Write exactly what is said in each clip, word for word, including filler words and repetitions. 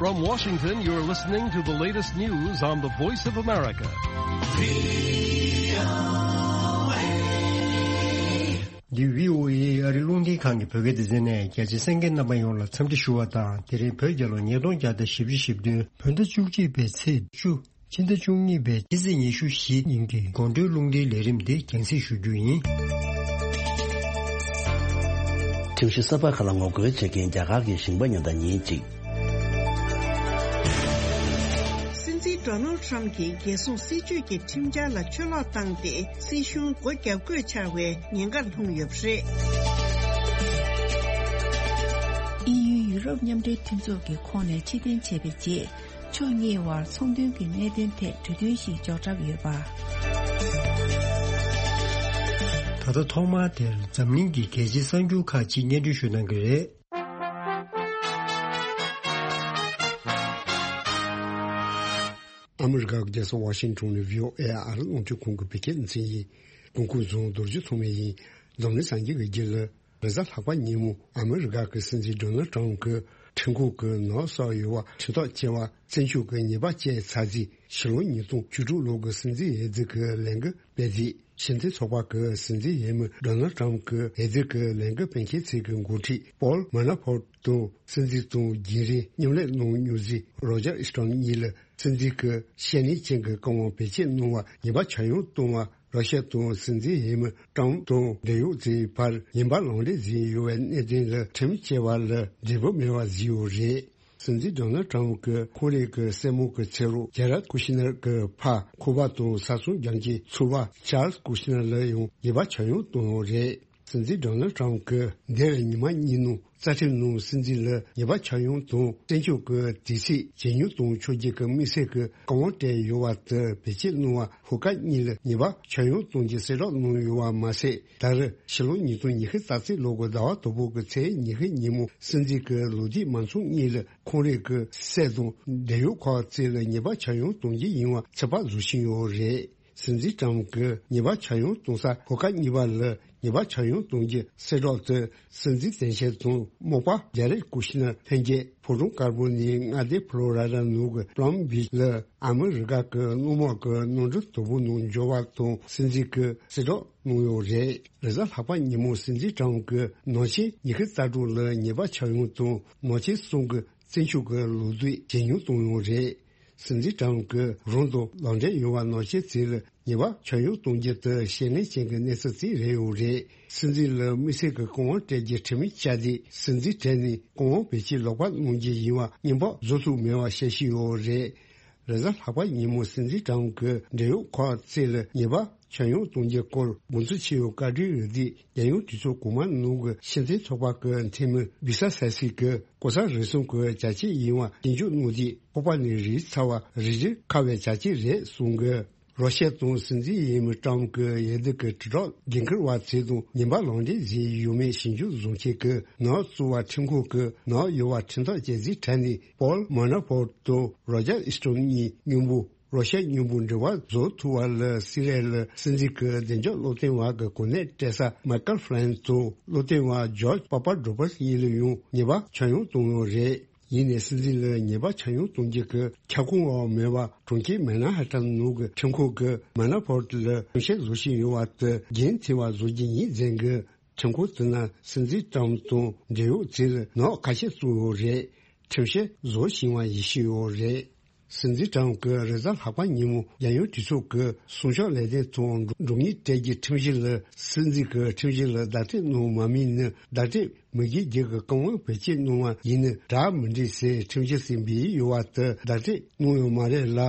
From Washington, you're listening to the latest news on the Voice of America. འདི་བྷི་ཨོ་ཨེ་ཨ་རི་རླུང་འཕྲིན་ཁང་གི་བོད་སྐད་སྡེ་ཚན་ནས། རྒྱ་ཆེ་གསན་མཁན་རྣམ་པ་ཡོངས་ལ་འཚམས་འདྲི་ཞུ་བ་དང་། དེ་རིང་བོད་རྒྱལ་ལོ་ཉིས་སྟོང་བརྒྱ་དང་བཞི་བཅུ་ཞེ་བདུན། བོད་ཟླ་བཅུ་གཅིག་པའི་ཚེས་བཅུ། ཕྱི་ཟླ་བཅུ་གཉིས་པའི་སྤྱི་ཚེས་ཉི་ཤུ་བཞི་ཉིན་གྱི་དགོང་དྲོའི་རླུང་འཕྲིན་ལས་རིམ་འདི་རྒྱང་སྲིང་ཞུ་རྒྱུ་ཡིན། ཁྲིམས་གཞི་གསར་པ་ཁག་ལ་ངོ་རྒོལ་བྱེད་མཁན་རྒྱ་གར་གྱི་ཞིང་པ་ཉེན་བརྡ་ཉིན་གཅིག་སྲིད་འཛིན་ཌོ་ནལ་ཊམ་གྱིས་རྒྱལ་སྲུང་སྲིད་ཇུས་ཀྱི་ཁྲིམས་འཆར་ལ་ཆུ་ལོག་བཏང་སྟེ། སྲིད་གཞུང་སྒོ་བརྒྱབ་དགོས་ཆགས་པའི་ཉེན་ཁར་ལྷུང་ཡོད་པ་རེད། དབྱིན་ཡུལ་ཡུ་རོབ་མཉམ་འབྲེལ་མཐུན་ཚོགས་ཀྱི་ཁོངས་ནས་ཕྱིར་འཐེན་བྱས་པའི་རྗེས། ཕྱོགས་གཉིས་དབར་ཚོང་དོན་གྱི་གནད་དོན་ཐད་གྲོས་མཐུན་ཞིག་འཇོག་གྲབས་ཡོད་པ། ད་ལྟ་ཐོག་མར་དེར་འཛམ་གླིང་གི་གལ་ཆེའི་གསར་འགྱུར་ཁག་ཅིག་སྙན་སྒྲོན་ཞུ་གནང་གི་རེད། ཨ་མི་རི་ཀ་གི་རྒྱལ་ས་ཝ་ཤིང་ཊོན་ནས་བྷི་ཨོ་ཨེ་ཨ་རི་རླུང་འཕྲིན་ཁང་གི་བོད་སྐད་སྡེ་ཚན་ཡིན། སྐུ་ཁམས་བཟང་། རྡོ་རྗེ་ཐོགས་མེད་ཡིན། འཛམ་གླིང་སངས་རྒྱས་ཀྱི་རྒྱུད་ལ། རེས་གཟའ་ལྷག་པ་ཉིན་མོ་ཨ་མི་རི་ཀ་གི་སྲིད་འཛིན་ཌོ་ནལ་ཊམ་གྱི་ཁྲིམས་ཁང་གི་ནང་སོག་ཡུལ་བ་ཁྲིམས་ཐག་བཅད་པ་བཙན་བྱོལ་གྱི་ཉེས་པ་བཅད་ཚར་རྗེས། ཕྱི་ལོ་ཉིས་སྟོང་བཅུ་དྲུག་ལོ་གི་སྲིད་འཛིན་འོས་བསྡུ་གི་ལས་འགུལ་སྤེལ་རྗེས། ཕྱི་འཐེན་ཚོགས་པ་གི་སྲིད་འཛིན་འོས་མི་ཌོ་ནལ་ཊམ་གྱི་འོས་བསྡུ་གི་ལས་འགུལ་སྤེལ་མཁན་ཚོ་གི་འགོ་ཁྲིད་པོལ་མ་ན་ཕོར་དང་། སྲིད་འཛིན་དང་རྒྱུན་རིང་མཉམ་ལས་གནང་མྱོང་མཁན་རོ་ཇར་ཨི་སི་ཊོན་གཉིས་ལ། སྲིད་འཛིན་གྱི་བཤེས་གཉེན་ཅན་གྱི་བཀའ་དབང་བེད་སྤྱོད་གནང་བར་ཉེས་པ་ཆག་ཡང་བཏང་བ། ར་ཤ་དང་སྲིད་འཛིན་འོས་མི་ཊམ་དང་འབྲེལ་ཡོད་ཚོའི་བར་ཉེས་པ་ལག་འབྲེལ་བྱས་ཡོད་པའི་གནད་དོན་ལ་ཁྲིམས་བཅད་པ་ལ་འབྲས་བུ་མེད་པ་བཟོས་ཡོད་རེད། སྲིད་འཛིན་ཌོ་ནལ་ཊམ་གྱི་ཁོང་རང་གི་སྲས་མོ་གི་ཚེ་རོགས་ཇེ་རད་ཀུ་ཤི་ནར་གྱི་ཕ་ཁོ་པ་དང་ས་སོང་རྒྱག་མཁན་ཚོ་པ་ཆཱལ་སི་ཀུ་ཤི་ནར་ལ་ཡང་ཉེས་པ་ཆག་ཡང་བཏང་ཡོད་རེད། སྲིད་འཛིན་ཌོ་ནལ་ཊམ་གྱིས་འདས་པའི་ཉི་མ་གཉིས་ནང་རྩ་ཁྲིམས་ནང་སྲིད་འཛིན་ལ་ཉེས་པ་ཆག་ཡང་དང་། བཙན་བྱོལ་གྱི་དུས་ཚོད་ཇེ་ཉུང་གཏོང་ཕྱོགས་ཀྱི་དམིགས་བསལ་གྱི་བཀའ་དབང་སྤྲད་ཡོད་པ་དེ་བེད་སྤྱོད་གནང་བར་ཧུར་ཁ་གཉིས་ལ་ཉེས་པ་ཆག་ཡང་གཏོང་རྒྱུ་གསལ་བསྒྲགས་གནང་ཡོད་པ་མ་ཟད། ད་རེས་ཕྱི་ལོ་ཉིས་སྟོང་ཉི་ཤུ་རྩ་གཅིག་ལོ་གི་ཟླ་བ་དང་པོ་གི་ཚེས་ཉི་ཤུ་ཉིན་མོ་སྲིད་འཛིན་གྱི་ལོ་རྒྱུས་མ་འཚོགས་གཉིས་ལ་ཁོང་རང་གི་སྲས་དང་འབྲེལ་ཡོད་ཁག་ཅིག་ལ་ཉེས་པ་ཆག་ཡང་གཏོང་རྒྱུ་ཡིན་པ་ཚོད་དཔག་བཟོ་བཞིན་ཡོད་རེད། སྲིད་འཛིན་ཊམ་གྱིས་ཉེས་པ་ཆག་ཡང་གཏོང་ས་ཧུར་ཁ་གཉིས་པ་ལ་ཉེས་པ་ཆག་ཡང་གཏོང་རྒྱུ་གསལ་བསྒྲགས་དེ། སྲིད་འཛིན་དོན་གཅོད་དང་རྨོག་པ་ཇེ་རེད་ཀུ་ཤི་ནར་ལྷན་རྒྱས་ཕོ་བྲང་དཀར་པོ་ནས་མངའ་སྡེ་ཕོ་ལོ་ར་ཌ་ནང་གི་པ་ལམ་བྷིཆ་ལ་ཨ་མི་རི་ཀ་གི་སྣུམ་འཁོར་གྱི་གནམ་གྲུ་དང་པོ་ནང་འབྱོར་བ་དང་སྲིད་འཛིན་གྱིས་གསལ་བསྒྲགས་གནང་ཡོད་རེད། རེས་གཟའ་ལྷག་པ་ཉིན་མོ་སྲིད་འཛིན་ཊམ་གྱིས་ནང་ཆེན་ཉི་ཤུ་རྩ་དྲུག་ལ་ཉེས་པ་ཆག་ཡང་དང་ནང་ཆེན་གསུམ་གྱི་བཙན་བྱོལ་གྱི་ལོ་དུས་ཇེ་ཉུང་གཏོང་ཡོད་རེད། སྲིད་འཛིན་ཊམ་གྱིས་རང་དང་ལག་འབྲེལ་ཡོད་པ་ནང་ཆེན་ཚོ་ལ་ཉེས་པ་ཆག་ཡང་གཏོང་རྒྱུ་དེ་བཤད་ལན་ཅན་གྱི་གནས་ཚུལ་ཅིག་རེད་ཡོད་རེད། སྲིད་འཛིན་ལ་དམིགས་བསལ་གྱི་བཀའ་དབང་སྤྲད་རྒྱུ་ཁྲིམས་ཡིག་བཅའ་སྟེ། སྲིད་འཛིན་གྲས་ནས་བཀའ་དབང་བེད་སྤྱོད་ལོག་པ་གནང་རྒྱུ་ཡིན་པ་སྙན་པོ་བཟོ་ཐུབ་མེད་པ་བཤད་བཞིན་ཡོད་རེད། རེས་གཟའ་ལྷག་པ་ཉིན་མོ་སྲིད་འཛིན་ཊམ་གྱི་འབྲེལ་ཡོད་ཁག་ཅིག་ལ་ཉེས་པ་ཆག་ཡང་གཏོང་རྒྱུ་སྐོར་དགོངས་ཚུལ་ཆེ་བའི་བཀའ་འཁྲོལ་ཡོད་དུས། རྒྱལ་ཡོངས་གྲོས་ཚོགས་གོང་མ་ནང་གི་ཕྱི་འཐེན་ཚོགས་པ་གི་འཐུས་མི་བི་ས་ས་སི་གིས་ལྐོག་ཟ་རུལ་སུངས་ཀྱི་བྱ་སྤྱོད་ཡིན་པ་ཞིབ་འཇུག་གནང་དུས། ཁོག་པ་ནས་རུལ་ཚར་བ་རིགས་རུས་ཁ་བའི་བྱ་སྤྱོད་རེད་གསུངས་ཀྱི། རོ་ཤ་དང་སྲིད་འཛིན་འོས་མི་ཊམ་གྱི་འོས་བསྡུ་གི་དྲིལ་བསྒྲགས་འགན་འཁུར་བ་ཚོ་དང་ཉེས་པ་ལག་འབྲེལ་བྱས་ཡོད་མེད་ཞིབ་འཇུག་བཟོ་མཁན་གྱི་ནག་བཙུགས་པ་ཁྲིམས་ཁང་གི་ནག་ཡོད་པ་ཁྲིམས་ཐག་བཅད་རྩིས་གྲས་ནས་པོལ་མ་ན་ཕོར་དང་རོ་ཇར་ཨི་སི་ཊོན་གཉིས་མཉམ་པོ་རོ་ཤ་མཉམ་པོ་འབྲེལ་བ་བཟོ་ཐུབ་པ་ལ་སི་རིས་ལ་སྲིད་འཛིན་གྱི་བདེ་འཇགས་སློབ་སྟོན་པ་གི་གོ་གནས་སྤྲད་ས་མའི་ཀལ་ཕི་ལན་དང་སློབ་སྟོན་པ་ཇོརྗ་པ་པ་ཌོ་པ་སི་གཉིས་ལ་ཡང་ཉེས་པ་ཆག་ཡང་གཏོང་ཡོད་རེད། ཡིན་ནའི་སྲིད་འཛིན་ལ་ཉེས་པ་ཆག་ཡང་གཏོང་རྒྱུ་གི་ཁྱབ་ཁོངས་འོག་མེད་པ། གྲོང་ཁྱེར་མན་ཧ་ཏན་ནང་གི་ཁྲིམས་ཁང་གིས་མ་ན་ཕོར་ལ་ཁྲིམས་བཤེར་བཟོ་བཞིན་ཡོད་པ་དེ་འགན་འཁྱེར་བ་བཟོ་རྒྱུ་ཡིན་ཟེར་གི། ཁྲིམས་ཁང་དེ་ནས་སྲིད་འཛིན་ཊམ་དང་འབྲེལ་ཡོད་ཚོ་ལ་ནག་ཁ་ཤས་བཙུགས་ཡོད་རེད། ཁྲིམས་བཤེར་བཟོ་བཞིན་པ་ཡིན་ཞུས་ཡོད་རེད། སྲིད་འཛིན་ཊམ་གྱིས་རེས་གཟའ་ལྷག་པ་ཉིན་མོ་རྒྱལ་ཡོངས་གྲོས་ཚོགས་ཀྱི་གསུང་ཕྱག་ལས་དོན་དང་། གྲོས་ཉེས་སྤྲད་རྒྱུའི་ཁྲིམས་གཞི་ལ་སྲིད་འཛིན་གྱི་ཁྲིམས་གཞི་ལ་བརྡ་སྤྲོད་གནང་མ་མིན་ནི་བརྡ་སྤྲོད་མི་དགོས་རྒྱུ་གི་བཀའ་དབང་བེད་སྤྱོད་གནང་བ་ཡིན་ནི་འདྲ་མི་འདྲ་ཟེར་ཁྲིམས་གཞི་ཞིག་འབུལ་ཡོད་པ་དེ་བརྡ་སྤྲོད་གནང་ཡོད་མ་རེད་ལ།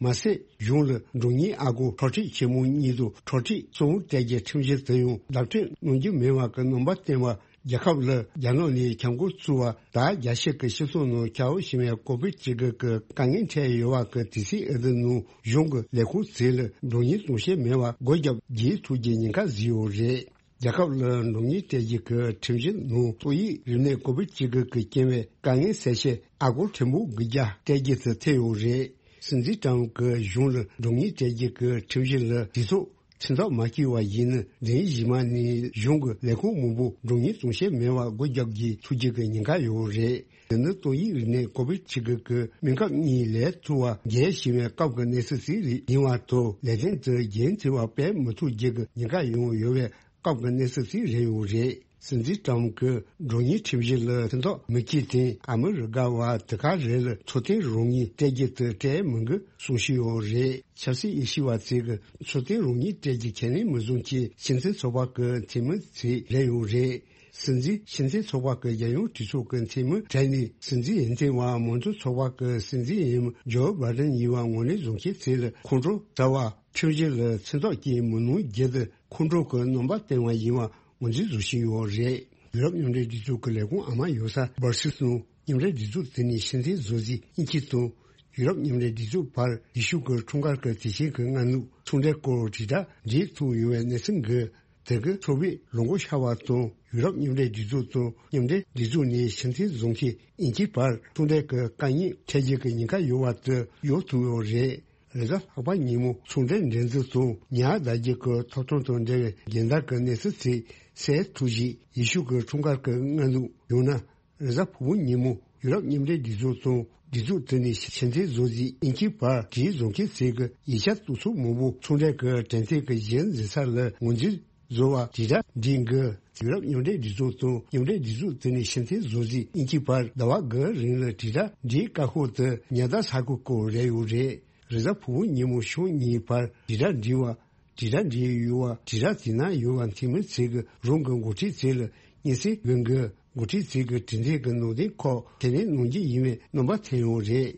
མ་ཟད་གཞུང་ལ་གྲོས་ཉེས་ཨ་སྒོར་འཕྲོག་འཕྲུག་ཆེན་མོ་གཉིས་དང་འཕྲོག་འཕྲུག་གསུམ་སྤྲད་རྒྱུའི་ཁྲིམས་གཞི་དེ་ཡང་བརྡ་སྤྲོད་གནང་རྒྱུ་མེད་པ་གི་རྣམ་པ་བསྟན་པ། རྒྱལ་ཁབ་ལ་རྒྱ་ནག་ནས་ཁྱབ་མགོ་བཙུགས་པ་དང་། རྒྱལ་སྤྱི་གི་སྤྱི་ཚོགས་ནང་ཁྱབ་པ་ཕྱིན་པའི་ཀོ་བིཌ་བཅུ་དགུ་གི་དཀའ་ངལ་འཕྲད་ཡོད་པ་གི་དུས་ཚོད་འོས་བསྡུ་ནང་གཞུང་གི་ལས་ཁུངས་ཚོ་ལ་གྲོས་ཉེས་དང་ཤེས་མེད་པ་སྒོ་བརྒྱབ་རྒྱག་ཐུབ་རྒྱུའི་ཉེན་ཁ་བཟོས་ཡོད་རེད། རྒྱལ་ཁབ་ལ་གྲོས་ཉེས་སྤྲད་རྒྱུ་གི་ཁྲིམས་གཞི་ནང་ཏོག་དབྱིབས་རིམས་ནད་ཀོ་བིཌ་བཅུ་དགུ་གི་རྐྱེན་པས་དཀའ་ངལ་སེལ་ཆེད་ཨ་སྒོར་ཁྲི་འབུམ་དགུ་བརྒྱ་སྤྲད་རྒྱུ་དེ་ཐེ་ཡོད་རེད། སྲིད་འཛིན་ཀྲམ་གྱིས་གཞུང་ལ་གྲོས་ཉེས་སྤྲད་རྒྱུ་གི་ཁྲིམས་གཞི་ལ་དུས་ཚོད་ ཁྲིམས་ཐག་མ་བཅད་པ་ཡིན་ན། འདི་ནི་གཞི་མ་ནས་གཞུང་གི་ལས་ཁུངས་མང་པོ་མགྲོན་གཉེར་གཏོང་བྱེད་མེད་པར་སྒོ་རྒྱག་རྒྱུའི་ཐུགས་རྗེ་གི་ཉེན་ཁ་ཡོད་རེད། དེ་ནི་ཏོག་དབྱིབས་རིམས་ནད་ཀོ་བིད་བཅུ་དགུ་གི་སྨན་ཁབ་གཉིས་ལས་ཐུབ་པ་རྒྱལ་ཞིང་བའི་སྐབས་ཀྱི་གནས་ཚུལ་ཞིག་རེད། ཡིན་པ་དང་ལས་དོན་དུ་རྒྱལ་འཚེ་བ་སྤེལ་མི་ཐུབ་རྒྱུ་གི་ཉེན་ཁ་ཡང་ཡོད་པའི་སྐབས་ཀྱི་གནས་ཚུལ་ཞིག་རེད་ཡོད་རེད། སྲིད་འཛིན་ཀྲམ་གྱིས་མགྲོན་གཉེར་ཁྲིམས་གཞི་ལ་ཕན་ཐོགས་མི་སྐྱེད་དེ། ཨ་མི་རི་ཀ་བ་དེ་ག་རེ་ལ་འཚོ་རྟེན་རང་མོས་སྤྲད་རྒྱུ་དེ་སྤྲད་མི་དགོས་གསུང་བཤད་ཡོད་རེད། ཆབ་སྲིད་དབྱེ་ཞིབ་པ་ཚོས་གི་འཚོ་རྟེན་རང་མོས་སྤྲད་རྒྱུ་ཁས་ལེན་མི་བཟོ་ཅེས་སྤྱི་མཐུན་ཚོགས་པ་གི་འཐུས་མི་ཚོས་རེད་ཡོད་རེད། སྲིད་འཛིན་སྤྱི་མཐུན་ཚོགས་པ་གི་རྒྱལ་ཡོངས་གྲོས་ཚོགས་ཀྱི་འཐུས་མི་གྲས་ནས་སྲིད་འཛིན་འོས་འདེམས་པ་མང་གཙོ་ཚོགས་པ་གི་སྲིད་འཛིན་འོས་མི་ཇོ་བྷའི་ཌེན་ཡིན་པ་ངོས་ལེན་བཟོ་མཁན་ཚོ་ལ་ཁོང་ཁྲོ་ཟ་བ་ཁྲིམས་གཞི་ལ་མཚན་རྟགས་བཀོད་མི་གནང་རྒྱུ་དེ་ཁོང་ཁྲོ་གི་རྣམ་པ་བསྟན་པ་ཡིན་པ་ངོས་འཛིན་བཟོ་བཞིན་ཡོད་རེད། ཡུ་རོབ་མཉམ་འབྲེལ་སྒྲིག་འཛུགས་ཀྱི་ལས་ཁུངས་ཨ་མ་ཡོད་ས་སྦར་སིལ་སོང་མཉམ་འབྲེལ་སྒྲིག་འཛུགས་དེ་ནས་ཕྱིར་འཐེན་བཟོ་རྩིས་དབྱིན་ཇི་དང་ཡུ་རོབ་མཉམ་འབྲེལ་སྒྲིག་འཛུགས་བར་ཡེ་ཤུ་གི་འཁྲུངས་སྐར་གྱི་དུས་ཆེན་གྱི་སྔ་ནུབ་ཚོང་འབྲེལ་སྐོར་དྲིལ་བསྒྲགས་འབྲེལ་ཐུག་ཡོད་པའི་གནས་ཚུལ་འགའ། དེ་གི་ཚོགས་པས་ལོ་འགོ་ཤར་བ་དང་ཡུ་རོབ་མཉམ་འབྲེལ་སྒྲིག་འཛུགས་དང་མཉམ་འབྲེལ་སྒྲིག་འཛུགས་ནས་ཕྱིར་འཐེན་བཟོ་མཁན་དབྱིན་ཇི་བར་ཚོང་འབྲེལ་གྱི་དཀའ་ངལ་འཕྲད་རྒྱུ་གི་ཉེན་ཁ་ཡོད་པ་དེ་ཡོང་ཐུབ་ཡོད་རེད། རེས་གཟའ་ལྷག་པ་ཉིན་མོ་ཚོང་འབྲེལ་འགྲན་བསྡུར་དང་ཉ་ཟླ་རྒྱུ་གི་ཐོབ་ཐང་དང་འབྲེལ་བའི་རྒྱལ་དར་གྱི་གནས་ཚུལ་ཚོས་གསལ་ཐུབ་ཞིག་ཡེ་ཤུ་གི་འཁྲུངས་སྐར་གྱི་སྔ་ནུབ་ཡང་ན་རེས་གཟའ་ཕུར་བུ་ཉིན་མོ་ཡུ་རོབ་མཉམ་འབྲེལ་སྒྲིག་འཛུགས་དང་སྒྲིག་འཛུགས་དེ་ནས་ཕྱིར་འཐེན་བཟོ་རྩིས་དབྱིན་ཇི་བར་གྱི་བཟོ་མཁན་ཚོས་གི་ཡིག་ཆ་བཏོན་ཚུལ་མང་པོ་ཚོང་འབྲེལ་གྱི་དྲན་རྟེན་གྱི་གཞི་འཛིན་ས་ལ་ངོས་འཛིན་བཟོ་བ་དྲིལ་བསྒྲགས་འབྲི་དགོས། ཡུ་རོབ་མཉམ་འབྲེལ་སྒྲིག་འཛུགས་དང་མཉམ་འབྲེལ་སྒྲིག་འཛུགས་དེ་ནས་ཕྱིར་འཐེན་བཟོ་རྩིས་དབྱིན་ཇི་བར་ཟླ་བ་འགའི་རིང་ལ་དྲིལ་བསྒྲགས་འབྲི་དཀའ་ཁག་དེ་ཉ་ཟླ་ས་གི་སྐོར་རེད་ཡོད་རེད། རེས་གཟའ་ཕུར་བུ་ཉིན་མོ་ཕྱོགས་གཉིས་བར་དྲིལ་བསྒྲགས་འབྲི་བ། དྲིལ་བསྒྲགས་འབྲི་ཡུལ་བ་དྲིལ་བསྒྲགས་དེ་ན་ཡོད་པ་འཐུས་མི་ཚོས་གི་རང་གི་འགོ་ཁྲིད་ཚོ་ལ་སྙན་སེང་འབུལ་དགོས། འགོ་ཁྲིད་ཚོས་གི་དྲི་འདེབས་གི་ནང་དོན་ཁག་ཁས་ལེན་གནང་རྒྱུ་ཡིན་པའི་རྣམ་པ་ཐོན་ཡོད་རེད།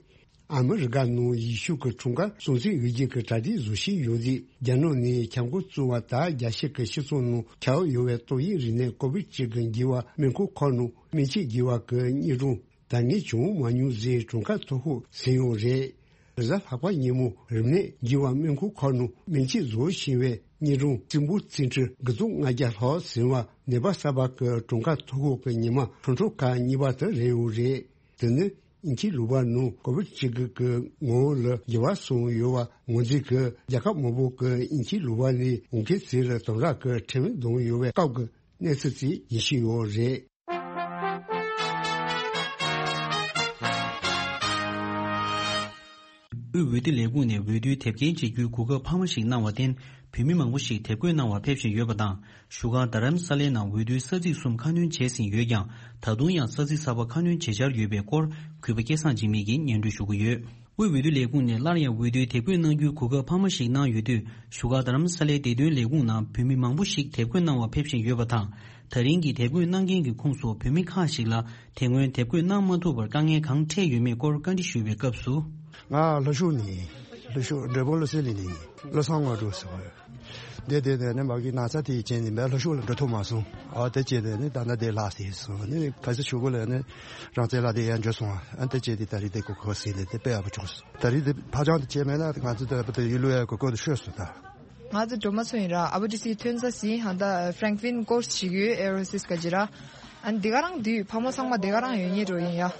ཨ་མི་རི་ཀ་ནང་ཡེ་ཤུ་གི་འཁྲུངས་སྐར་སྲུང་བརྩི་འོས་བསྡུ་གི་གྲ་སྒྲིག་བཟོ་བཞིན་ཡོད་རྗེས་རྒྱ་ནག་ནས་ཁྱབ་མགོ་བཙུགས་པ་དང་རྒྱལ་སྤྱི་གི་སྤྱི་ཚོགས་ནང་ཁྱབ་ཡོད་པའི་ཏོག་དབྱིབས་རིམས་ནད་ཀོ་བིད་བཅུ་དགུ་འགོས་པ་སྨན་ཁང་ཁག་ནང་སྨན་བཅོས་བགྱིས་པ་གི་སྙན་སྒྲོན་ད་ངས་བྱུང་མ་མྱོང་ཟེར་གྲངས་ཀ་མཐོ་ཤོས་ཟིན་ཡོད་རེད། རེས་གཟའ་ལྷག་པ་ཉིན་མོ་རིམས་ནད་འགོས་པ་སྨན་ཁང་ཁག་ནང་སྨན་བཅོས་བཟོ་བཞིན་པའི་སྙན་སྒྲོན་རྩིས་འབོར་ཚན་ཁྲི་དགུ་སྟོང་ལྔ་བརྒྱ་ལྷག་ཟིན་པ་ནད་པ་གསར་པ་གི་གྲངས་ཀ་མཐོ་ཤོས་ཀྱི་ཉི་མ་ཁྲོན་ཁྲོ་ཁག་གཉིས་པ་དེ་རེད་ཡོད་རེད། དེ་ནི་དབྱིན་ཇིའི་ལུང་པ་ནང་ཀོ་བིད་བཅུ་དགུ་གི་ངོ་བོ་ལ་འགྱུར་བ་སོང་ཡོད་པ་ངོས་འཛིན་གྱིས་རྒྱལ་ཁབ་མང་པོ་གི་དབྱིན་ཇིའི་ལུང་པ་ནས་འོང་མཁན་ཚོ་ལ་དམ་དྲག་གི་ཁྲིམས་བརྡུང་ཡོད་པའི་སྐབས་ཀྱི་གནས་ཚུལ་ཞིག་ཡིན་བཞིན་ཡོད་རེད། དབུས་འོས་བསྡུ་ལས་ཁུངས་ནས་འོས་བསྡུའི་དེབ་སྐྱེལ་བྱེད་རྒྱུའི་གོ་སྐབས་འཕར་མ་ཞིག་གནང་བར་བརྟེན། བོད་མི་མང་པོ་ཞིག་དེབ་འགོད་གནང་བར་ཕེབས་བཞིན་ཡོད་པ་དང་། བཞུགས་སྒར་རྡ་རམ་ས་ལའི་ནང་འོས་བསྡུའི་ས་ཚིགས་གསུམ་ཁ་སྣོན་བྱས་ཟིན་ཡོད་ཀྱང་། ད་དུང་ཡང་ས་ཚིགས་གསར་པ་ཁ་སྣོན་བྱེད་འཆར་ཡོད་པའི་སྐོར། གུས་པ་སྐལ་བཟང་འཇིགས་མེད་ཀྱིས་སྙན་སྒྲོན་ཞུ་གི་ཡོད། དབུས་འོས་བསྡུ་ལས་ཁུངས་ནས་སླར་ཡང་འོས་བསྡུའི་དེབ་འགོད་གནང་རྒྱུའི་གོ་སྐབས་འཕར་མ་ཞིག་གནང་ཡོད་དུས། བཞུགས་སྒར་རྡ་རམ་ས་ལའི་བདེ་དོན་ལས་ཁུངས་ནང་བོད་མི་མང་པོ་ཞིག་དེབ་འགོད་གནང་བར་ཕེབས་བཞིན་ཡོད་པ་དང་། ད་རིང་གི་དེབ་འགོད་གནང་མཁན་གྱི་ཁོངས་སུ་བོད་མི་ཁག་ཞིག་ལ་དེ་སྔོན་དེབ་འགོད་གནང་མ་ཐུབ་པར་དཀའ་ངལ་གང་འཕྲད་ཡོད་མེད་སྐོར་བཀའ་འདྲི་ཞུས་པའི་སྐབས་སུ། ང་ལྷོ་ཕྱོགས་ནས་ལྷོ་ཕྱོགས་འབྲས་སྤུངས་བློ་གསལ་གླིང་ནས་ཡིན། བློ་བཟང་དངོས་གྲུབ་ཟེར་བ། འདི་དེ་ནས་ནི་མ་གི་ན་ཚ་དེ་ཡི་རྐྱེན་ནས་མེད་ལྷོ་ཕྱོགས་ལ་འགྲོ་ཐུབ་མ་སོང་། ཨ་དེ་བྱས་ནས་ནི་ད་ལྟ་འདི་ལ་ཟེར་སོང་ནི་ག་ཚོད་ཆུ་བོ་ལ་ནི་རང་བཙན་ལ་དེ་ཡང་འགྲོ་སོང་། ཨ་དེ་བྱས་དེ་ད་རེས་དེ་གོ་གོ་ཟིན་ནས་དེ་དཔེ་ཡག་པོ་བྱུང་སོང་། ད་རེས་དེ་ཕ་ཅང་དེ་བྱས་མེད་ན་ང་ཚོ་དེ་ལ་ཡུལ་ལུ་ཡ་གོ་གོ་དེ་ཤོད་སོང་ད། ང་ཚོ་སྒྲོལ་མ་མཚོ་ཡིན་ར། ཨ་བ་ཏི་སི་ཐོན་ས་ཟིན་ཧ་ད་ཧྥ་རེང་ཀ་ལིན་ཀོར་སི་ཞིག་ཡོད་ཨེ་རོ་སིས་ག་ཅི་ར། ཨ་ནི་འདི་ག་རང་འདི་ཕ་མ་ཚང་མ་འདི་ག་རང་ཡོད་ཉེ་འགྲོ་ཡིན་ཡ།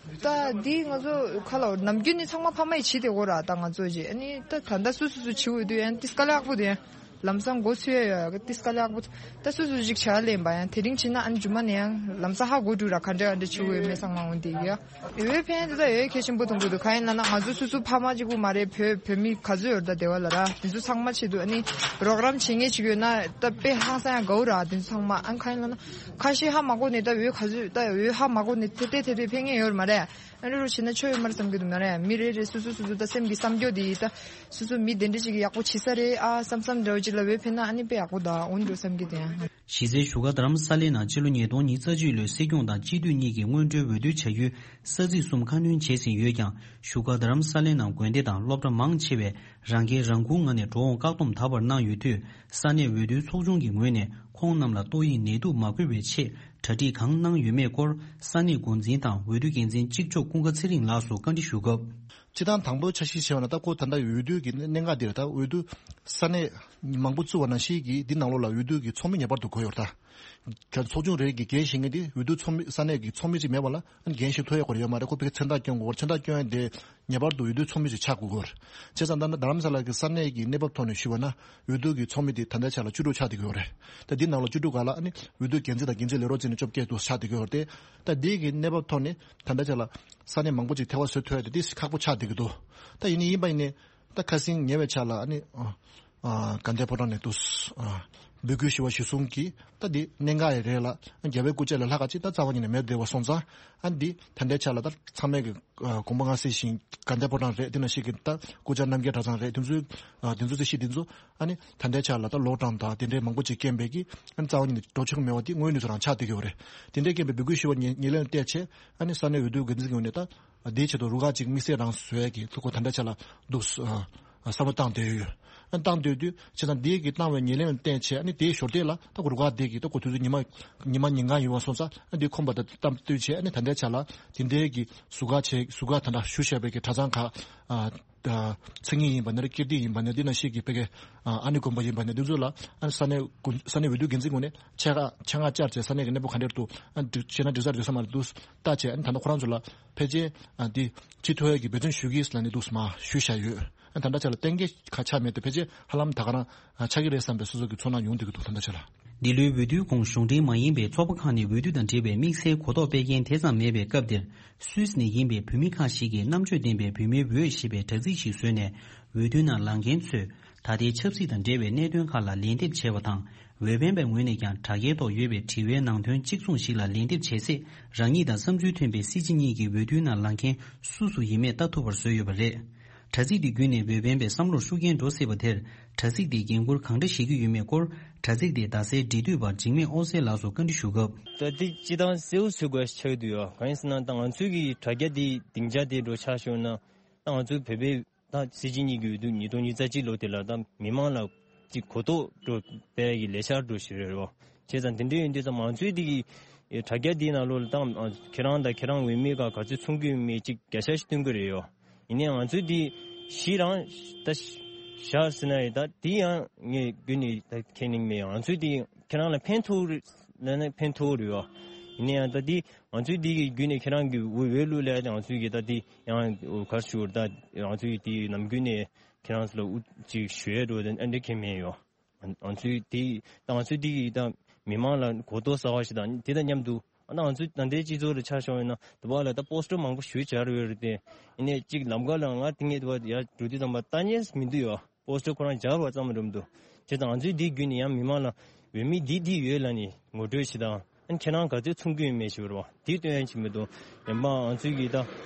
ད་འདི་ང་ཚོ་ཁ་ལ་ནམ་རྒྱུན་ནི་ཚང་མ་ཕ་མ་ཡི་བྱིས་དེ་གོ་ར་ད་ང་ཚོ་ཅི་ཨ་ནི་ད་ད་ལྟ་སུ་སུ་སུ་བྱིའུ་ཡོད་དུས་ཨ་ནི་ཏིས་དཀའ་ལས་ཁག་པོ་དེ་ཡང་ལམ་སང་འགོ་ཚུགས་ཡ་ཡོད་ཡ་ཏིས་དཀའ་ལས་ཁག་པོ། ད་སུ་སུ་ཅིག་བྱ་ལེན་པ་ཡང་དེ་རིང་ཕྱིན་ན་ཨ་ནི་རྒྱུ་མ་ནས་ཡང་ལམ་སང་ཧ་གོ་འགྲོ་ར་ག་འདྲ་ག་འདྲ་བྱིའུ་ཡོད་མེད་ཚང་མ་འོང་དེ་ཡ། འོས་འཕེན་དེ་ད་འོས་གལ་ཆེན་པོ་མཐོང་གི་འདུག་གང་ཡིན་ལབ་ན་ང་ཚོ་སོ་སོ་ཕ་མ་གཅིག་པུ་མ་རེད། བོད་བོད་མི་ག་ཚོད་ཡོད་རེད་ད་སྡེ་བ་ལ་ར། དེ་ཚོ་ཚང་མ་ཆེད་དུ་ཨ་ནི་རོགས་རམ་བྱེད་མཁན་ཅིག་ཡོད་ན་ད་དཔེ་ཧང་སང་ཡང་དགའ་བོ་ར། དེ་ཚོ་ཚང་མ་ཨ་ནི་གང་ཡིན་ལབ་ན་ཁ་ཤས་ཧ་མ་གོ་ནས་ད་འོས་ག་ཚོད་ད་འོས་ཧ་མ་གོ་ནས་དེ་དེ་དེ་དེ་འཕེན་མཁན་ཡོད་རེད་མ་རེད། ཨ་ནི་རོ་བྱེད་ན་ཆོ་ཡོད་མ་རེད་བསམ་གི་འདུག་མ་རེད། མི་རེ་རེ་སོ་སོ་སོ་སོ་ད་སེམས་ཀྱི་བསམ་སྐྱོ་དེ་ད་སོ་སོ་མི་དེ་འདྲ་ཅིག་གི་ཡག་པོ་བྱེད་ས་རེད་ཨ་བསམ་བསམ་འདྲ་བོ་ཅིག་ལ་འོས་འཕེན་ན་ཨ་ནི་དཔེ་ཡག་པོ་ད་འོང་འགྲོ་བསམ་གི་འདུག་ཡང་། གཞི་རྩའི་བཞུགས་སྒར་རྡ་རམ་ས་ལའི་ནང་ཕྱི་ལོ་ཉིས་སྟོང་ཉི་ཤུ་རྩ་གཅིག་ལོའི་སྲིད་སྐྱོང་དང་སྤྱི་འཐུས་གཉིས་ཀྱི་སྔོན་འགྲོའི་འོས་བསྡུ་བྱ་རྒྱུའི་ས་ཚིགས་གསུམ་ཁ་སྣོན་བྱས་ཟིན་ཡོད་ཀྱང་། བཞུགས་སྒར་རྡ་རམ་ས་ལའི་ནང་དགོན་སྡེ་དང་སློབ་གྲྭ་མང་ཆེ་བས་རང་འགན་རང་འཁུར་ངང་ནས་འགྲོ་འོང་བཀག་སྡོམ་ད་བར་གནང་ཡོད་དུས། ས་གནས་འོས་བསྡུའི་ཚོགས་ཆུང་གི་ངོས་ནས་ཁོང་རྣམས་ལ་ཏོག་དབྱིབས་ནད་དུག་མ་འགོས་པའི་ཆེད་གྲ་སྒྲིག་གང་གནང་ཡོད་མེད་སྐོར་ས་གནས་འགོ་འཛིན་དང་འོས་བསྡུ་འགན་འཛིན་གཅིག་ལྕོགས་ཀུན་དགའ་ཚེ་རིང་ལགས་སུ་བཀའ་འདྲི་ཞུ་སྐབས། སྤྱིར་བཏང་དང་པོའི་འཆར་གཞི་བྱས་པ་ན་ད་ཁོ་ད་ལྟ་འོས་བསྡུ་གི་གནད་འགག་འདི་རེད། ད་འོས་བསྡུ་ས་གནས་ མང་པོ་བཙུགས་པ་ནང་བཞིན་གྱི་འདི་ནང་ལོགས་ལ་འོས་བསྡུ་གི་ཚོགས་མི་ངེས་པར་དུ་དགོས་ཡོད་རེད་ད། ཚོགས་ཆུང་རེ་གི་འགན་བཞེས་མཁན་དེ་འོས་བསྡུ་ཚོགས་མི་ས་གནས་ཀྱི་ཚོགས་མི་ཅིག་མེད་པ་ལ་འགན་བཞེས་ཐུབ་ཡ་སྐོར་ཡོད་མ་རེད། ཁོ་ཕ་གི་མཚན་རྟགས་སྐྱོན་དགོས་རེད། མཚན་རྟགས་སྐྱོན་ཡ་དེ་ངེས་པར་དུ་འོས་བསྡུ་ཚོགས་མི་ཅིག་ཆགས་དགོས་ཀྱི་ཡོད་རེད། བྱས་ཙང་ད་ལྟ་རྡ་རམ་ས་ལ་གི་ས་གནས་ཀྱི་གནས་བབ་ཐོག་ནས་ཞུས་པ་ན་འོས་བསྡུ་གི་ཚོགས་མི་དེ་ད་ལྟའི་ཆ་ལ་བཅུ་དྲུག་ཆགས་བསྡད་ཀྱི་ཡོད་རེད། ད་འདི་ནང་ལ་བཅུ་དྲུག་ག་ལ་ཨ་ནི་འོས་བསྡུ་འགན་འཛིན་དང་འགན་འཛིན་ལས་རོགས་བྱས་ནས་བཅོ་བརྒྱད་དུ་ཆགས་བསྡད་ཀྱི་ཡོད་རེད་དེ། ད་འདི་གི་གནས་བབ་ཐོག་ནས་ད་ལྟའི་ཆ་ལ་ས་གནས་མང་པོ་ཅིག་ཐལ་བ་བཟོ་ཐུབ་ཡ་དེ་ཏོག་ཙམ་ཁག་པོ་ཆགས་བསྡད་ཀྱི་འདུག་ད་ཡིན་ནའི་ཡིན་པ་ཡིན་ནའི་ད་ཁ་སང་ཉེ་བའི་ཆར་ལ་ཨ་ནི་ཨ་ཨ་དགའ་ལྡན་ཕོ་བྲང་ནས་འདུག་ཨ་འབོད་སྐུལ་ཞུ་བ་གཞིར་བཟུང་གིས་ད་འདི་གནད་འགག་ཡི་རེད་ལ། རྒྱལ་བའི་སྐུ་ཕྱྭ་ལས་ལྷག་ག་ཅིག་ད་རྩ་བ་ཉིད་ནས་མེད་བསྡད་པ་སོང་ཙང་། ཨ་འདི་ད་ལྟའི་ཆ་ལ་ད་ཚང་མས་ཀྱི་ཨ་དགོངས་པ་མངའ་གསལ་ཞིང་དགའ་ལྡན་ཕོ་བྲང་རེད། དེ་ནང་བཞིན་གྱི་ད་སྐུ་བཅར་རྣམ་རྒྱལ་གྲྭ་ཚང་རེད། དེ་ཚོའི་ཨ་དེ་ཚོ་རྩིས་གཞི་དེ་ཚོ་ཨ་ནི་ད་ལྟའི་ཆ་ལ་ད་ལོག་གྲངས་དང་དེ་འདྲའི་མང་པོ་ཅིག་རྐྱེན་པས་ཀྱི་ཨ་ནི་རྩ་བ་ཉིད་ནས་འགྲོ་ཆོག་མེད་པ་དེ་དངོས་གནས་ཚོ་རང་ཆགས་བསྡད་ཀྱི་ཡོད་རེད། དེ་འདྲའི་རྐྱེན་པས་འབོད་སྐུལ་ཞུ་བ་ཉེ་ཉེར་ལེན་བལྟས་བྱས་ཨ་ནི་ས་གནས་འོས་བསྡུ་འགན་འཛིན་གྱི་ངོས་ནས་ད། དེའི་ཆེད་དུ་རུ་ཁག་ཅིག་དམིགས་བསལ་རང་བཟོ་ཡས་ཀྱི་ཐུགས་ཁུར་ད་ལྟའི་ཆ་ལ་འདུག་ཨ་བསམ་བློ་བཏང་བསྡད་ཡོད། ཨ་བཏང་སྡོད་དུས་བྱས་ཙང་དེའི་གི་བཏང་བའི་ཉེར་ལེན་ལ་བརྟེན་བྱས་ཨ་ནི་དེའི་ཞོར་དེ་ལ་ད་རུ་ཁག་དེ་གི་ད་ཁོ་དུས་ཚོད་ཉི་མ་ཉི་མ་ཉིན་གང་ཡོད་པ་སོང་ཙང་ཨ་འདི་ཁོམ་པ་དང་གཏམ་བསྟུན་བྱས་ཨ་ནི་ད་ལྟའི་ཆ་ལ་དེ་འདྲའི་གི་ཟུར་བཀག་བྱས་ཟུར་བཀག་ད་ལྟ་ཞུ་བཞག་པའི་གི་གྲྭ་ཚང་ཁག་ཨ་ད་མཚན་ཉིད་ཡིན་པ་ནས་ཀིརྟི་ཡིན་པ་ནས་འདི་ནང་བཞིན་གྱི་བོད་ཀྱི་ཨ་ཨ་ནི་དགོན་པ་ཡིན་པ་ནས་འདི་ཚོ་ལ་ཨ་ནི་ས་གནས་ཀུན་ས་གནས་འོས་བསྡུ་འགན་འཛིན་ངོས་ནས་ཆེད་མངགས་ཆེད་མངགས་བཅར་བྱས་ས་གནས་ཀྱི་གནས་སྤོ་ག་འདྲ་འདུག་ཨ་འགྲིག་བྱས་ན་འགྲིག་ས་རེད་འགྲིག་ས་མ་རེད་འདུག་ལྟ་བྱས་ཨ་ནི་ད་ལྟ་ཁོ་རང་ཚོ་ལ་ཕལ་ཆེར་ཨ་འདི་ཅི་ཐུབ་ཡས་ཀྱི་འབད་བརྩོན་ཞུ་གི་ཡིན་ལབ་ནས་འདུག་མར་ཞུས་བཞག་ཡོད། ཨ་ད་ལྟ་ཆ་ལ་གཏན་འཁེལ་ཁ་ཆགས་མེད་དེ་ཕལ་ཆེར་ཧ་ལམ་ད་ག་རང་ཨ་ཆགས་ཀྱི་རེད་བསམ་པའི་སོ་སོ་གི་ཚོར་སྣང་ཡོང་བསྡད་ཀྱི་འདུག་ད་ལྟ་ཆ་ལ། འདི་ལོའི་འོས་བསྡུའི་གོང་གཞུང་འབྲེལ་མ་ཡིན་པའི་ཚོགས་པ་ཁག་ནས་འོས་བསྡུ་དང་འབྲེལ་བའི་དམིགས་བསལ་གོ་རྟོགས་སྤེལ་མཁན་དེ་ཙམ་མེད་པའི་སྐབས་འདིར། སུད་སི་ནས་ཡིན་པའི་བོད་མི་ཁག་ཞིག་གིས་རྣམ་དཔྱོད་ལྡན་པའི་བོད་མིའི་འོས་ཞེས་པའི་དྲ་ཚིགས་ཤིག་བཟོས་ནས། འོས་བསྡུའི་ནང་ལངས་མཁན་ཚོས་ད་ལྟའི་ཆབ་སྲིད་དང་འབྲེལ་བའི་གནད་དོན་ཁག་ལ་ལན་འདེབས་བྱས་པ་དང་། འོས་འཕེན་པའི་ངོས་ནས་ཀྱང་དྲ་རྒྱའི་ཐོག་ཡོད་པའི་དྲི་བའི་ནང་དོན་གཅིག་མཚུངས་ཤིག་ལ་ལན་འདེབས་བྱེད་ཚེ། རང་ཉིད་དང་བསམ་ཚུལ་མཐུན་པའི་སྲིད་སྤྱི་གཉིས་ཀྱི་འོས་བསྡུའི་ནང་ལངས་མཁན་སུ་སུ་ཡིན་མེད་ལྟ་ཐུབ་པར་བཟོས་ཡོད་པ་རེད། དྲ་ཚིགས་འདི་བརྒྱུད་ནས་འོས་འཕེན་པའི་བསམ་བློར་ཤུགས་རྐྱེན་འགྲོ་སྲིད་པ་དེར། དྲ་ཚིགས་འདིས་འགན་འཁུར་གང་འདྲ་བཞེས་ཀྱི་ཡོད་མེད་སྐོར། དྲ་ཚིགས་དེའི་ཟླ་སྲས་འབྲེལ་མཐུད་པ་འཇིགས་མེད་ཨོ་སེ་ལགས་སུ་བཀའ་འདྲི་ཞུ་སྐབས། ད་འདི་སྤྱིར་བཏང་གསལ་པོ་བཟོ་དགོས་ཆགས་ཀྱི་འདུག་ཡ། གང་ཡིན་ཟེར་ན་ད་ང་ཚོའི་གི་དྲ་རྒྱ་འདི་སྡིངས་ཆ་དེ་འགྲོ་ཆགས་ཤོར་ན། ད་ང་ཚོའི་བོད་པའི་ད་སྲིད་སྤྱི་གཉིས་ཀྱི་འོས་བསྡུ་ཉིས་སྟོང་ཉི་ཤུ་རྩ་གཅིག་ལོ་དེ་ལ་ད་མི་མང་ལ་ཅིག་གོ་རྟོགས་འགྲོ་སྤེལ་གྱི་ལས་འཆར་འགྲོ་ཞིག་རེད་རོ། བྱས་ཙང་དེ་འདྲ་ཡིན་དུས་ཙམ་ང་ཚོའི་འདི་གི་དྲ་རྒྱ་འདིའི་ནང་ལོགས་ལ་ད་ཁྱེད་རང་དང་ཁྱེད་རང་འོས་མི་ག་ག་ཚོད་མཚུངས་ཀྱི་ཡོད་མེད་ཅིག་བརྒྱ་ཆ་ཞིག་སྟོན་གྱི་རེད་ཡོ། ཡིན་ནའི་ང་ཚོས་འདི་གཞི་རང་ད་བཞག་ཟེར་ན་ཡི་ད་འདི་ཡང་ངས་རྒྱུན་ནས་ད་ཁས་ལེན་མེད། ང་ཚོས་འདི་ཁྱེད་རང་ལ་ཕན་ཐོགས་རེད་ལབ་ན་ཕན་ཐོགས་རེད་བ། ཡིན་ནའི་ཡང་ད་འདི་ང་ཚོས་འདི་གི་བརྒྱུད་ནས་ཁྱེད་རང་གི་འོས་འོས་བླུག་ལ་ཡ་ང་ཚོས་གི་ད་འདི་ཡང་ག་རེ་ཞུ་ད་ང་ཚོས་འདི་ནམ་རྒྱུན་ནས་ཁྱེད་རང་ཚོ་ལ་དབུ་ཅིག་ཞུ་ཡས་འགྲོ་ད་ཨ་འདྲ་ཁས་མེད་ཡོ། ང་ཚོས་དེ་ད་ང་ཚོས་དེ་གི་ད་མི་མང་ལ་གོ་རྟོགས་གསར་བ་ཞིག་དང་དེ་དང་མཉམ་དུ་ཨ་ད་ང་ཚོས་ད་ལྟའི་སྤྱི་ཚོགས་ལ་ཆ་བཞག་ཡོད་ན་དུ་བ་ལ་ད་པོ་སི་ཊར་མང་པོ་ཞིག་སྦྱར་ཡོད་རེད་དེ། ཡིན་ནའི་གཅིག་ལམ་ཁ་ལ་ང་དེ་ངས་དུ་བ་ཡར་འགྲོ་དུས་ཙམ་པ་ལྟ་ཉན་མི་འདུག་ཡོ། པོ་སི་ཊར་ཁོ་རང་སྦྱར་བ་ཙམ་རེད་མི་འདུག་བྱས་ཙང་ང་ཚོས་དེ་བརྒྱུད་ནས་ཡང་མི་མང་ལ་འོས་མི་འདི་འདི་ཡོད་ལབ་ནས་ངོ་སྤྲོད་ཞིག་དང་ཨ་ཁྱེད་རང་ག་ཚོད་མཚུངས་ཀྱི་ཡོད་མེད་ཞིག་རེད་བ་དེ་སྟོན་ཡ་ཅིག་མི་འདུག་ཡང་མ་ང་ཚོས་གི་ད་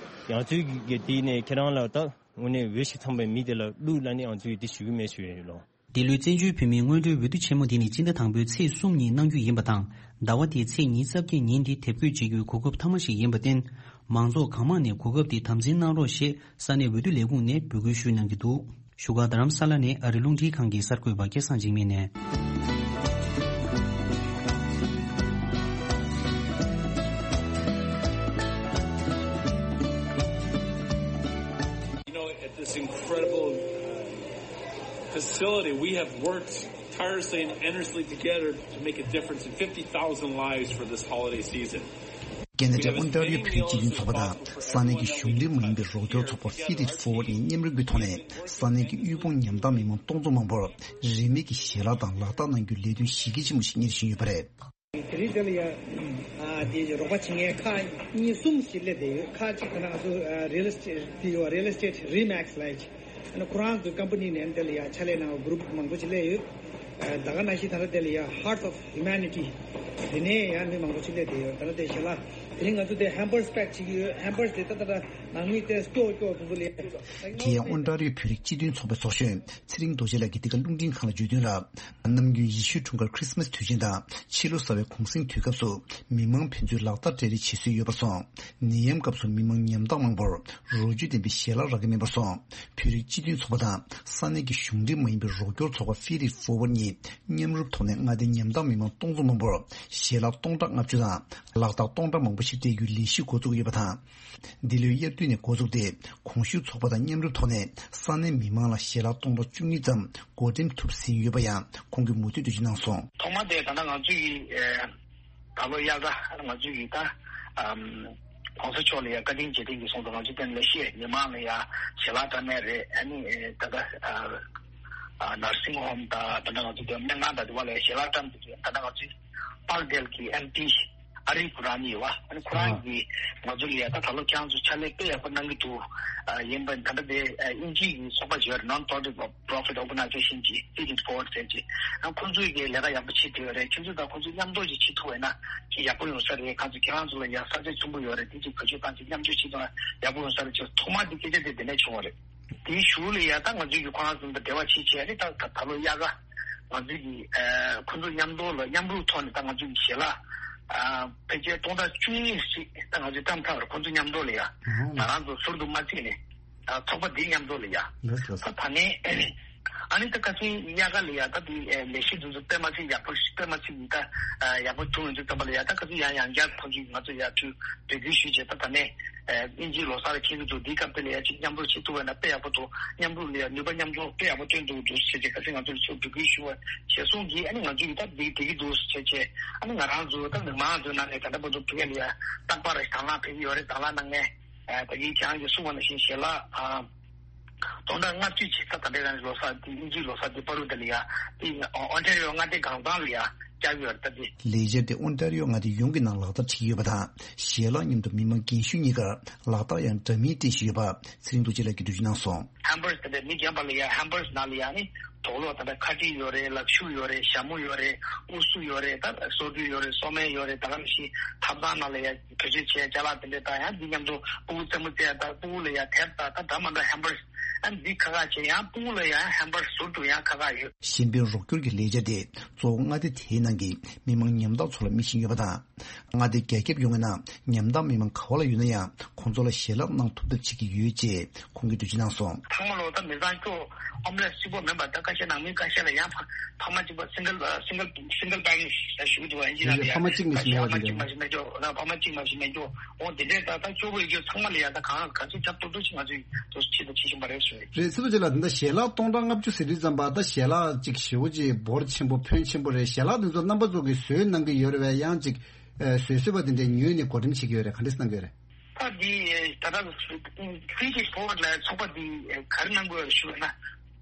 ང་ཚོས་གི་དེ་ནས་ཁྱེད་རང་ལ་ད་དངོས་གནས་འོས་ཤིག་ཚང་པའི་མི་དེ་ལ་བླུག་ལབ་ནས་ང་ཚོས་དེ་ཞུ་གི་མེད་ཞུ་ཡ་ཡོད་ལོ། འདི་ལོའི་བཙན་བྱོལ་བོད་མིའི་སྔོན་འགྲོའི་འོས་བསྡུ་ཆེན་མོ་འདི་ནི་སྤྱི་ཟླ་དང་པོའི་ཚེས་གསུམ་ཉིན་གནང་རྒྱུ་ཡིན་པ་དང་། ཟླ་བ་འདིའི་ཚེས་ཉི་ཤུ་རྩ་བརྒྱད་ཉིན་འདི་དེབ་འགོད་བྱེད་རྒྱུའི་གོ་སྐབས་མཐའ་མ་ཞིག་ཡིན་པར་བརྟེན། མང་ཚོགས་གང་མང་ནས་གོ་སྐབས་འདི་དམ་འཛིན་གནང་རོགས་ཞེས་ས་གནས་འོས་བསྡུ་ལས་ཁུངས་ནས་འབོད་སྐུལ་ཞུས་གནང་གི་འདུག་བཞུགས་སྒར་རྡ་རམ་ས་ལ་ནས་ཨ་རི་རླུང་འཕྲིན་ཁང་གི་གསར་འགོད་པ་སྐལ་བཟང་འཇིགས་མེད་ནས། You know, at this incredible facility, we have worked tirelessly and endlessly together to make a difference in fifty thousand lives for this holiday season. ཁེ་ན་ཌའི་ཨོན་ཊ་རི་ཡོ་བོད་རིགས་སྤྱི་མཐུན་ཚོགས་པ་དང་ས་གནས་ཀྱི་གཞུང་འབྲེལ་མ་ཡིན་པའི་རོགས་སྐྱོར་ཚོགས་པ་Feed It Forward ནས་མཉམ་རུབ་ཀྱི་ཐོག་ནས་ས་གནས་ཀྱི་དབུལ་ཕོངས་ཉམ་ཐག་མི་མང་སྟོང་ཚོ་མང་པོར་རིན་མེད་ཀྱི་ཞལ་ལག་དང་ལག་རྟགས་གནང་རྒྱུའི་ལས་དོན་གཞི་རྒྱ་ཆེན་པོ་ཞིག་གཉེར་བཞིན་ཡོད་པ་རེད། དེ་རིང་དེ་ལ་ཡ་ཨ་དེ་རོགས་པ་བྱེད་མཁན་ཁག་གཉིས་གསུམ་ཞིག་སླེབས་བསྡད་ཡོད། ཁག་གཅིག་དེ་ན་ང་ཚོ་real estate དེ་ཡོད། Real Estate Remax ལབ་ཡ་ཅིག་ཨ་ནི་ཁོ་རང་ཚོའི་ཀམ་པ་ནི་ནས་དེ་ལ་ཡ་ཕྱག་ལས་གནང་བ་group མང་པོ་ཞིག་སླེབས་ཡོད། ཨ་ད་ག་ནང་བཞིན་ད་ལྟ་དེ་ལ་ཡ་Heart of Humanity དེ་ནས་ཡ་མི་མང་པོ་ཞིག་སླེབས་བསྡད་ཡོད། ད་ལྟ་དེ་ཞལ་ལག་དེ་རིང་ང་ཚོ་དེ་hampers pack བྱེད་ཀྱི་ཡོད། Hampers དེ་ད་ལྟ་ནང་མི་དེ་སྐྱོ་སྐྱོ་དེ་ཚོ་ལས། དེ་ཡང་ཨོན་ཊ་རི་ཡོ་བོད་རིགས་སྤྱི་མཐུན་ཚོགས་པའི་ཚོགས་གཞོན་ཚེ་རིང་རྡོ་རྗེ་ལགས་ཀྱིས་འདི་ག་རླུང་འཕྲིན་ཁང་ལ་བརྗོད་དོན་ལ། ནམ་རྒྱུན་ཡེ་ཤུའི་འཁྲུངས་སྐར་Christmas དུས་ཆེན་དང་ཕྱི་ལོ་གསར་བའི་གུང་གསེང་དུས་སྐབས་སུ་མི་མང་ཕན་ཚུན་ལག་རྟགས་སྤྲད་རེས་བྱེད་སྲོལ་ཡོད་པར་སོང་། ནད་ཡམས་སྐབས་སུ་མི་མང་ཉམ་ཐག་མང་པོར་རོགས་སྐྱོར་ལྡན་པའི་ཞལ་ལག་རག་གི་མེད་པར་སོང་། བོད་རིགས་སྤྱི་མཐུན་ཚོགས་པ་དང་ས་གནས་ཀྱི་གཞུང་འབྲེལ་མ་ཡིན་པའི་རོགས་སྐྱོར་ཚོགས་པ་Feed It Forward གཉིས་མཉམ་རུབ་ཐོག་ནས་མངའ་སྡེའི་ཉམ་ཐག་མི་མང་སྟོང་ཚོ་མང་པོར་ཞལ་ལག་སྟོང་ཕྲག་ལྔ་བཅུ་དང་ལག་རྟགས་སྟོང་ཕྲག་མང་པོ་ཞིག་སྤྲད་རྒྱུའི་ལས་གཞི་འགོ་བཙུགས་ཡོད་པ་དང་། འདི་ལོའི་དབྱར་ ནས་འགོ་བཙུགས་ཏེ། གོང་ཞུས་ཚོགས་པ་དང་མཉམ་རུབ་ཐོག་ནས་ས་གནས་མི་མང་ལ་ཞལ་ལག་སྟོང་ཕྲག་བཅུ་གཉིས་ཙམ་བགོ་འགྲེམས་ཐུབ་ཟིན་ཡོད་པ་ཡང་ཁོང་གིས་མུ་མཐུད་འགྲེལ་བརྗོད་གནང་སོང་། ཐོག་མ་དེ་ད་ལྟ་ང་ཚོ་ཡི་ཨེ་ད་ལོ་དབྱར་ཁ་ང་ཚོ་ཡི་ད་ཨམ་གོང་ས་མཆོག་ལ་ཡ་བཀའ་དྲིན་རྗེས་དྲན་གྱི་གསུང་དུ་ང་ཚོ་དེ་ལས་ཤེས་མི་མང་ལ་ཡ་ཞལ་ལག་སྟོན་ནས་རེད། ཨ་ནི་ཨེ་ད་ལྟ་ཨ་ཨ་ནར་སིང་ཧོམ་དང་ད་ལྟ་ང་ཚོ་དེ་སྨན་ཁང་དང་དེ་བ་ལ་ཞལ་ལག་བཀྲམ་དེ་ད་ལྟ་ང་ཚོ་པར་དེལ་གྱི་ཨེམ་པི་ཨ་རི་ཁོ་རང་གཉིས་ཡོད་པ། ཨ་ནི་ཁོ་རང་གིས་ང་ཚོ་ལ་ཡ་ད་ད་ལོ་ཁྱེད་རང་ཚོ་ཕྱག་ལས་དཔེ་ཡག་པོ་གནང་གི་འདུག་ཨ་ཡིན་པ་ད་ལྟ་དེ་ཨ་དབྱིན་ཇིའི་གི་ཚོགས་པ་ཅིག་ཡོད་རེད། Non-Profit Organization ཅིག་Feed It Forward ཟེར་ཅིག་ཨ་ཁོ་ཚོས་གི་ལས་ཀ་ཡག་པོ་བྱེད་ཐུབ་ཡོད་རེད། ཁྱེད་ཚོ་དང་ཁོ་ཚོ་མཉམ་དུ་ཅིག་བྱེད་ཐུབ་པ་ཡིན་ན་ཅིག་ཡག་པོ་ཡོང་ས་རེད། ཁྱེད་ཚོ་ཁྱེད་རང་ཚོ་ལ་ཡ་ས་ཆ་ཆེན་པོ་ཡོད་རེད། དེ་ཅིག་བེད་སྤྱོད་བཏང་ཅིག་མཉམ་སྤྱོད་བྱེད་ཐུབ་ན་ཡག་པོ་ཡོང་ས་རེད་ཅེས་ཐོག་མ་དེ་སྐད་ཆ་དེ་དེ་ནས་བྱུང་བ་རེད། དེའི་གཞུག་ལ་ཡ་ད་ང་ཚོས་ཀྱི་ཁོ་རང་ཚོ་དང་འབྲེལ་བ་བྱེད་བྱས་ནས་ད་ད་ད་ལོ་དབྱར་ཁ་ང་ཚོས་ཀྱི་ཨ་ཁོ་ཚོ་མཉམ་དུ་ལ་མཉམ་རུབ་ཐོག་ནས་ད་ང་ཚོས་ཀྱི་ཞལ་ལག་ཨ་ཕལ་ཆེར་སྟོང་ཕྲག་བཅུ་གཉིས་ཤིག་ད་ང་ཚོས་བཀྲམ་ཚར་བར་ཁོ་ཚོ་མཉམ་དུ་ལ་ཡ་ང་རང་ཚོ་ཟུར་དུ་མ་བརྩིས་ནས་ཨ་ཚོགས་པ་འདི་མཉམ་དུ་ལ་ཡ་ལགས་ལགས། ད་ད་ནས་ཨ་ནི་ད་ཁ་སང་དབྱར་ཁ་ལ་ཡ་ད་དེ་ལས་གཞི་འདི་ཚོ་དཔེ་མ་སྲིད་ཡག་པོ་དཔེ་མ་སྲིད་ད་ཡག་པོ་བྱུང་ཡོང་དུས་ཙམ་པ་ལ་ཡ་ད་ཁ་སང་ཡང་ཡང་བསྐྱར་ཁོང་ཚོས་ང་ཚོ་ཡར་ཚུར་འབོད་སྐུལ་ཞུས་བྱས་ད་ད་ནས། ཨ་དབྱིན་ཇིའི་ལོ་གསར་འཁེལ་གྱི་འདུག་འདིའི་སྐབས་དེ་ལ་ཡ་གཅིག་མཉམ་རུབ་བྱེད་ཐུབ་པ་ན་དཔེ་ཡག་པོ་འདུག་མཉམ་རུབ་ལ་ཡ་ནུས་པ་མཉམ་འཛོམས་དཔེ་ཡག་པོ་བཏོན་འདུག་འདུག་ཟེར་བྱས་ཁ་སང་ང་ཚོ་ལ་ཚུར་འབོད་སྐུལ་ཞུ་བ་བྱས་སོང་གིས་ཨ་ནི་ང་ཚོ་ཡིས་ད་འདི་དེ་གི་འདུག་ཟེར་བྱས་ཨ་ནི་ང་རང་ཚོ་ད་མི་མང་ཚོའི་ནང་ནས་ད་ལྟ་བར་དུ་ཕ་གི་ལ་ཡ་རྟག་པར་དང་བླངས་ཕེབས་ཀྱི་ཡོད་རེད། དང་བླངས་གནང་མཁན་ཨ་ད་གིན་ཁྱེད་རང་གིས་གསུངས་པ་ནང་བཞིན་ཞལ་ལག་ཨ་སྟོང་ཕྲག་ལྔ་བཅུ་ཅིག་ད་ད་ལྟའི་རང་ལོ་གསར་འདི་དབྱིན་ཇིའི་ལོ་གསར་འདི་བར་དུ་དེ་ལ་ཡ་དེ་ཨོན་ཊ་རི་ཡོ་མངའ་སྡེ་གང་ཚང་ལ་ཡ། བསྐྱར་ཡོད་རེད་ད་དེ། ལས་འཆར་དེ་ཨོན་ཊ་རི་ཡོ་མངའ་སྡེ་ཡོངས་ཀྱི་ནང་ལག་བསྟར་བྱེད་ཀྱི་ཡོད་པ་དང་། ཞལ་ལག་མཉམ་དུ་མི་མང་རྒན་གཞོན་གཉིས་ཀར་ལག་རྟགས་ཡང་འདྲ་མིན་སྤྲད་བཞིན་ཡོད་པ་ཚེ་རིང་རྡོ་རྗེ་ལགས་ཀྱིས་འགྲེལ་བརྗོད་གནང་སོང་། ཧེམ་བར་དེ་འདྲ་མི་རྒན་པ་ལ་ཡ་ཧེམ་བར་ནང་ལ་ཡ་ནི་དུག་ལོག་དེ་འདྲ་ཁ་དཀྲིས་ཡོད་རེད། ལག་ཤུབས་ཡོད་རེད། ཞྭ་མོ་ཡོད་རེད། ཨུ་སུ་ཡོད་རེད། ད་སོ་བཀྲུ་ཡོད་རེད། སོ་སྨན་ཡོད་རེད། ད་ག་ནང་བཞིན་ཐབ་ཚང་ནང་ལ་ཡ་བེད་སྤྱོད་བྱས་ཅ་ལག་དེ་འདྲ་དང་ཡང་འདི་མཉམ་དུ་ཕྲུ་གུ་རྩེད་མོ་རྩེ་ཡ་ད་ཕྲུ་གུ་ལ་ཡ་དེབ་ད་ད་འདྲ་མ་འདྲ་ཧེམ་བར་ཨ་འདི་ཁག་ཁག་བྱས་ཡང་ཕྲུ་གུ་ལ་ཡ་ཧེམ་བར་ཟུར་དུ་ཡང་ཁག་ཁག་ཡོད། གཞན་ཕན་རོགས་སྐྱོར་གྱི་ལས་འཆར་དེ་གཙོ་བོ་མངའ་སྡེ་དེའི་ནང་གི་མི་མང་ཉམ་ཐག་ཚོ་ལ་སྨི་བཞིན་ཡོད་པ་དང་། མངའ་སྡེ་རྒྱ་ཁྱབ་ཡོངས་ཀྱི་ནང་ཉམ་ཐག་མི་མང་ག་བ་ལ་ཡོད་ན་ཡང་ཁོང་ཚོ་ལ་ཞལ་ལག་གནང་ཐུབ་ཐབས་བྱེད་ཀྱི་ཡོད་ཅེས་ཁོང་གིས་འགྲེལ་བརྗོད་གནང་སོང་། ཚང་མ་ལོ་ད་མི་ཚང་སྐྱོ་ཧོམ་ལེས་གཅིག་པོ་མིན་པར་ད་ཁ་ཤས་ནང་མི་ཁ་ཤས་ལ་ཡང་ཕ་ཕ་མ་གཅིག་པ་སིང་གལ་སིང་གལ་སིང་གལ་པེ་རེན་ཊི་ཞུ་གི་འདུག་ཨིན་ཇི་ནང་ལ་ཡང་ཕ་མ་གཅིག་མ་ཁ་ཤས་ཕ་མ་གཅིག་མ་ཞིག་མེད་འགྱོ་ཕ་མ་གཅིག་མ་ཞིག་མེད་འགྱོ། འོ་དེ་འདྲས་ད་ལྟ་སྐྱོ་པོ་ཡོད་རྒྱུ་ཚང་མ་ལ་ཡ་ད་གང་ག་ཚོད་ཁྱབ་ཏོག་ཏོག་ཅིག་ང་ཚོས་དུ་ཆེད་དུ་བྱེད་བཞིན་པ་རེད་ཟེར། རེད། སྲིད་པ་ཅིག་ལ་དེ་འདྲ་ཞལ་ལག་སྟོང་ཕྲག་ལྔ་བཅུ་ཟེར་དུས་ཙམ་པ་ད་ཞལ་ལག་ཅིག་ཞེ་པོ་ཅིག་འབོར་ཆེན་པོ་ཕོན་ཆེན་པོ་རེད། ཞལ་ལག་དེ་ཚོ་རྣམ་པ་ཚོ་གིས་བཟོས་གནང་གི་ཡོད་རེད་པས། ཡང་ཅིག་ཨ་བཟོས་བཟོས་པ་དེ་འདྲས་ཉོས་ནས་བགོ་འགྲེམས་བྱེད་ཀྱི་ཡོད་རེད། ག་འདྲས་གནང་གི་ཡོད་རེད། ད་འདི་ད་ལྟ་ཕི་ཇི་ཕོ་ཝར་ཌི་ལ་ཚོགས་པ་འདི་ག་རེ་གནང་དགོས་རེད་ཞུ་བ་ན།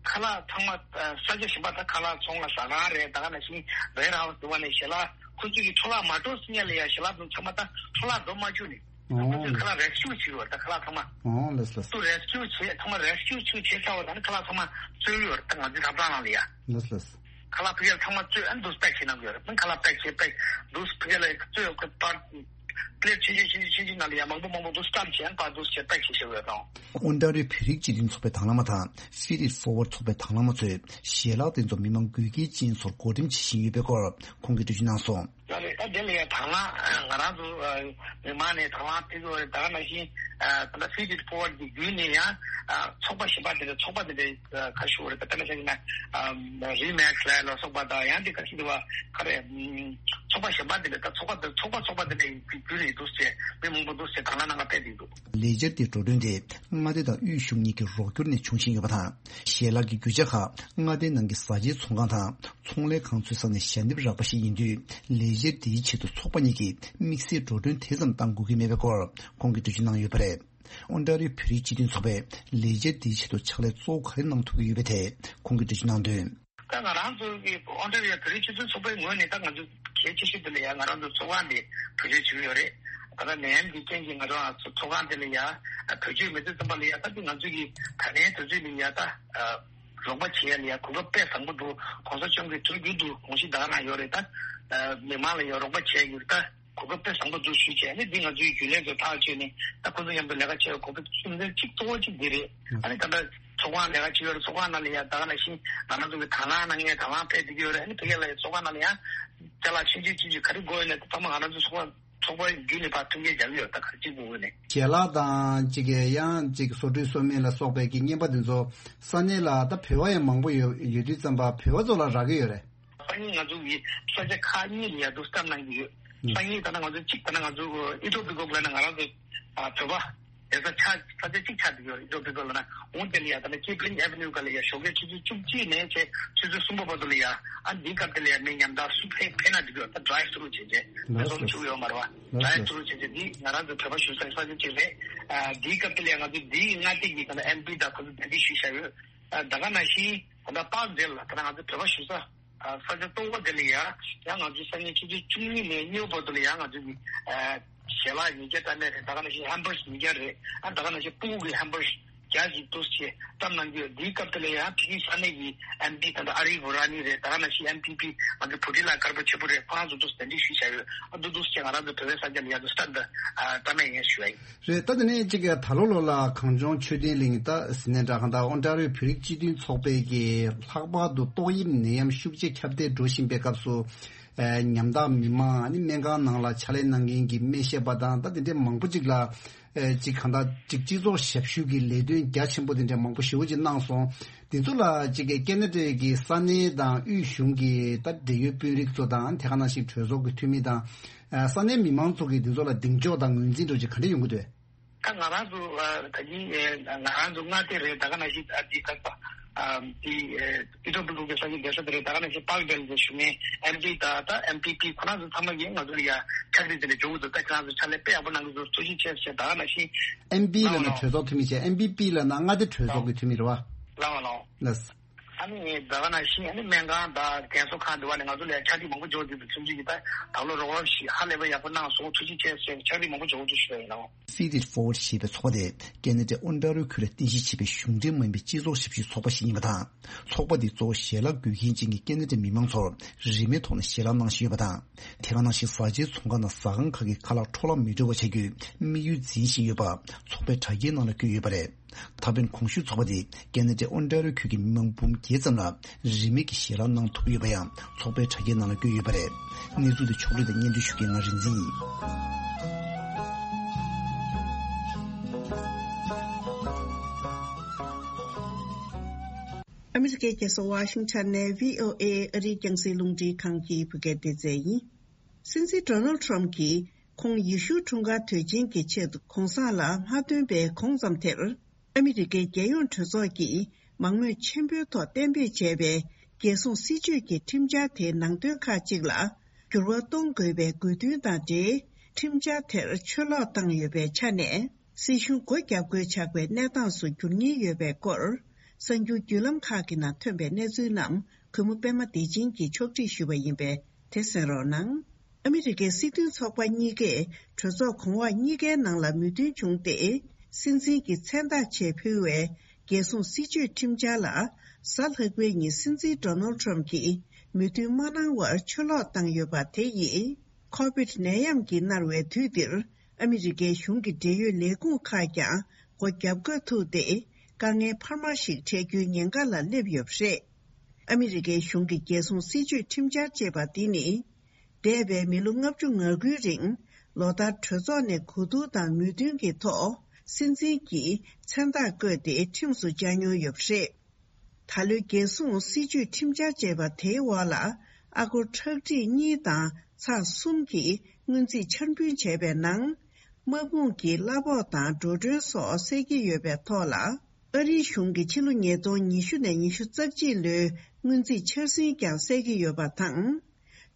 ཁ་ལག་ཚང་མ་ས་ཆ་གཞན་པ་ད་ཁ་ལག་ཚོང་ལ་ཟ་ཁང་རེད། ད་ག་ནང་བཞིན་ཝེར་ཧའུ་སི་དེ་བ་ནས་ཞལ་ལག་ཁོ་ཚོས་ཀྱི་འཕྲོ་བརླག་མ་འགྲོ་སྲིད་ཉག་ལ་ཡ་ཞལ་ལག་དུ་ཚང་མ་ད་འཕྲོ་བརླག་འགྲོ་མ་བཅུག་ནས། ཨོ། ཁོ་ཚོས་ཁ་ལག་རེ་སི་ཀིའུ་བྱེད་ཀྱི་ཡོད་རེད། ད་ཁ་ལག་ཚང་མ། ཨོ་ལགས་ལགས། དུ་རེ་སི་ཀིའུ་བྱེད་ཚང་མ་རེ་སི་ཀིའུ་ཚུར་བྱེད་ཚར་བ་དང་ཁ་ལག་ཚང་མ་བཙོས་ཡོད་རེད། ད་ང་ཚོའི་ཐབ་ཚང་ནང་ལ་ཡ། ལགས་ལགས། ཁ་ལག་ཕ་གིར་ཚང་མ་བཙོས་ཨ་ནི་དུ་པེག་བྱེད་གནང་གི་ཡོད་རེད། ད་ཁ་ལག་པེག་བྱེད་པེག་དུ་ཕ་གིར་ལ་བཙོས་ཡོད་གི་པར། པི་ལེ་ཊི་ཆུང་ཆུང་ཆུང་ཆུང་ཆུང་ནང་ལ་ཡ་མང་པོ་མང་པོ་དུ་སི་ཊམ་བྱས་ཨ་ནི་པར་དུ་བྱེད་པེག་བྱེད་བཞག་ཡོད་དང་། ཨོན་ཊ་རི་ཡོ་བོད་རིགས་སྤྱི་མཐུན་ཚོགས་པའི་དང་བླངས་མ་དང་Feed It Forward ཚོགས་པའི་དང་བླངས་མ་ཚོས་ཞལ་ལག་དེ་ཚོ་མི་མང་དགོས་གལ་ཅན་ཚོར་བགོ་འགྲེམས་བྱེད་བཞིན་ཡོད་པའི་སྐོར་ཁོང་གིས་འགྲེལ་བརྗོད་གནང་སོང་། ད་ལས་ད་དེ་ལ་ཡང་དང་བླངས་ང་རང་ཚོ་མི་མང་ནས་དང་བླངས་ཕེབས་ཀྱི་ཡོད་རེད། ད་ག་ནང་བཞིན་ད་ལྟ་Feed It Forward གི་བརྒྱུད་ནས་ཡང་ཚོགས་པ་གཞན་པ་དེ་འདྲ་ཚོགས་པ་དེ་འདྲ་ཁ་ཤས་ཡོད་རེད། ད་ལྟ་ན་ཆ་བཞག་ན་རི་མེག་སི་ལ་ལ་སོགས་པ་དང་ཡང་དེ་ཁ་ཤས་དེ་བ་ག་རེ་ཚོགས་པ་གཞན་པ་དེ་འདྲ་ད་ཚོགས་པ་དེ་ཚོགས་པ་ཚོགས་པ་དེ་འདྲ་བརྒྱུད་ནས་འདུག་ཟེར་མི་མང་པོ་འདུག་ཟེར་དང་བླངས་གནང་ག་ཕེབས་བསྡད་འདུག་ལས་འཆར་དེའི་འགྲོ་གྲོན་དེ་མངའ་སྡེ་དང་དབུས་གཞུང་གཉིས་ཀྱི་རོགས་སྐྱོར་ནས་བྱུང་བཞིན་ཡོད་པ་དང་། ཞལ་ལག་གི་རྒྱུ་ཆ་ཁག་མངའ་སྡེའི་ནང་གི་བཟའ་བཅའི་ཚོང་ཁང་དང་ཚོང་ལས་ཁང་ཚོའི་ས་ནས་ཞལ་འདེབས་རག་པ་ཞིག་ཡིན་དུས། ལས་འཆར་འདིའི་ཆེད་དུ་ཚོགས་པ་གཉིས་ཀྱིས་དམིགས་བསལ་འགྲོ་གྲོན་དེ་ཙམ་བཏང་དགོས་ཀྱི་མེད་པའི་སྐོར་ཁོང་གིས་འགྲེལ་བརྗོད་གནང་ཡོད་པ་རེད། ཨོན་ཊ་རི་ཡོ་བོད་རིགས་སྤྱི་མཐུན་ཚོགས་པས་ལས་འཆར་འདིའི་ཆེད་དུ་ཕྱག་ལས་གཙོ་བོ་ག་རེ་གནང་ཐུབ་ཀྱི་ཡོད་པའི་ཐད་ཁོང་གིས་འགྲེལ་བརྗོད་གནང་དོན། ད་ང་རང་ཚོ་གི་ཨོན་ཊ་རི་ཡོ་བོད་རིགས་སྤྱི་མཐུན་ཚོགས་པའི་ངོས་ནས་ད་ང་ཚོ་གལ་ཆེ་ཤོས་དེ་ལ་ཡ་ང་རང་ཚོ་ཚོགས་ཁང་དེ་བེད་སྤྱོད་བྱེད་ཀྱི་ཡོད་རེད། ད་ལྟ་ནད་ཡམས་ཀྱི་རྐྱེན་གྱིས་ང་ཚོ་ཚོགས་ཁང་དེ་ལ་ཡ་བེད་སྤྱོད་མེད་དུས་ཙམ་པ་ལ་ཡ་ད་དེ་ང་ཚོ་གི་ད་ལན་དུས་ཚོད་ལ་ཡ་ད་རོགས་པ་བྱེད་ཡ་ལ་ཡ་གོ་སྐབས་དཔེ་བཟང་པོ་འདུག་གོང་ས་མཆོག་གིས་ཐུགས་རྒྱུད་དུ་དགོངས་གཞི་ད་ག་རང་ཡོད་རེད། ད་མི་མང་ལ་ཡ་རོགས་པ་བྱེད་ཡ་ད། གོ་སྐབས་དཔེ་བཟང་པོ་འདུག་ཞུས་བྱས་ནས་འདི་ང་ཚོའི་རྒྱུན་ལས་ཚོ་ཐག་གཅོད་ནས་ད་ཁོ་ཚོ་མཉམ་དུ་ལས་ཀ་བྱེད་གོ་སྐབས་ཚུལ་འདི་གཅིག་གཙོ་བོ་གཅིག་འདི་རེད། ཨ་ནི་ད་ལྟ་ཚོགས་ཁང་ལས་ཀ་བྱེད་ཡོད་རེད། ཚོགས་ཁང་ནང་ལ་ཡ་ད་ག་ནང་བཞིན་ང་རང་ཚོ་གི་དང་བླངས་གནང་མཁན་དང་བླངས་ཕེབས་བསྡད་ཀྱི་ཡོད་རེད། ཨ་ནི་ཕ་གི་ལ་ཡ་ཚོགས་ཁང་ནང་ལ་ཡ་ཅ་ལག་ཆུང་ཆུང་ཆུང་ཆུང་ག་རེ་དགོས་ཡོད་ན་དེ་ཚང་མ་ང་རང་ཚོ་ཚོགས་ཁང་ཚོགས་པ་བརྒྱུད་ནས་ཕར་ཐུགས་འགན་རྒྱག་གི་ཡོད། ད་ག་རེ་གཅིག་དགོས་ཡོད་ནས། ཞལ་ལག་དང་གཅིག་གི་ཡང་གཅིག་སོ་བཀྲུའི་སོ་སྨན་ལ་སོགས་པའི་གི་རྔན་པ་དེ་ཚོ་ས་གནས་ལ་ད་བོད་པ་ཡང་མང་པོ་ཡོད་ཡོད་དུས་ཙམ་པ་བོད་པ་ཚོ་ལ་རག་གི་ཡོད་རེད། སང་ཉིན་ང་ཚོ་གི་ས་ཆ་ཁག་གཉིས་ལ་ཡ་དུ་སྟབས་གནང་གི་ཡོད། ཨུ། སང་ཉིན་ད་ལྟ་ང་ཚོ་གཅིག་ད་ལྟ་ང་ཚོ་ཨི་ཐོ་པི་ཀོ་ལ་ན་ང་རང་ཚོ་ཨ་བོད་པ་ བསྡད་ས་ཆ་ས་ཆ་གཅིག་ཆགས་འདུག་ཡོད། ཨི་ཏོ་པི་ཀོ་ལ་ན་འོང་དེ་ལ་ཡ་ད་ལ་ཀི་པི་ལིང་ཨེ་ཝེ་ནིའུ་ག་ལ་ཡ་ཞོགས་ཀའི་ཆུ་ཚོད་བཅུ་གཅིག་ནས་བྱས་ཆུ་ཚོད་གསུམ་པ་བར་དུ་ལ་ཡ་ཨ་འདིའི་སྐབས་དེ་ལ་ཡ་མི་ཉམ་ཐག་སུ་ཕེབས་ཕེབས་ན་འགྲིག་གི་ཡོད། ད་ཌ་རའེབ་ཐུ་རུ་བྱས་བྱས་མི་ལགས་ཚོ་ལ་ཞུ་གི་ཡོད་མ་རེད་བ། ལགས་ཌ་རའེབ་ཐུ་རུ་བྱས་བྱས་འདི་ང་རང་ཚོ་བོད་པ་ཞུ་ས་ས་ཆ་གཅིག་རེད། ཨ་འདིའི་སྐབས་དེ་ལ་ཡ་ང་ཚོ་འདིའི་མངའ་སྡེ་གི་ད་ལ་ཨེམ་པི་དང་ཁོ་ཚོ་གདན་འདྲེན་ཞུས་བཞག་ཡོད། ཨ་ད་ག་ནང་བཞིན་ད་ལྟ་པཱག་ཌེལ་ལ་ད་ལྟ་ང་ཚོ་བོད་པ་ཞུ་ས། ཨ་ས་ཆ་སྟོང་པ་དེ་ལ་ཡ་ཡང་ང་ཚོའི་སང་ཉིན་ཆུ་ཚོད་བཅུ་གཉིས་ནས་གཉིས་པ་བར་དུ་ལ་ཡ་ང་ཚོ་གི་ཨ་ཞལ་ལག་ཉིས་བརྒྱ་བཀྲམ་ཡས་རེད། ད་ག་ནང་བཞིན་ཧེམ་བར་གྷར་ཉིས་བརྒྱ་རེད། ཨ་ད་ག་ནང་བཞིན་སྤུ་གུ་གི་ཧེམ་བར་བརྒྱ་ཞིག་འདུག་སེ་བཀྲམ་གནང་གི་ཡོད། འདིའི་སྐབས་དེ་ལ་ཡ་ཕ་གིའི་ས་གནས་ཀྱི་ཨེམ་པི་ད་ལྟ་ཨ་རིབ་བྷུ་ར་ནི་རེད། ད་ག་ནང་བཞིན་ཨེམ་པི་པི་ང་ཚོ་བྷུ་ཊི་ལ་དཀར་པོ་ཆེན་པོ་རེད། ཁོ་རང་ཚོ་འདུག་སེ་གདན་འདྲེན་ཞུས་བཞག་ཡོད། ཨ་འདུག་འདུག་སེ་ང་རང་ཚོ་བོད་པའི་ས་ཆ་ལ་ཡ་འདུག་སེ་ད་ལྟ་ཨ་བཀྲམ་ཡས་ཡིན་ཞུ་ཡ་ཡིན། རེད། ད་དེ་ནས་གཅིག་གི་ད་ལོ་ལོ་ལ་གངས་ལྗོངས་ཆོས་ལྡན་གླིང་ད་ཟི་ནས་འདྲ་གང་ད་ཨོན་ཊ་རི་ཡོ་བོད་རིགས་སྤྱི་མཐུན་ཚོགས་པའི་གི་ལྷག་པར་དུ་ཏོག་དབྱིབས་ནད་ཡམས་ཤུགས་ཆེ་ཁྱབ་གདལ་འགྲོ་བཞིན་པའི་སྐབས་སུ། ཨ་ཉམ་ཐག་མི་མང་ཨ་ནི་སྨན་ཁང་ནང་ལ་ཕྱག་ལས་གནང་མཁན་གྱི་སྨན་ཞབས་པ་དང་ད་དེ་འདྲའི་མང་པོ་ཅིག་ལ་ཨ་ཅིག་གང་ད་ཅིག་སྤྱི་ཚོགས་ཞབས་ཞུ་གི་ལས་དོན་རྒྱ་ཆེན་པོ་དེ་འདྲའི་མང་པོ་ཞེ་པོ་ཅིག་གནང་སོང་། དེ་ཚོ་ལ་ཅིག་གི་ཀེ་ན་ཌའི་གི་ས་གནས་དང་དབུས་གཞུང་གི་ད་འབྲེལ་ཡོད་དཔོན་རིགས་ཚོ་དང་དེ་ག་ནང་བཞིན་གྲོས་ཚོགས་ཀྱི་འཐུས་མི་དང་། ཨ་ས་གནས་མི་མང་ཚོ་གིས་འདི་ཚོ་ལ་གདེང་འཇོག་དང་ངོས་འཛིན་འདྲ་ཅིག་ག་འདྲ་ཡོང་གི་འདུག་ད་ང་རང་ཚོ་ཨ་ད་གིན་ཨེ་ང་རང་ཚོ་མངའ་སྡེ་རེད། ད་ག་ནང་བཞིན་ཨ་འདི་ད་ཨ་འདི་ཨེ་ཨི་ཏོ་པི་ཀོ་གི་ས་གནས་བསྡད་ས་དེ་རེད། ད་ག་ནང་བཞིན་པཱག་ཌེལ་གྱི་བཞུགས་མཁན་ཨེམ་པི་ད་ད་ཨེམ་པི་པི་ཁོ་རང་ཚོ་ཚང་མ་གིས་ང་ཚོ་ལ་ཡ་ཕྱག་བྲིས་དེ་འདྲ་འཇོག་གི་འདུག་ད་ཁྱེད་རང་ཚོ་ཕྱག་ལས་དཔེ་ཡག་པོ་གནང་གི་འདུག་ཐུགས་རྗེ་ཆེ་ཞེས། ད་ག་ནང་བཞིན་ཨེམ་པི་ལབ་ན་གྲོས་ཚོགས་འཐུས་མི་བྱས། ཨེམ་པི་པི་ལབ་ན་མངའ་སྡེ་གྲོས་ཚོགས་ཀྱི་འཐུས་མི་རེད་བ། ལགས་ལགས་ལགས། ལགས། ཨ་ནི་ད་ག་ནང་བཞིན་ཨ་ནི་སྨན་ཁང་དང་རྒན་གསོ་ཁང་འདི་བ་ནས་ང་ཚོ་ལ་ཕྱག་བྲིས་མང་པོ་འབྱོར་འདུག་ཚུན་ཆད་ཀྱི་ད་ད་ལོ་རོགས་རམ་ཞིག་ཧ་ལས་པ་ཡག་པོ་གནང་སོང་། ཐུགས་རྗེ་ཆེ་ཞེས་ཕྱག་བྲིས་མང་པོ་འབྱོར་འདུག་ཞུ་ཡ་ཡིན་ནོ། City Forward ཞེས་པའི་ཚོགས་པ་དེ་ཀེ་ན་ཌའི་ཨོན་ཊ་རི་ཡོ་ཁུལ་ལ་རྟེན་གཞི་བྱས་པའི་གཞུང་འབྲེལ་མ་ཡིན་པའི་སྤྱི་ཚོགས་ཞབས་ཞུའི་ཚོགས་པ་ཞིག་ཡིན་པ་དང་། ཚོགས་པ་འདིས་གཙོ་བོ་ཞལ་ལག་དགོས་མཁན་ཅན་གྱི་ཀེ་ན་ཌའི་མི་མང་ཚོར་རིན་མེད་ཐོག་ནས་ཞལ་ལག་གནང་བཞིན་ཡོད་པ་དང་། དེ་ག་ནང་བཞིན་བཟའ་བཅའི་ཚོང་ཁང་དང་ཟ་ཁང་ཁག་གི་ཁ་ལག་འཕྲོ་བརླག་མི་འགྲོ་བ་བྱ་རྒྱུའི་དམིགས་ཡུལ་འཛིན་བཞིན་ཡོད་པ་ཚོགས་པའི་དྲ་རྒྱའི་ནང་ལ་བཀོད་ཡོད་པ་རེད། ད་ཕན་གོང་ཞུས་ཚོགས་པ་དེས་ཀེ་ན་ཌའི་ཨོན་ཊ་རི་ཡོ་ཁུལ་གྱི་མི་མང་འབུམ་བརྒྱད་ཙམ་ལ་རིན་མེད་ཀྱི་ཞལ་ལག་གནང་ཐུབ་ཡོད་པ་ཡང་ཚོགས་པའི་དྲ་རྒྱའི་ནང་ལ་བཀོད་ཡོད་པ་རེད། གནས་ཚུལ་དེ་ཕྱོགས་བསྒྲིགས་དང་སྙན་སྒྲོན་ཞུ་མཁན་ང་རིག་འཛིན་ཡིན། ཨ་མི་རི་ཀའི་རྒྱལ་ས་ཝ་ཤིང་ཊོན་ནས་བྷི་ཨོ་ཨེ་ཨ་རིའི་རྒྱང་སྲིང་རླུང་འཕྲིན་ཁང་གི་བོད་སྐད་སྡེ་ཚན་ཡིན། སྲིད་འཛིན་ཌོ་ནལ་ཊམ་གྱིས་ཁོང་ཡེ་ཤུའི་འཁྲུངས་སྐར་དུས་ཆེན་གྱི་ཆེད་དུ་གོང་ས་ལ་མ་ཐོན་པའི་གོང་ཙམ་དེར། ཨ་མི་རི་ཀའི་རྒྱལ་ཡོངས་གྲོས་ཚོགས་ཀྱིས་མང་མོས་ཆེན་པོའི་ཐོག་གཏན་འབེབས་བྱས་པའི་རྒྱལ་སྲུང་སྲིད་ཇུས་ཀྱི་ཁྲིམས་འཆར་དེའི་ནང་དོན་ཁག་ཅིག་ལ་འགྱུར་བ་གཏོང་དགོས་པའི་དགོས་འདུན་དང་འབྲེལ། ཁྲིམས་འཆར་དེར་ཆུ་ལོག་བཏང་ཡོད་པའི་ཆ་ནས། སྲིད་གཞུང་སྒོ་བརྒྱབ་དགོས་ཆགས་པའི་གནས་སྟངས་སུ་འགྱུར་ཉེན་ཡོད་པའི་སྐོར། གསར་འགྱུར་བརྒྱུད་ལམ་ཁག་གི་ནང་ཐོན་པའི་གནས་ཚུལ་རྣམས་གུས་མོ་པད་མ་བདེ་ཆེན་གྱིས་ཕྱོགས་སྒྲིག་ཞུས་པ་ཡིན་པས་དེ་གསན་རོགས་གནང་། ཨ་མི་རི་ཀའི་སྲིད་དོན་ཚོགས་པ་གཉིས་ཀས་གྲོས་ཚོགས་གོང་འོག་གཉིས་ཀའི་ནང་ལ་མོས་མཐུན་བྱུང་སྟེ། སྲིད་འཛིན་གྱི་མཚན་རྟགས་ཆེད་ཕུལ་བའི་རྒྱལ་སྲུང་སྲིད་ཇུས་ཁྲིམས་འཆར་ལ། གཟའ་ལྷག་པའི་ཉིན་སྲིད་འཛིན་ཌོ་ནལ་ཊམ་གྱིས་མོས་མཐུན་མ་གནང་བར་ཆུ་ལོག་བཏང་ཡོད་པ་དེ་ཡིས། ཁོ་བིད་ནད་ཡམས་ཀྱིས་མནར་བའི་དུས་འདིར། ཨ་མི་རི་ཀའི་གཞུང་གི་འབྲེལ་ཡོད་ལས་ཁུངས་ཁག་ཀྱང་སྒོ་བརྒྱབ་དགོས་ཐུག་སྟེ། དཀའ་ངལ་འཕར་མ་ཞིག་འཕྲད་རྒྱུའི་ཉེན་ཁ་ལ་སླེབས་ཡོད་པ་རེད། ཨ་མི་རི་ཀའི་གཞུང་གི་རྒྱལ་སྲུང་སྲིད་ཇུས་ཁྲིམས་འཆར་ཅེས་པ་འདི་ནི། འདས་པའི་མི་ལོ་ལྔ་བཅུ་ང་དགུའི་རིང་། ལོ་ལྟར་གྲོས་ཚོགས་ནས་གོ་བསྡུར་དང་མོས་མཐུན་གྱི་ཐོག་སྲིད་འཛིན་གྱིས་མཚན་རྟགས་བཀོད་དེ་ཁྲིམས་སུ་བཅའ་མྱོང་ཡོད་པ་རེད། ད་ལོའི་རྒྱལ་སྲུང་སྲིད་ཇུས་ཁྲིམས་འཆར་ཅེས་པ་དེའི་འོག་ལ། ཨ་སྒོར་ཁྲག་ཁྲིག་གཉིས་དང་ཚེག་གསུམ་གྱི་སྔོན་རྩིས་འཆར་འབུལ་བྱས་པའི་ནང་། དམག་དཔུང་གི་གླ་ཕོགས་དང་འགྲོ་གྲོན་སོགས་སེལ་གྱི་ཡོད་པའི་ཐོག་ལ། ཨ་རིའི་གཞུང་གིས་ཕྱི་ལོ་ཉིས་སྟོང་ཉི་ཤུ་ནས་ཉི་ཤུ་རྩ་གཅིག་ལོའི་སྔོན་རྩིས་འཆར་ཟིན་ཀྱང་སེལ་གྱི་ཡོད་པ་དང་།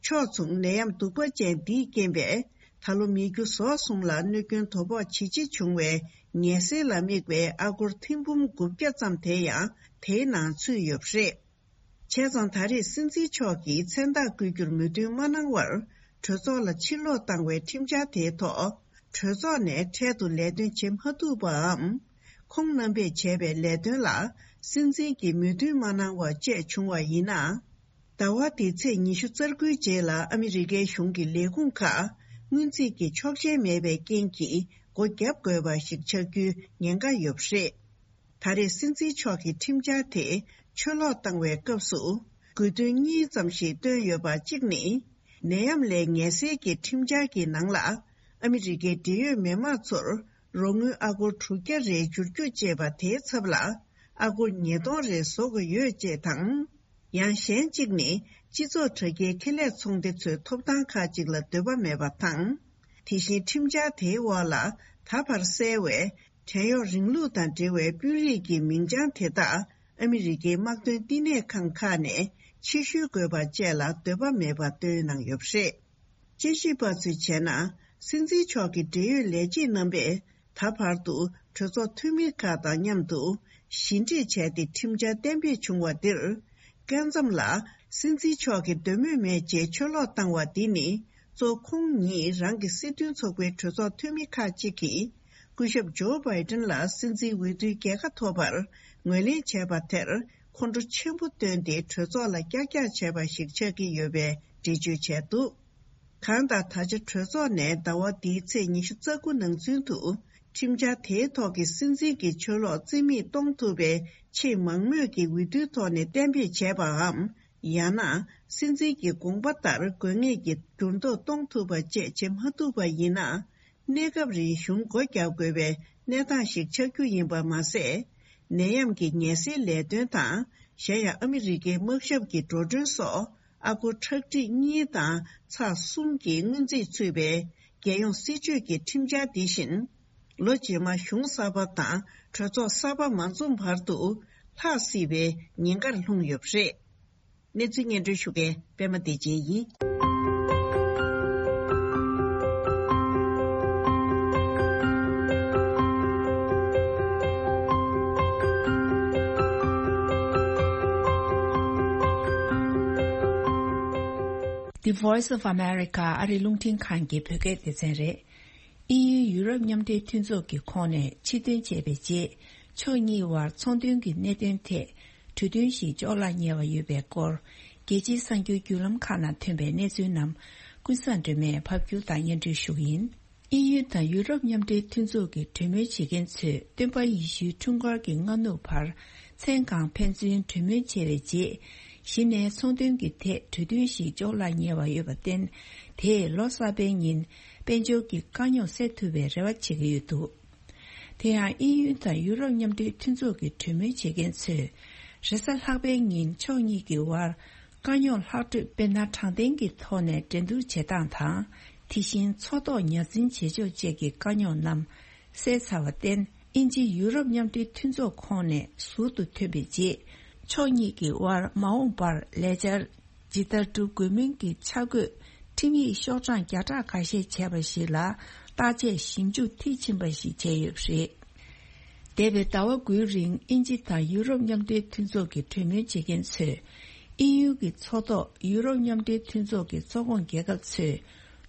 ཕྱོགས་མཚུངས་ནད་ཡམས་གདུག་པ་ཅན་འདིས་རྐྱེན་པས། ད་ལོ་མི་རྒྱུ་ཟོག་གསུམ་ལ་གནོད་སྐྱོན་དོ་ཕོག་ཇེ་ཆེ་བྱུང་བའི་ངལ་སེལ་ལ་དམིགས་པའི་ཨ་སྒོར་ཐེར་འབུམ་དགུ་བརྒྱ་ཙམ་དེ་ཡང་དེའི་ནང་ཚུད་ཡོད་པ་རེད། བྱས་ཙང་ད་རེས་སྲིད་འཛིན་མཆོག་གིས་མཚན་རྟགས་བཀོད་རྒྱུར་མོས་མཐུན་མ་གནང་བར། གྲོས་ཚོགས་ལ་ཕྱིར་སློག་བཏང་བའི་ཁྲིམས་འཆར་དེའི་ཐོག་གྲོས་ཚོགས་ནས་འཕྲལ་དུ་ལས་དོན་བྱེད་མ་ཐུབ་པའམ། ཁོང་རྣམ་པས་བྱས་པའི་ལས་དོན་ལ་སྲིད་འཛིན་གྱིས་མོས་མཐུན་མ་གནང་བ་བཅས་བྱུང་བ་ཡིན་ན། ཟླ་བ་འདིའི་ཚེས་ཉི་ཤུ་རྩ་དགུའི་རྗེས་ལ་ཨ་མི་རི་ཀའི་གཞུང་གི་ལས་ཁུངས་ཁག་སྔོན་རྩིས་ཀྱི་ཆོག་མཆན་མེད་པའི་རྐྱེན་གྱིས་སྒོ་བརྒྱབ་དགོས་པ་ཞིག་ཆགས་རྒྱུའི་ཉེན་ཁ་ཡོད་པ་རེད། ད་རེས་སྲིད་འཛིན་མཆོག་གིས་ཁྲིམས་འཆར་དེ་ཆུ་ལོག་བཏང་བའི་སྐབས་སུ། དགོས་འདུན་གཉིས་ཙམ་ཞིག་བཏོན་ཡོད་པ། གཅིག་ནི། ནད་ཡམས་ལས་ངལ་སེལ་གྱི་ཁྲིམས་འཆར་གྱི་ནང་ལ། ཨ་མི་རི་ཀའི་འབྲེལ་ཡོད་མི་མང་ཚོར་རོགས་དངུལ་ཨ་སྒོར་དྲུག་བརྒྱ་རེ་བསྒྱུར་རྒྱུ་ཅེས་པ་དེའི་ཚབ་ལ། ཨ་སྒོར་ཉིས་སྟོང་རེ་བཟོ་དགོས་ཡོད་ཅེས་དང་། ཡང་གཞན་གཅིག་ནི། སྤྱི་ཚོགས་དྲ་རྒྱའི་ཁེ་ལས་ཚོང་སྡེ་ཚོའི་ཐོབ་ཐང་ཁག་ཅིག་ལ་འདོད་པ་མེད་པ་དང་། དེ་བཞིན་ཁྲིམས་འཆར་དེའི་འོག་ལ་ད་བར་གསལ་བའི་ བྲན་གཡོག་རིང་ལུགས་དང་འབྲེལ་བའི་དཔོན་རིགས་ཀྱི་མིང་བྱང་དེ་དག་ཨ་མི་རི་ཀའི་དམག་དོན་བསྟི་གནས་ཁང་ཁག་ནས་ཕྱིར་བཤོལ་དགོས་པ་བཅས་ལ་འདོད་པ་མེད་པ་བཏོན་གནང་ཡོད་པ་རེད། དཔྱད་ཞིབ་པ་ཚོས་བྱས་ན། སྲིད་འཛིན་མཆོག་གི་འབྲེལ་ཡོད་ལས་བྱེད་རྣམ་པས་ད་བར་དུ་གྲོས་ཚོགས་འཐུས་མི་ཁག་དང་མཉམ་དུ་ཞི་འགྲིག་བྱས་ཏེ་ཁྲིམས་འཆར་གཏན་འབེབས་བྱུང་བ་འདིར། སྐབས་མཚམས་ལ་སྲིད་འཛིན་མཆོག་གིས་འདོད་མོས་མེད་ཅེས་ཕྱིར་ལོག་བཏང་བ་འདི་ནི། གཙོ་ཁོང་ཉིད་རང་གི་སྲིད་དོན་ཚོགས་པའི་གྲོས་ཚོགས་འཐུས་མི་ཁག་ཅིག་གིས། སྐུ་ཞབས་ཇོ་བྷའི་ཏིན་ལ་སྲིད་འཛིན་འོས་བསྡུའི་རྒྱལ་ཁ་ཐོབ་པར་ངོས་ལེན་བྱས་པ་དེར་ཁོང་ཁྲོ་ཆེན་པོ་བཏོན་ཏེ་གྲོས་ཚོགས་ལ་ཀྱག་ཀྱག་བྱས་པ་ཞིག་ཆགས་ཀྱི་ཡོད་པའི་འགྲེལ་བརྗོད་བྱས་འདུག་གང་ལྟར། ད་ཆ་གྲོས་ཚོགས་ནས་ཟླ་བ་འདིའི་ཚེས་ཉི་ཤུ་རྩ་དགུ་ནང་ཚུན་དུ་ཁྲིམས་འཆར་དེའི་ཐོག་གི་སྲིད་འཛིན་གྱི་ཕྱིར་ལོག་རྩིས་མེད་གཏོང་ཐུབ་པའི་ཆེས་མང་མོས་ཀྱི་འོས་བསྡུའི་ཐོག་ནས་གཏན་འབེབས་བྱས་པའམ། ཡང་ན། སྲིད་འཛིན་གྱི་དགོངས་པ་ལྟར་དགོས་ངེས་ཀྱི་འགྱུར་ལྡོག་གཏོང་ཐུབ་པ་བཅས་བྱེད་མ་ཐུབ་པ་ཡིན་ན། གནས་སྐབས་རིང་གཞུང་སྒོ་བརྒྱབ་དགོས་པའི་གནས་སྟངས་ཤིག་ཆགས་རྒྱུ་ཡིན་པ་མ་ཟད། ནད་ཡམས་ཀྱི་ངལ་སེལ་ལས་དོན་དང་། གཞན་ཡང་ཨ་མི་རི་ཀའི་དམག་ཞབས་ཀྱི་འགྲོ་གྲོན་སོགས་ཨ་སྒོར་ཁྲག་ཁྲིག་གཉིས་དང་ཚེག་གསུམ་གྱི་སྔོན་རྩིས་ཚུད་པའི་རྒྱལ་ཡོངས་སྲིད་ཇུས་ཀྱི་ཁྲིམས་འཆར་འདི་བཞིན། ལོ་རྗེས་མ་གཞུང་གསར་པ་དང་གྲོས་ཚོགས་གསར་པ་མ་འཛོམས་བར་དུ་ལྷག་སྲིད་པའི་ཉེན་ཁར་ལྷུང་ཡོད་པ་རེད། གནས་ཚུལ་སྙན་སྒྲོན་ཞུ་མཁན་པད་མ་བདེ་ཆེན་ཡིན། The Voice of America ཨ་རིའི་རླུང་འཕྲིན་ཁང་གི་བོད་སྐད་སྡེ་ཚན་རེད། དབྱིན་ཡུལ་ཡུ་རོབ་མཉམ་འབྲེལ་མཐུན་ཚོགས་ཀྱི་ཁོངས་ནས་ཕྱིར་ཐོན་བྱས་པའི་རྗེས། ཕྱོགས་གཉིས་དབར་ཚོང་དོན་གྱི་གནད་དོན་ཐད་གྲོས་མཐུན་ཞིག་འཇོག་སླ་ཉེ་བ་ཡོད་པའི་སྐོར། རྒྱལ་སྤྱིའི་གསར་འགྱུར་བརྒྱུད་ལམ་ཁག་ནང་ཐོན་པའི་གནས་ཚུལ་རྣམས་ཀུན་བཟང་སྒྲོལ་མས་ཕབ་སྒྱུར་དང་སྙན་སྒྲོན་ཞུ་གི་ཡིན། དབྱིན་ཡུལ་དང་ཡུ་རོབ་མཉམ་འབྲེལ་མཐུན་ཚོགས་ཀྱི་གྲོས་མོལ་བྱེད་མཁན་ཚོས་སྟོན་པ་ཡེ་ཤུའི་འཁྲུངས་སྐར་གྱི་སྔ་ནུབ་བར་མཚན་གང་ཕན་ཚུན་གྲོས་མོལ་བྱས་པའི་རྗེས། གཞི་ནས་ཚོང་དོན་གྱི་ཐད་གྲོས་མཐུན་ཞིག་འཇོག་སླ་ཉེ་བ་ཡོད་པར་བརྟེན། དེས་ལོ་གསར་པའི་ཉིན་དཔལ་འབྱོར་གྱི་དཀའ་རྙོག་སེལ་ཐུབ་པའི་རེ་བ་བྱེད་ཀྱི་ཡོད་འདུག་དེ་ཡང་དབྱིན་ཡུལ་དང་ཡུ་རོབ་མཉམ་འབྲེལ་མཐུན་ཚོགས་ཀྱི་གྲོས་མོལ་བྱེད་མཁན་ཚོས། རེས་གཟའ་ལྷག་པའི་ཉིན་ཕྱོགས་གཉིས་ཀྱི་དབར་དཀའ་རྙོག་ལྷག་འཕྲོས་དཔེར་ན་དྲང་བདེན་གྱི་ཐོག་ནས་འགྲན་བསྡུར་བྱེད་སྟངས་དང་། དེ་བཞིན་མཚོ་ཐོག་ཉ་འཛིན་བྱེད་ཕྱོགས་བཅས་ཀྱི་དཀའ་རྙོག་རྣམས་སེལ་ཚར་བར་བརྟེན། དབྱིན་ཇི་ཡུ་རོབ་མཉམ་འབྲེལ་མཐུན་ཚོགས་ཁོངས་ནས་ཟུར་དུ་ཐོན་པའི་རྗེས། ཕྱོགས་གཉིས་ཀྱི་དབར་མ་འོངས་པར་ལས་འཆར་ཇི་ལྟར་སྒྲུབ་དགོས་མིན་གྱི་འཆར་འགོད་ཁྲིམས་ཡིག་ཤོག་གྲངས་བརྒྱ་ཕྲག་ཁ་ཤས་བྱས་པ་ཞིག་ལ་བརྟག་དཔྱད་ཞིབ་འཇུག་མཐིལ་ཕྱིན་པ་ཞིག་བྱས་ཡོད་པ་རེད། འདས་པའི་ཟླ་བ་དགུའི་རིང་དབྱིན་ཇི་དང་ཡུ་རོབ་མཉམ་འབྲེལ་མཐུན་ཚོགས་ཀྱི་གྲོས་མོལ་བྱེད་མཁན་ཚོས། དབྱིན་ཡུལ་གྱི་མཚོ་ཐོག་ཡུ་རོབ་མཉམ་འབྲེལ་མཐུན་ཚོགས་ཀྱི་ཚོགས་ཁོངས་རྒྱལ་ཁབ་ཚོས་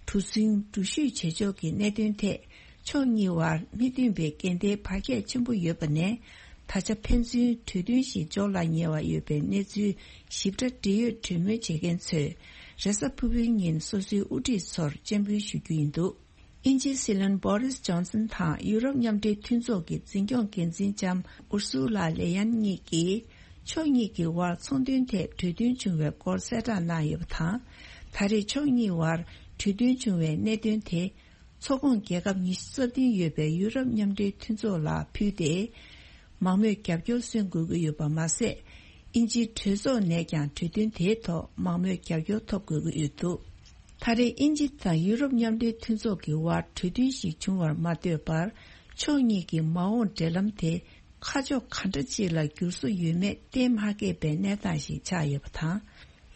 གྲུ་གཟིངས་འགྲུལ་བཞུད་བྱེད་ཕྱོགས་ཀྱི་གནད་དོན་ཐད་ཕྱོགས་གཉིས་དབར་མི་མཐུན་པའི་འགལ་ཟླའི་བར་ཁྱད་ཆེན་པོ་ཡོད་པ་ནས། ད་ཆ་ཕན་ཚུན་གྲོས་མཐུན་ཞིག་འཇོག་སླ་ཉེ་བ་ཡོད་པའི་གནས་ཚུལ་ཞིབ་ཕྲ་འབྲེལ་ཡོད་གྲོས་མོལ་བྱེད་མཁན་ཚོས་རེས་གཟའ་ཕུར་བུའི་ཉིན་སོ་སོའི་དབུ་ཁྲིད་ཚོར་སྤྱན་འབུལ་ཞུ་རྒྱུ་ཡིན་འདུག་དབྱིན་ཇིའི་སྲིད་བློན་བྷོ་རིས་ཇོན་སན་དང་ཡུ་རོབ་མཉམ་འབྲེལ་མཐུན་ཚོགས་ཀྱི་འཛིན་སྐྱོང་འགན་འཛིན་ལྕམ་ཨུར་སུ་ལ་ལེ་ཡན་གཉིས་ཀྱིས། ཕྱོགས་གཉིས་ཀྱི་དབར་ཚོང་དོན་ཐད་གྲོས་མཐུན་བྱུང་བའི་སྐོར་གསལ་བསྒྲགས་གནང་ཡོད་པ་དང་། ད་རེས་ཕྱོགས་གཉིས་དབར་གྲོས་མཐུན་བྱུང་བའི་གནད་དོན་དེ། ཚོགས་ཁོངས་རྒྱལ་ཁབ་ཉི་ཤུ་རྩ་བདུན་ཡོད་པའི་ཡུ་རོབ་མཉམ་འབྲེལ་མཐུན་ཚོགས་ལ་ཕུལ་ཏེ། མང་མོས་རྒྱབ་སྐྱོར་སོན་དགོས་ཀྱི་ཡོད་པ་མ་ཟད། དབྱིན་ཇིའི་གྲོས་ཚོགས་ནས་ཀྱང་གྲོས་མཐུན་དེའི་ཐོག་མང་མོས་རྒྱབ་སྐྱོར་ཐོབ་དགོས་ཀྱི་ཡོད་འདུག་ད་རེས་དབྱིན་ཇི་དང་ཡུ་རོབ་མཉམ་འབྲེལ་མཐུན་ཚོགས་ཀྱི་དབར་གྲོས་མཐུན་ཞིག་བྱུང་བར་མ་ལྟོས་པར། ཕྱོགས་གཉིས་ཀྱི་མ་འོངས་འབྲེལ་ལམ་དེ་ཁ་ཕྱོགས་ག་འདྲ་ཅིག་ལ་འགྱུར་བཟོ་ཡོད་མེད་གཏན་མ་འཁེལ་པའི་གནས་སྟངས་ཤིག་ཆགས་ཡོད་པ་དང་།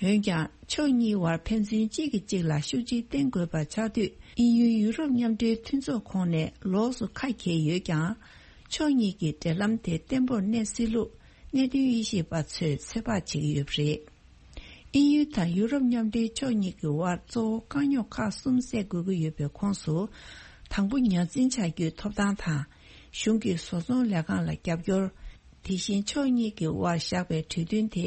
འོན་ཀྱང་། ཕྱོགས་གཉིས་དབར་ཕན་ཚུན་གཅིག་གིས་གཅིག་ལ་ཤུགས་རྐྱེན་བསྟེན་དགོས་པ་ཆགས་དུས། དབྱིན་ཡུལ་ཡུ་རོབ་མཉམ་འབྲེལ་མཐུན་ཚོགས་ཁོངས་ནས་ལོགས་སུ་ཁ་གྱེས་ཡོད་ཀྱང་། ཕྱོགས་གཉིས་ཀྱི་འབྲེལ་ལམ་དེ་བརྟན་པོར་གནས་སྲིད་ལུགས་གནད་དོན་དབྱེ་ཞིབ་པ་ཚོས་ཚོད་དཔག་བྱེད་ཀྱི་ཡོད་པ་རེད། དབྱིན་ཡུལ་དང་ཡུ་རོབ་མཉམ་འབྲེལ་ཕྱོགས་གཉིས་ཀྱི་དབར་གཙོ་བོ་དཀའ་རྙོག་ཁག་གསུམ་སེལ་དགོས་ཀྱི་ཡོད་པའི་ཁོངས་སུ། དང་པོ་ཉ་འཛིན་བྱ་རྒྱུའི་ཐོབ་ཐང་དང་། གཞུང་གི་བཟོ་ཚོང་ལས་ཁང་ལ་རྒྱབ་སྐྱོར། དེ་བཞིན་ཕྱོགས་གཉིས་ཀྱི་དབར་བཞག་པའི་གྲོས་མཐུན་དེ་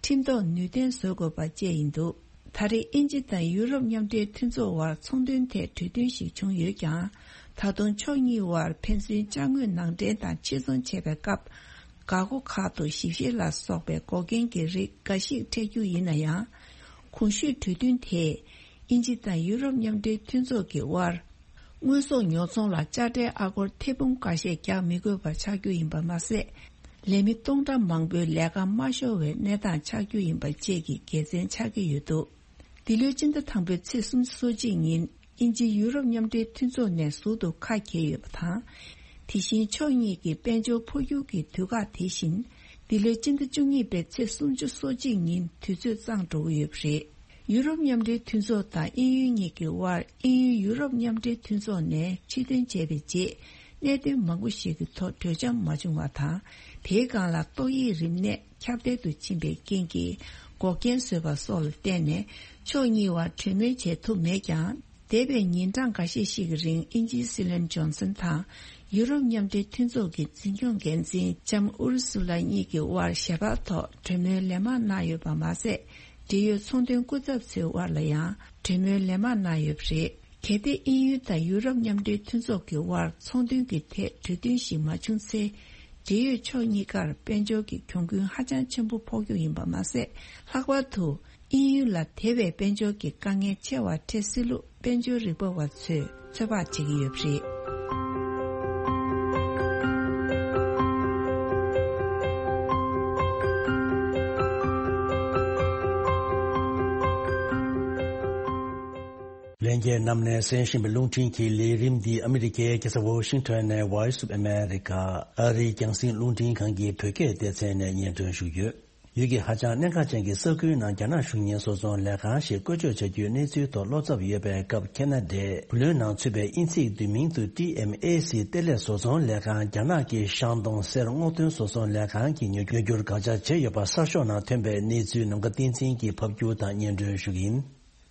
ཁྲིམས་ཐོག་ནུས་ལྡན་བཟོ་དགོས་པ་བཅས་ཡིན་འདུག་ད་རེས་དབྱིན་ཇི་དང་ཡུ་རོབ་མཉམ་འབྲེལ་མཐུན་ཚོགས་དབར་ཚོང་དོན་ཐད་གྲོས་མཐུན་ཞིག་བྱུང་ཡོད་ཀྱང་། ད་དུང་ཕྱོགས་གཉིས་དབར་ཕན་ཚུན་ཅ་དངོས་ནང་འདྲེན་དང་ཕྱིར་ཚོང་བྱེད་པའི་སྐབས། འགག་སྒོ་ཁག་ཏུ་ཞིབ་བཤེར་ལ་སོགས་པའི་འགོག་རྐྱེན་གྱི་རིགས་འགའ་ཞིག་འཕྲད་རྒྱུ་ཡིན་ན་ཡང་། གོང་ཞུས་གྲོས་མཐུན་དེས་དབྱིན་ཇི་དང་ཡུ་རོབ་མཉམ་འབྲེལ་མཐུན་ཚོགས་ཀྱི་དབར། དངོས་ཟོག་ཉོ་ཚོང་ལ་དཔྱ་ཁྲལ་ཨ་སྒོར་ཐེར་འབུམ་འགའ་ཤས་རྒྱག་མི་དགོས་པ་ཆགས་རྒྱུ་ཡིན་པ་མ་ཟད། ལས་མི་སྟོང་ཕྲག་མང་པོའི་ལས་ཀ་མ་ཤོར་བའི་གནས་སྟངས་ཆགས་རྒྱུ་ཡིན་པ་བཅས་ཀྱི་དགེ་མཚན་ཆགས་ཀྱི་ཡོད་འདུག་འདི་ལོའི་སྤྱི་ཟླ་དང་པོའི་ཚེས་སོ་གཅིག་ཉིན་དབྱིན་ཇི་ཡུ་རོབ་མཉམ་འབྲེལ་མཐུན་ཚོགས་ནས་ཟུར་དུ་ཁ་གྱེས་ཡོད་པ་དང་། དེ་བཞིན་ཕྱོགས་གཉིས་ཀྱི་དཔལ་འབྱོར་འཕོ་འགྱུར་གྱི་དུས་བཀག་དེ་བཞིན་འདི་ལོའི་སྤྱི་ཟླ་བཅུ་གཉིས་པའི་ཚེས་སུམ་ཅུ་སོ་གཅིག་ཉིན་དུས་ཚོད་གཙང་འགྲོ་གི་ཡོད་པ་རེད། ཡུ་རོབ་མཉམ་འབྲེལ་མཐུན་ཚོགས་དང་དབྱིན་ཡུལ་གཉིས་ཀྱི་དབར་དབྱིན་ཡུལ་ཡུ་རོབ་མཉམ་འབྲེལ་མཐུན་ཚོགས་ནས་ཕྱིར་འདོན་བྱས་པའི་རྗེས། གནད་དོན་མང་པོ་ཞིག་གི་ཐོག་གྲོས་འཆམ་མ་བྱུང་བ་དང་། དེའི་སྒང་ལ་ཏོག་དབྱིབས་རིམས་ནད་ཁྱབ་གདལ་དུ་ཕྱིན་པའི་རྐྱེན་གྱིས་འགོག་རྐྱེན་བཟོས་པ་སོགས་ལ་བརྟེན་ནས། ཕྱོགས་གཉིས་བར་གྲོས་མོལ་བྱེད་ཐུབ་མེད་ཀྱང་། འདས་པའི་ཉིན་གྲངས་འགའ་ཤས་ཤིག་གི་རིང་དབྱིན་ཇིའི་སྲིད་བློན་ཇོན་སན་དང་། ཡུ་རོབ་མཉམ་འབྲེལ་མཐུན་ཚོགས་ཀྱི་འཛིན་སྐྱོང་འགན་འཛིན་ལྕམ་ཨུར་སུ་ལ་གཉིས་ཀྱི་དབར་ཞལ་པར་ཐོག་གྲོས་མོལ་ལན་མང་གནང་ཡོད་པ་མ་ཟད། འབྲེལ་ཡོད་ཚོང་དོན་སྐུ་ཚབ་ཚོའི་དབར་ལ་ཡང་གྲོས་མོལ་ལན་མང་གནང་ཡོད་པ་རེད། གལ་ཏེ་དབྱིན་ཡུལ་དང་ཡུ་རོབ་མཉམ་འབྲེལ་མཐུན་ཚོགས་ཀྱི་དབར་ཚོང་དོན་གྱི་ཐད་གྲོས་མཐུན་ཞིག་མ་བྱུང་ཚེ། འབྲེལ་ཡོད་ཕྱོགས་གཉིས་ཀར་དཔལ་འབྱོར་གྱི་གྱོང་གུན་ཧ་ཅང་ཆེན་པོ་ཕོག་རྒྱུ་ཡིན་པ་མ་ཟད། ལྷག་པར་དུ། དབྱིན་ཡུལ་ལ་དེ་བས་དཔལ་འབྱོར་གྱི་དཀའ་ངལ་ཆེ་བ་འཕྲད་སྲིད་ལུགས་དཔལ་འབྱོར་རིག་པ་བ་ཚོས་ཚོད་དཔག་བྱེད་ཀྱི་ཡོད་པ་རེད། ལྷན་རྒྱས་རྣམས་ནས་གསན་བཞིན་པའི་རླུང་འཕྲིན་གྱི་ལས་རིམ་འདི་ཨ་མི་རི་ཀའི་རྒྱལ་ས་ཝོ་ཤིང་ཊོན་ནས་Voice of America ཨ་རིའི་རྒྱང་སྲིང་རླུང་འཕྲིན་ཁང་གི་བོད་སྐད་སྡེ་ཚན་ནས་སྙན་སྒྲོན་ཞུ་གི་ཡོད། ཡུལ་གྱི་ཧ་ཅང་གནད་འགག་ཅན་གྱི་ས་ཁུལ་ནང་རྒྱ་ནག་གཞུང་གཉེར་བཟོ་ཚོང་ལས་ཁང་ཞིག་བཀོལ་སྤྱོད་བྱ་རྒྱུའི་གནས་ཚུལ་ཐོག་བློ་འཚབ་ཡོད་པའི་སྐབས། ཁེ་ན་ཌའི་བུ་ལོན་ནང་ཚུད་པའི་དབྱིན་ཚིག་བསྡུས་མིང་དུ་ཊི་ཨེམ་ཨེ་སི་གཏེར་ལས་བཟོ་ཚོང་ལས་ཁང་རྒྱ་ནག་གི་ཤང་ཏུང་གསེར་སྔོག་འདོན་བཟོ་ཚོང་ལས་ཁང་གིས་ཉོ་ཉོ་རྒྱུར་དགག་བྱ་བྱས་ཡོད་པ་གསར་ཤོག་ནང་ཐོན་པའི་གནས་ཚུལ་ནམ་མཁའ་བསྟན་འཛིན་གྱིས་ཕབ་སྒྱུར་དང་སྙན་སྒྲོན་ཞུ་གི་ཡིན།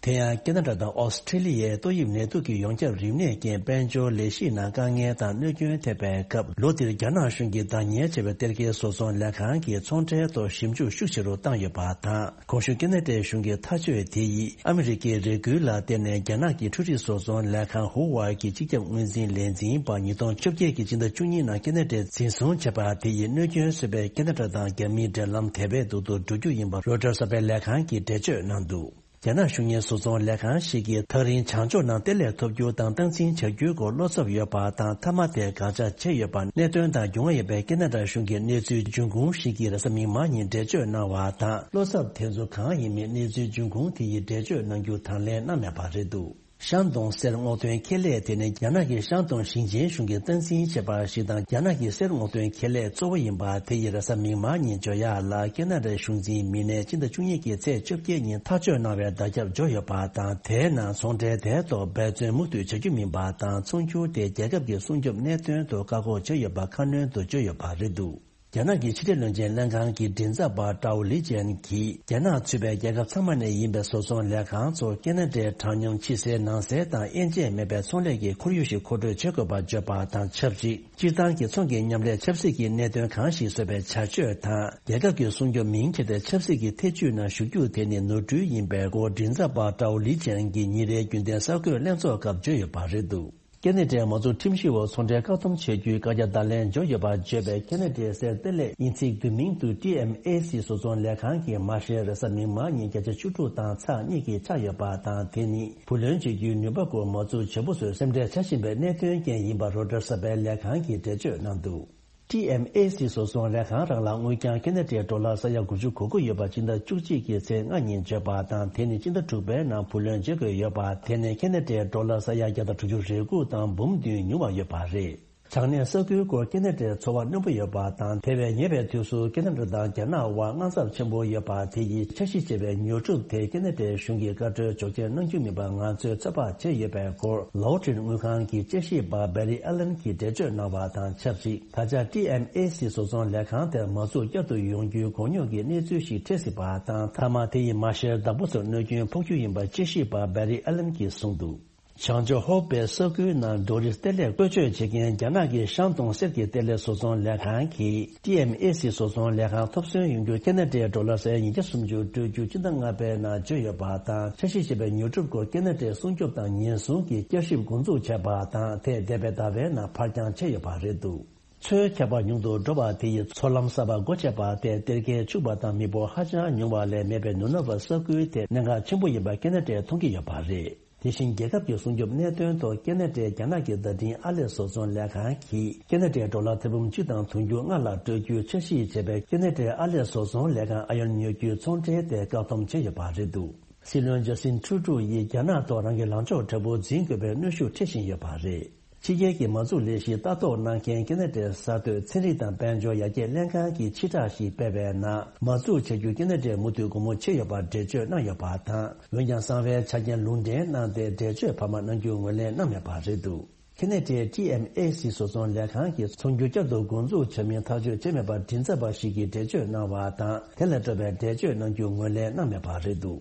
དེ་ཡང་ཁེ་ན་ཌ་དང་ཨོ་སི་ཁྲི་ལི་ཡའི་ཏོག་དབྱིབས་ནད་དུག་གི་ཡོངས་ཁྱབ་རིམས་ནད་རྐྱེན་དཔལ་འབྱོར་ལས་གཞི་ནང་དཀའ་ངལ་དང་གནོད་སྐྱོན་ཐེབས་པའི་སྐབས། ལོ་འདིར་རྒྱ་ནག་གཞུང་གིས་བདག་གཉེར་བྱས་པའི་གཏེར་ཁའི་བཟོ་ཚོང་ལས་ཁང་གིས་ཚོང་ཁྲལ་ཐོག་ཞིབ་འཇུག་ཤུགས་ཆེ་རུ་བཏང་ཡོད་པ་དང་། གོང་ཞུས་ཁེ་ན་ཌའི་གཞུང་གི་ཐག་གཅོད་དེ་ཡིས་ཨ་མི་རི་ཀའི་རེ་སྐུལ་ལ་བརྟེན་ནས་རྒྱ་ནག་གི་འཕྲུལ་རིག་བཟོ་ཚོང་ལས་ཁང་ཧུ་ཝའེ་གི་སྤྱི་ཁྱབ་དངོས་འཛིན་ལས་འཛིན་པ་ཉིས་སྟོང་བཅོ་བརྒྱད་ཀྱི་སྤྱི་ཟླ་བཅུ་གཉིས་ནང་ཁེ་ན་ཌས་འཛིན་བཟུང་བྱས་པ་དེ་ཡིས་གནོད་སྐྱོན་བཟོས་པའི་ཁེ་ན་ཌ་དང་རྒྱ་མིའི་འབྲེལ་ལམ་དེ་བས་སྡུག་ཏུ་འགྲོ་རྒྱུ་ཡིན་པ་རོའི་ཊར་གསར་པའི་ལས་ཁང་གིས་འགྲེལ་བརྗོད་གནང་འདུག་རྒྱ་ནག་གཞུང་གཉེར་བཟོ་ཚོང་ལས་ཁང་ཞིག་གིས་ཐག་རིང་བྱང་ཕྱོགས་ནང་གཏེར་ལས་ཐོབ་རྒྱུ་དང་སྟངས་འཛིན་བྱ་རྒྱུའི་སྐོར་བློ་འཚབ་ཡོད་པ་དང་། མཐའ་མ་དེ་དགག་བྱ་བྱས་ཡོད་པ། གནད་དོན་དང་རྒྱུས་མངའ་ཡོད་པའི་ཁེ་ན་ཌ་གཞུང་གི་གནས་ཚུལ་འབྱུང་ཁུངས་ཤིག་གིས་རེས་གཟའ་མིག་དམར་ཉིན་འགྲེལ་བརྗོད་གནང་བ་དང་། བློ་འཚབ་དེ་ཚོ་གང་ཡིན་མིན་གནས་ཚུལ་འབྱུང་ཁུངས་དེ་ཡི་འགྲེལ་བརྗོད་གནང་རྒྱུ་དང་ལེན་གནང་མེད་པ་རེད་འདུག་ཤང་ཏུང་གསེར་སྔོག་འདོན་ཁེ་ལས་དེ་ནི་རྒྱ་ནག་གི་ཤང་ཏུང་ཞིང་ཆེན་གཞུང་གིས་སྟངས་འཛིན་བྱས་པ་ཞིག་དང་། རྒྱ་ནག་གི་གསེར་སྔོག་འདོན་ཁེ་ལས་གཙོ་བོ་ཡིན་པ་དེ་ཡིས་རེས་གཟའ་མིག་དམར་ཉིན་འཇོ་ཡག་ལ་ཁེ་ན་ཌའི་གཞུང་འཛིན་མི་སྣས་སྤྱི་ཟླ་བཅུ་གཉིས་ཀྱི་ཚེས་བཅོ་བརྒྱད་ཉིན་ཐག་གཅོད་གནང་བའི་བརྡ་ཁྱབ་འབྱོར་ཡོད་པ་དང་། དེའི་ནང་ཚོང་ཁྲལ་དེའི་ཐོག་འབད་བརྩོན་མུ་མཐུད་བྱ་རྒྱུ་མིན་པ་དང་། ཚོང་སྒྱུར་དེ་རྒྱལ་ཁབ་ཀྱི་སྲུང་སྐྱོབ་གནད་དོན་དུ་བཀག་འགོག་བྱས་ཡོད་པ་ཁ་སྣོན་དུ་བརྗོད་ཡོད་པ་རེད་འདུག་རྒྱ་ནག་གི་ཕྱི་འབྲེལ་བློན་ཆེན་ལྷན་ཁང་གི་མགྲིན་ཚབ་པ་ཀྲའོ་ལི་ཅན་གྱིས། རྒྱ་ནག་ཚུད་པའི་རྒྱལ་ཁབ་ཚང་མ་ནས་ཡིན་པའི་བཟོ་ཚོང་ལས་ཁང་ཚོ་ཁེ་ན་ཌའི་གྲངས་ཉུང་ཕྱི་གསལ་ནང་གསལ་དང་དབྱེ་འབྱེད་མེད་པའི་ཚོང་ལས་ཀྱི་ཁོར་ཡུག་ཞིག་མཁོ་སྤྲོད་བྱེད་དགོས་པར་བརྗོད་པ་དང་ཆབས་ཅིག་སྤྱིར་བཏང་གི་ཚོང་གི་མཉམ་ལས་ཆབ་སྲིད་ཀྱི་གནད་དོན་གང་ཞིག་བཟོ་བའི་བྱ་སྤྱོད་དང་། རྒྱལ་ཁབ་ཀྱི་སྲུང་སྐྱོབ་མིང་འཁྱེར་ཏེ་ཆབ་སྲིད་ཀྱི་ཐེ་ཇུས་ནང་ཞུགས་རྒྱུ་དེ་ནི་ནོར་འཁྲུལ་ཡིན་པའི་སྐོར། མགྲིན་ཚབ་པ་ཀྲའོ་ལི་ཅན་གྱིས་ཉིན་རེའི་རྒྱུན་ལྡན་གསར་འགོད་ལྷན་ཚོགས་སྐབས་བརྗོད་ཡོད་པ་རེད་འདུག་ཁེ་ན་ཌའི་མ་འཛུགས་ཁྲིམས་གཞིའི་འོག་ཚོང་འབྲེལ་བཀག་སྡོམ་བྱེད་རྒྱུའི་བཀའ་རྒྱ་བརྡ་ལན་འབྱོར་ཡོད་པར་བརྗོད་པའི་ཁེ་ན་ཌའི་གསེར་གཏེར་ལས་དབྱིན་ཚིག་བསྡུས་མིང་དུ་ཊི་ཨེམ་ཨེ་སི་བཟོ་ཚོང་ལས་ཁང་གི་མ་ཧྲེ་རེས་གཟའ་མིག་དམར་ཉིན་བརྒྱ་ཆ་བཅུ་དྲུག་དང་ཚེག་གཉིས་ཀྱིས་ཆག་ཡོད་པ་དང་། དེ་ནི་བུ་ལོན་འཇལ་རྒྱུའི་ནུས་པ་སྐོར་མ་འཛུགས་བྱེད་པོ་ཚོས་སེམས་ཁྲལ་བྱ་བཞིན་པའི་གནད་དོན་རྐྱེན་ཡིན་པ་རོའི་ཊར་གསར་པའི་ལས་ཁང་གིས་འགྲེལ་བརྗོད་གནང་འདུག་ཊི་ཨེམ་ཨེ་སི་བཟོ་ཚོང་ལས་ཁང་རང་ལ་དངུལ་རྐྱང་ཁེ་ན་ཌའི་ཌོ་ལར་ས་ཡ་དགུ་བཅུ་གོ་དགུ་ཡོད་པ་སྤྱི་ཟླ་བཅུ་གཅིག་གི་ཚེས་ལྔ་ཉིན་བརྗོད་པ་དང་། དེ་ནི་སྤྱི་ཟླ་དྲུག་པའི་ནང་བུ་ལོན་འཇལ་དགོས་ཡོད་པ། དེ་ནི་ཁེ་ན་ཌའི་ཌོ་ལར་ས་ཡ་བརྒྱ་དང་དྲུག་ཅུ་རེ་དགུ་དང་འབུམ་བདུན་ཉུང་བ་ཡོད་པ་རེད། བྱང་སྣེའི་ས་ཁུལ་སྐོར་ཁེ་ན་ཌའི་ཚོར་བ་རྣོན་པོ་ཡོད་པ་དང་། དེ་བས་ཉེ་བའི་དུས་སུ་ཁེ་ན་ཌ་དང་རྒྱ་ནག་དབར་དངངས་འཚབ་ཆེན་པོ་ཡོད་པ་དེ་ཡིས་འཆར་གཞི་བྱས་པའི་ཉོ་སྒྲུབ་དེ་ཁེ་ན་ཌའི་གཞུང་གིས་བཀའ་འཁྲོལ་འཇོག་མཁན་གནང་རྒྱུ་མིན་པ་ང་ཚོས་ཚོད་དཔག་བྱས་ཡོད་པའི་སྐོར། ལའོ་ཊིན་དངུལ་ཁང་གི་དཔྱད་ཞིབ་པ་བེ་རི་ཨ་ལན་གྱིས་འགྲེལ་བརྗོད་གནང་བ་དང་ཆབས་ཅིག་ད་ཆ་ཊི་ཨེམ་ཨེ་སི་བཟོ་ཚོང་ལས་ཁང་དེར་མ་འཛུགས་བསྐྱར་དུ་ཡོང་རྒྱུའི་གོ་རྙོག་གི་གནས་ཚུལ་ཞིག་འཕྲད་སྲིད་པ་དང་། མཐའ་མ་དེ་ཡི་མ་ཤེར་བདག་པོ་ཚོར་གནོད་སྐྱོན་ཕོག་རྒྱུ་ཡིན་པ་དཔྱད་ཞིབ་པ་བེ་རི་ཨ་ལན་གྱིས་གསུངས་འདུག་བྱང་ཕྱོགས་ཧོ་པེ་ས་ཁུལ་ནང་ཌོ་རི་གཏེར་ལས་བཀོལ་སྤྱོད་བྱེད་མཁན་རྒྱ་ནག་གི་ཤང་ཏུང་གསེར་གྱི་གཏེར་ལས་བཟོ་ཚོང་ལས་ཁང་གིས་ཊི་ཨེམ་ཨེ་སི་བཟོ་ཚོང་ལས་ཁང་ཐོབ་སོན་ཡོང་རྒྱུ་ཁེ་ན་ཌའི་ཌོ་ལར་ས་ཡ་ཉིས་བརྒྱ་སུམ་ཅུ་སྤྲོད་རྒྱུ་སྤྱི་ཟླ་ལྔ་པའི་ནང་བརྗོད་ཡོད་པ་དང་། འཆར་གཞི་བྱས་པའི་ཉོ་སྒྲུབ་སྐོར་ཁེ་ན་ཌའི་སྲུང་སྐྱོབ་དང་ཉེན་སྲུང་གི་བསྐྱར་ཞིབ་འགོ་འཛུགས་བྱས་པ་དང་། དེས་འདས་པའི་ཟླ་བའི་ནང་ཕར་འགྱངས་བྱས་ཡོད་པ་རེད་འདུག་མཚོའི་ཁྱབ་པ་ཉུང་དུ་འགྲོ་བ་དེ་ཡིས་མཚོ་ལམ་གསར་པ་སྒོ་ཕྱེ་བ་དེས་གཏེར་ཁའི་ཕྱུག་པ་དང་མི་འབོར་ཧ་ཅང་ཉུང་བ་ལས་མེད་པའི་ནུབ་ནག་པ་ས་ཁུལ་དེ་གནད་འགག་ཆེན་པོ་ཡིན་པ་ཁེ་ན་ཌས་མཐོང་གི་ཡོད་པ་རེད། དེ་བཞིན་རྒྱལ་ཁབ་ཀྱི་སྲུང་སྐྱོབ་གནད་དོན་ཐོག་ཁེ་ན་ཌའི་རྒྱ་ནག་གི་བརྡ་འཕྲིན་ཨར་ལས་བཟོ་ཚོང་ལས་ཁང་གིས་ཁེ་ན་ཌའི་ཌོ་ལར་ཐེར་འབུམ་གཅིག་དང་དུང་ཕྱུར་ལྔ་ལ་སྤྲོད་རྒྱུའི་འཆར་གཞི་བྱས་པའི་ཁེ་ན་ཌའི་ཨར་ལས་བཟོ་ཚོང་ལས་ཁང་ཨ་ཡོན་ཉོ་རྒྱུའི་ཚོང་ཁྲལ་དེ་བཀག་སྡོམ་བྱས་ཡོད་པ་རེད་འདུག་སྲིད་བློན་ཇ་སིན་ཁྲུ་ཌོ་ཡིས་རྒྱ་ནག་ཐོག་རང་གི་ལངས་ཕྱོགས་དྲག་པོ་འཛིན་དགོས་པའི་གནོན་ཤུགས་འཕྲད་བཞིན་ཡོད་པ་རེད། ཕྱི་རྒྱལ་གྱི་མ་འཛུགས་ལས་གཞི་ལྟ་རྟོག་གནང་མཁན་ཁེ་ན་ཌའི་གསར་གཏོད་ཚན་རིག་དང་དཔལ་འབྱོར་ཡར་རྒྱས་ལྷན་ཁང་གི་ཕྱིར་བསྒྲགས་ཤིག་སྤེལ་བའི་ནང་། མ་འཛུགས་བྱ་རྒྱུ་ཁེ་ན་ཌའི་མུ་མཐུད་སྒོ་མོ་ཕྱེ་ཡོད་པར་འགྲེལ་བརྗོད་གནང་ཡོད་པ་དང་། འོན་ཀྱང་གསང་བའི་ཆ་རྐྱེན་ལུང་འདྲེན་གནང་སྟེ་འགྲེལ་བརྗོད་བར་མ་གནང་རྒྱུ་ངོས་ལེན་གནང་མེད་པ་རེད་འདུག་ཁེ་ན་ཌའི་ཊི་ཨེམ་ཨེ་སི་བཟོ་ཚོང་ལས་ཁང་གིས་ཚོང་སྒྱུར་བསྐྱར་དུ་འགོ་འཛུགས་བྱ་མིན་ཐག་གཅོད་བྱས་མེད་པར་མགྲིན་ཚབ་པ་ཞིག་གིས་འགྲེལ་བརྗོད་གནང་བ་དང་། དེ་ལས་སྤྲོ་བའི་འགྲེལ་བརྗོད་གནང་རྒྱུ་ངོས་ལེན་གནང་མེད་པ་རེད་འདུག་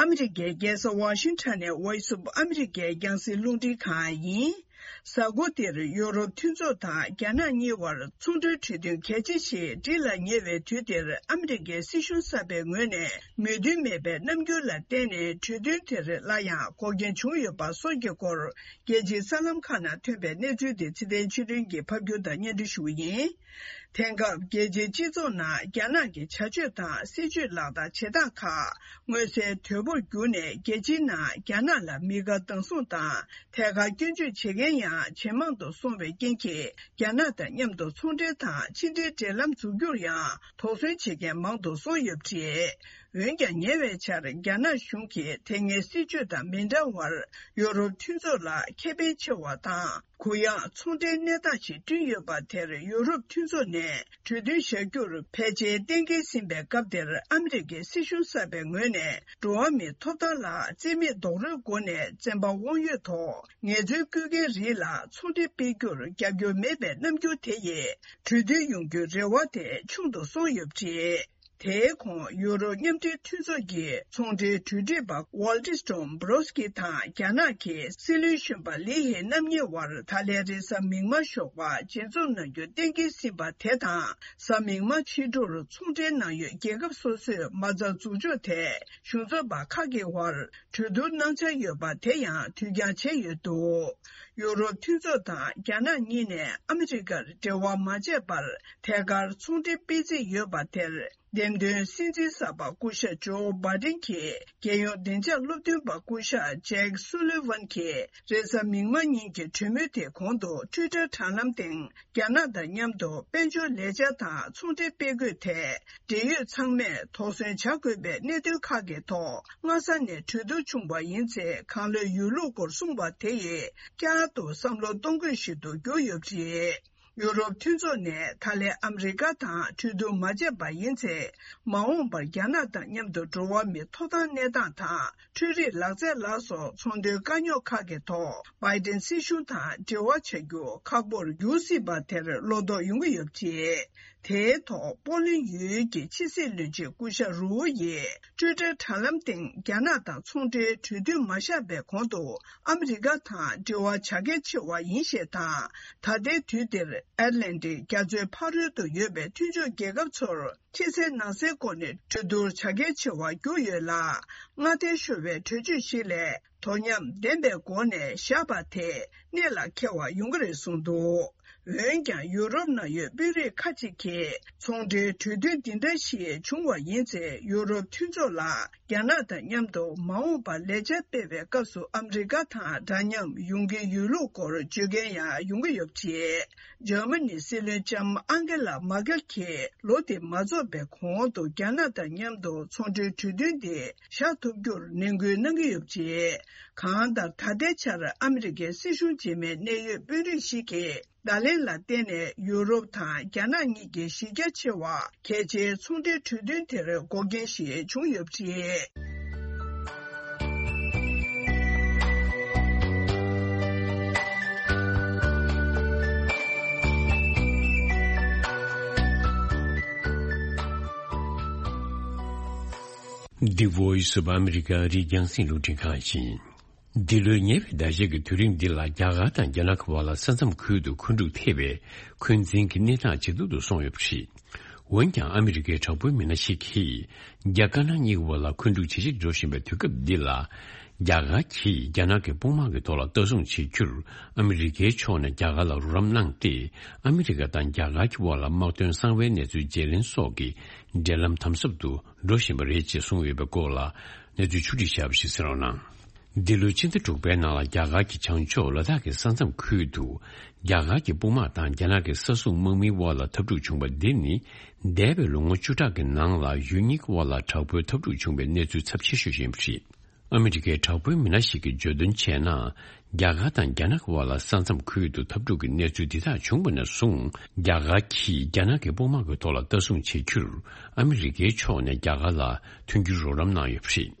ཨ་མི་རི་ཀའི་རྒྱལ་ས་ཝ་ཤིང་ཊོན་ནས་Voice of America རྒྱང་སྲིང་རླུང་འཕྲིན་ཁང་ཡིན། གཟའ་འཁོར་འདིར་ཡུ་རོབ་མཐུན་ཚོགས་དང་རྒྱ་ནག་གཉིས་བར་ཚོང་འབྲེལ་གྲོས་མཐུན་གལ་ཆེ་ཞིག་སྒྲིག་ལ་ཉེ་བའི་དུས་འདིར། ཨ་མི་རི་ཀའི་སྲིད་གཞུང་གསར་པའི་ངོས་ནས་མོས་མཐུན་མེད་པའི་རྣམ་འགྱུར་ལ་བརྟེན་ནས། གྲོས་མཐུན་དེར་སླར་ཡང་འགོག་རྐྱེན་བྱུང་ཡོད་པ་སོགས་ཀྱི་སྐོར། རྒྱལ་སྤྱིའི་གསར་ལམ་ཁག་ནང་ཐོན་པའི་གནས་ཚུལ་དེ་ཚེ་བརྟན་ཆོས་སྒྲོན་གྱིས་ཕབ་སྒྱུར་དང་སྙན་སྒྲོན་ཞུ་བ་ཡིན། དེང་སྐབས་རྒྱལ་སྤྱིའི་སྤྱི་ཚོགས་ནང་རྒྱ་ནག་གི་བྱ་སྤྱོད་དང་སྲིད་བྱུས་ལག་བསྟར་བྱེད་སྟངས་ཁག་མངོན་གསལ་དོད་པོར་གྱུར་ནས། རྒྱལ་སྤྱིའི་ནང་རྒྱ་ནག་ལ་མི་དགའ་སྡང་ཟུང་དང་། ཐད་ཀར་སྐྱོན་བརྗོད་བྱེད་མཁན་ཡང་ཇེ་མང་དུ་སོང་བའི་རྐྱེན་གྱིས། རྒྱ་ནག་དང་མཉམ་དུ་ཚོང་འབྲེལ་དང་ཕྱི་འབྲེལ་འབྲེལ་ལམ་འཛུགས་རྒྱུར་ཡང་དོགས་ཟོན་བྱེད་མཁན་མང་དུ་སོང་ཡོད་པ་རེད། འོན་ཀྱང་། ཉེ་བའི་ཆར་རྒྱ་ནག་གཞུང་གིས་དེ་སྔའི་སྲིད་བྱུས་དང་མི་འདྲ་བར། ཡུ་རོབ་མཐུན་ཚོགས་ལ་ཁེ་ཕན་ཆེ་བ་དང་། གུ་ཡངས་ཚོང་འབྲེལ་གནས་སྟངས་ཤིག་བསྐྲུན་ཡོད་པ་དེར། ཡུ་རོབ་མཐུན་ཚོགས་ནས་གྲོས་མཐུན་བཞག་རྒྱུར་ཕལ་ཆེར་གཏན་འཁེལ་ཟིན་པའི་སྐབས་དེར། ཨ་མི་རི་ཀའི་སྲིད་གཞུང་གསར་པའི་ངོས་ནས། འགྲོ་བ་མིའི་ཐོབ་ཐང་ལ་རྩིས་མེད་རྡོག་རོལ་སྒོ་ནས་བཙན་པ་དབང་ཡོད་ཐོག་ངལ་རྩོལ་བཀོལ་མཁན་རིགས་ལ་ཚོང་འབྲེལ་སྤེལ་རྒྱུར་རྒྱབ་སྐྱོར་མེད་པའི་རྣམ་འགྱུར་དེ་ཡིས། གྲོས་མཐུན་ཡོང་རྒྱུའི་རེ་བ་དེ་ཆུང་དུ་སོང་ཡོད་པ་རེད། དེའི་གོང་། ཡུ་རོབ་མཉམ་འབྲེལ་མཐུན་ཚོགས་ཀྱི་ཚོང་འབྲེལ་གྲོས་སྒྲིག་པ་Valdis Dombrovskis དང་རྒྱ་ནག་གི་སྲིད་བློན་གཞོན་པ་ལི་ཧེ་རྣམ་གཉིས་དབར། ད་ལན་རེས་གཟའ་མིག་དམར་ཞོགས་པ་མཇལ་འཛོམས་གནང་རྒྱུ་གཏན་འཁེལ་ཟིན་པ་དེ་དང་། གཟའ་མིག་དམར་ཕྱི་དྲོར་ཚོང་འབྲེལ་གནང་ཡུལ་རྒྱལ་ཁབ་སོ་སོས་མ་རྩ་འཛུགས་ཕྱོགས་ཐད་གཞུང་ཚབ་པ་ཁག་གི་དབར་གྲོས་བསྡུར་གནང་འཆར་ཡོད་པ་དེ་ཡང་དུས་འགྱངས་བྱས་ཡོད་འདུག་ཡུ་རོབ་མཐུན་ཚོགས་དང་རྒྱ་ནག་གཉིས་ནས་ཨ་མི་རི་ཀར་འབྲེལ་བ་མ་བྱས་པར་ཐད་ཀར་ཚོང་འབྲེལ་སྤེལ་རྩིས་ཡོད་པ་དེར། འདེམས་ཐོན་སྲིད་འཛིན་གསར་པ་སྐུ་ཞབས་ཇོ་བྷའི་ཌེན་གྱིས། རྒྱལ་ཡོངས་བདེ་འཇགས་སློབ་སྟོན་པ་སྐུ་ཞབས་ཇེག་སུ་ལི་ཝན་གྱིས་རེས་གཟའ་མིག་དམར་ཉིན་གྱི་གྲོས་མོལ་དེའི་གོང་དུ་ཊུའི་ཊར་དྲ་ལམ་སྟེང་། རྒྱ་ནག་དང་མཉམ་དུ་དཔལ་འབྱོར་ལས་འཆར་དང་ཚོང་འབྲེལ་སྤེལ་དགོས་ཐད། འབྲེལ་ཡོད་ཚང་མས་དོགས་ཟོན་བྱ་དགོས་པའི་གནད་དོན་ཁག་གི་ཐོག་སྔ་ས་ནས་གྲོས་བསྡུར་བྱུང་བ་ཡིན་ཚེ། གང་ལོས་ཡོད་ལུགས་སྐོར་གསུངས་པ་དེ་ཡིས། བསྐྱར་དུ་བསམ་བློ་གཏོང་དགོས་ཤིག་ཏུ་གྱུར་ཡོད་པ་རེད། ཡུ་རོབ་མཐུན་ཚོགས་ནས་ད་ལན་ཨ་མི་རི་ཀ་དང་གྲོས་བསྡུར་མ་བྱས་པ་ཡིན་ཚེ། མ་འོངས་པར་རྒྱ་ནག་དང་མཉམ་དུ་འགྲོ་བ་མིའི་ཐོབ་ཐང་གནས་སྟངས་དང་། འཕྲུལ་རིག་ལག་རྩལ་ལ་སོགས་ཚོང་དོན་དཀའ་རྙོག་ཁག་གི་ཐོག་བྷའི་ཌེན་སྲིད་གཞུང་དང་འབྲེལ་བ་བྱ་རྒྱུ་ཁག་པོར་འགྱུར་སྲིད་པ་དེར་བློ་དོགས་ཡོང་གི་ཡོད་པ་རེད། དེའི་ཐོག་པོ་ལན་ཡུལ་གྱི་ཕྱི་སྲིད་བློན་ཆེན་སྐུ་ཞབས་རུའུ་ཡིས་ཊུའི་ཊར་དྲ་ལམ་སྟེང་རྒྱ་ནག་དང་ཚོང་འབྲེལ་གྲོས་མཐུན་མ་བཞག་པའི་གོང་དུ་ཨ་མི་རི་ཀ་དང་འབྲེལ་བ་བྱ་གལ་ཆེ་བ་ཡིན་ཞེས་དང་། ད་ལྟའི་དུས་འདིར་ཨེཊ་ལན་ཊིག་རྒྱ་མཚོའི་ཕ་རོལ་ཏུ་ཡོད་པའི་མཐུན་ཕྱོགས་རྒྱལ་ཁབ་ཚོར་ཕྱི་གསལ་ནང་གསལ་སྒོ་ནས་གྲོས་བསྡུར་བྱ་གལ་ཆེ་བར་གྱུར་ཡོད་ལ། སྔ་ལྟས་ཤོར་བའི་གྲོས་ཆོད་ཞིག་ལས། དོ་མཉམ་ལྡན་པའི་སྒོ་ནས་བཞག་པ་དེ་གནད་ལ་འཁེལ་བ་ཡོང་གི་རེད་གསུངས་འདུག་འོན་ཀྱང་ཡུ་རོབ་ནང་ཡོད་དཔོན་རིགས་ཁ་ཅིག་གིས་ཚོང་འབྲེལ་གྲོས་མཐུན་འདི་འདྲ་ཞིག་བྱུང་བ་ཡིན་ཚེ། ཡུ་རོབ་མཐུན་ཚོགས་ལ་རྒྱ་ནག་དང་མཉམ་དུ་མ་འོངས་པར་ལས་འཆར་སྤེལ་བའི་སྐབས་སུ་ཨ་མི་རི་ཀ་དང་འདྲ་མཉམ་ཡོང་གི་ཡོད་ལུགས་སྐོར་བརྗོད་མཁན་ཡང་ཡོང་གི་ཡོད་པ་རེད། འཇར་མ་ནིའི་སྲིད་བློན་ལྕམ་ཨང་གེ་ལ་མར་ཀེལ་གྱིས་ལོ་འདི་མ་རྫོགས་པའི་གོང་དུ་རྒྱ་ནག་དང་མཉམ་དུ་ཚོང་འབྲེལ་གྲོས་མཐུན་འདི་བཞག་ཐུབ་རྒྱུར་ནན་སྐུལ་གནང་གི་ཡོད་པ་རེད། གང་ལྟར་ད་ལྟའི་ཆར་ཨ་མི་རི་ཀའི་སྲིད་གཞུང་རྗེས་མའི་གནད་ཡོད་དཔོན་རིགས་ཤིག་གིས། བརྡ་ལན་ལ་བརྟེན་ནས་ཡུ་རོབ་དང་རྒྱ་ནག་གཉིས་ཀྱི་གཞི་རྒྱ་ཆེ་བ་གལ་ཆེའི་ཚོང་འབྲེལ་གྲོས་མཐུན་དེར་འགོག་རྐྱེན་ཞིག་བྱུང་ཡོད་པ་རེད། The Voice of America རིགས་རྒྱང་སྲིང་རླུང་འཕྲིན་ཁང་ཡིན། འདི་ལོའི་ཉེ་བའི་ཟླ་ཤས་ཀྱི་དུས་རིང་འདི་ལ་རྒྱ་གར་དང་རྒྱ་ནག་གི་བར་ལ་ས་མཚམས་ཁུལ་དུ་འཁོན་འཁྲུག་ཐེབས་པས་འཁོན་འཛིན་གྱི་གནས་སྟངས་ཇེ་སྡུག་ཏུ་སོང་ཡོད་པ་རེད། འོན་ཀྱང་ཨ་མི་རི་ཀའི་དྲག་པོའི་མི་སྣ་ཞིག་གིས་རྒྱ་དཀར་ནག་གཉིས་ཀྱི་བར་ལ་འཁོན་འཁྲུག་ཇེ་ཆེར་འགྲོ་བཞིན་པའི་དུས་སྐབས་འདི་ལ། རྒྱ་གར་གྱིས་རྒྱ་ནག་གི་དཔུང་དམག་གི་ཐོག་ལ་ལྟ་སྲུང་བྱེད་རྒྱུར་ཨ་མི་རི་ཀའི་ཕྱོགས་ནས་རྒྱ་གར་ལ་རོགས་རམ་གནང་སྟེ། ཨ་མི་རི་ཀ་དང་རྒྱ་གར་གྱི་བར་ལ་དམག་དོན་གསང་བའི་གནས་ཚུལ་བརྗེ་ལེན་སོགས་ཀྱི་འབྲེལ་ལམ་དམ་ཟབ་ཏུ་འགྲོ་བཞིན་པ་རེད་ཅེས་གསུངས་ཡོད་པའི་སྐོར་ལ་གནས་ཚུལ་ཕྱོགས་བསྒྲིགས་བྱས་པ་ཞིག་གསན་རོགས་གནང་། འདི་ལོའི་ཕྱི་ཟླ་དྲུག་པའི་ནང་ལ་རྒྱ་གར་གྱི་བྱང་ཕྱོགས་ལ་དྭགས་ཀྱི་ས་མཚམས་ཁུལ་དུ་རྒྱ་གར་གྱི་དཔུང་དམག་དང་རྒྱ་ནག་གི་ས་སྲུང་དམག་མིའི་དབར་ལ་འཐབ་འཁྲུག་བྱུང་བ་འདི་ནི་འདས་པའི་ལོ་ངོ་བཅུ་ཕྲག་གི་ནང་ལ་ཡུལ་གཉིས་ཀྱི་དབར་ལ་དྲག་པོའི་འཐབ་འཁྲུག་བྱུང་བའི་གནས་ཚུལ་ཚབས་ཆེ་ཤོས་ཤིག་ཡིན་པ་རེད། ཨ་མི་རི་ཀའི་དྲག་པོའི་མི་སྣ་ཞིག་གིས་བརྗོད་དོན་བྱས་ན། རྒྱ་གར་དང་རྒྱ་ནག་གི་དབར་ལ་ས་མཚམས་ཁུལ་དུ་འཐབ་འཁྲུག་གི་གནས་ཚུལ་འདི་དག་བྱུང་བ་ནས་བཟུང་རྒྱ་གར་གྱིས་རྒྱ་ནག་གི་དཔུང་དམག་གི་ཐོག་ལ་ལྟ་སྲུང་བྱེད་རྒྱུར་ཨ་མི་རི་ཀའི་ཕྱོགས་ནས་རྒྱ་གར་ལ་མཐུན་འགྱུར་རོགས་རམ་གནང་ཡོད་པ་རེད།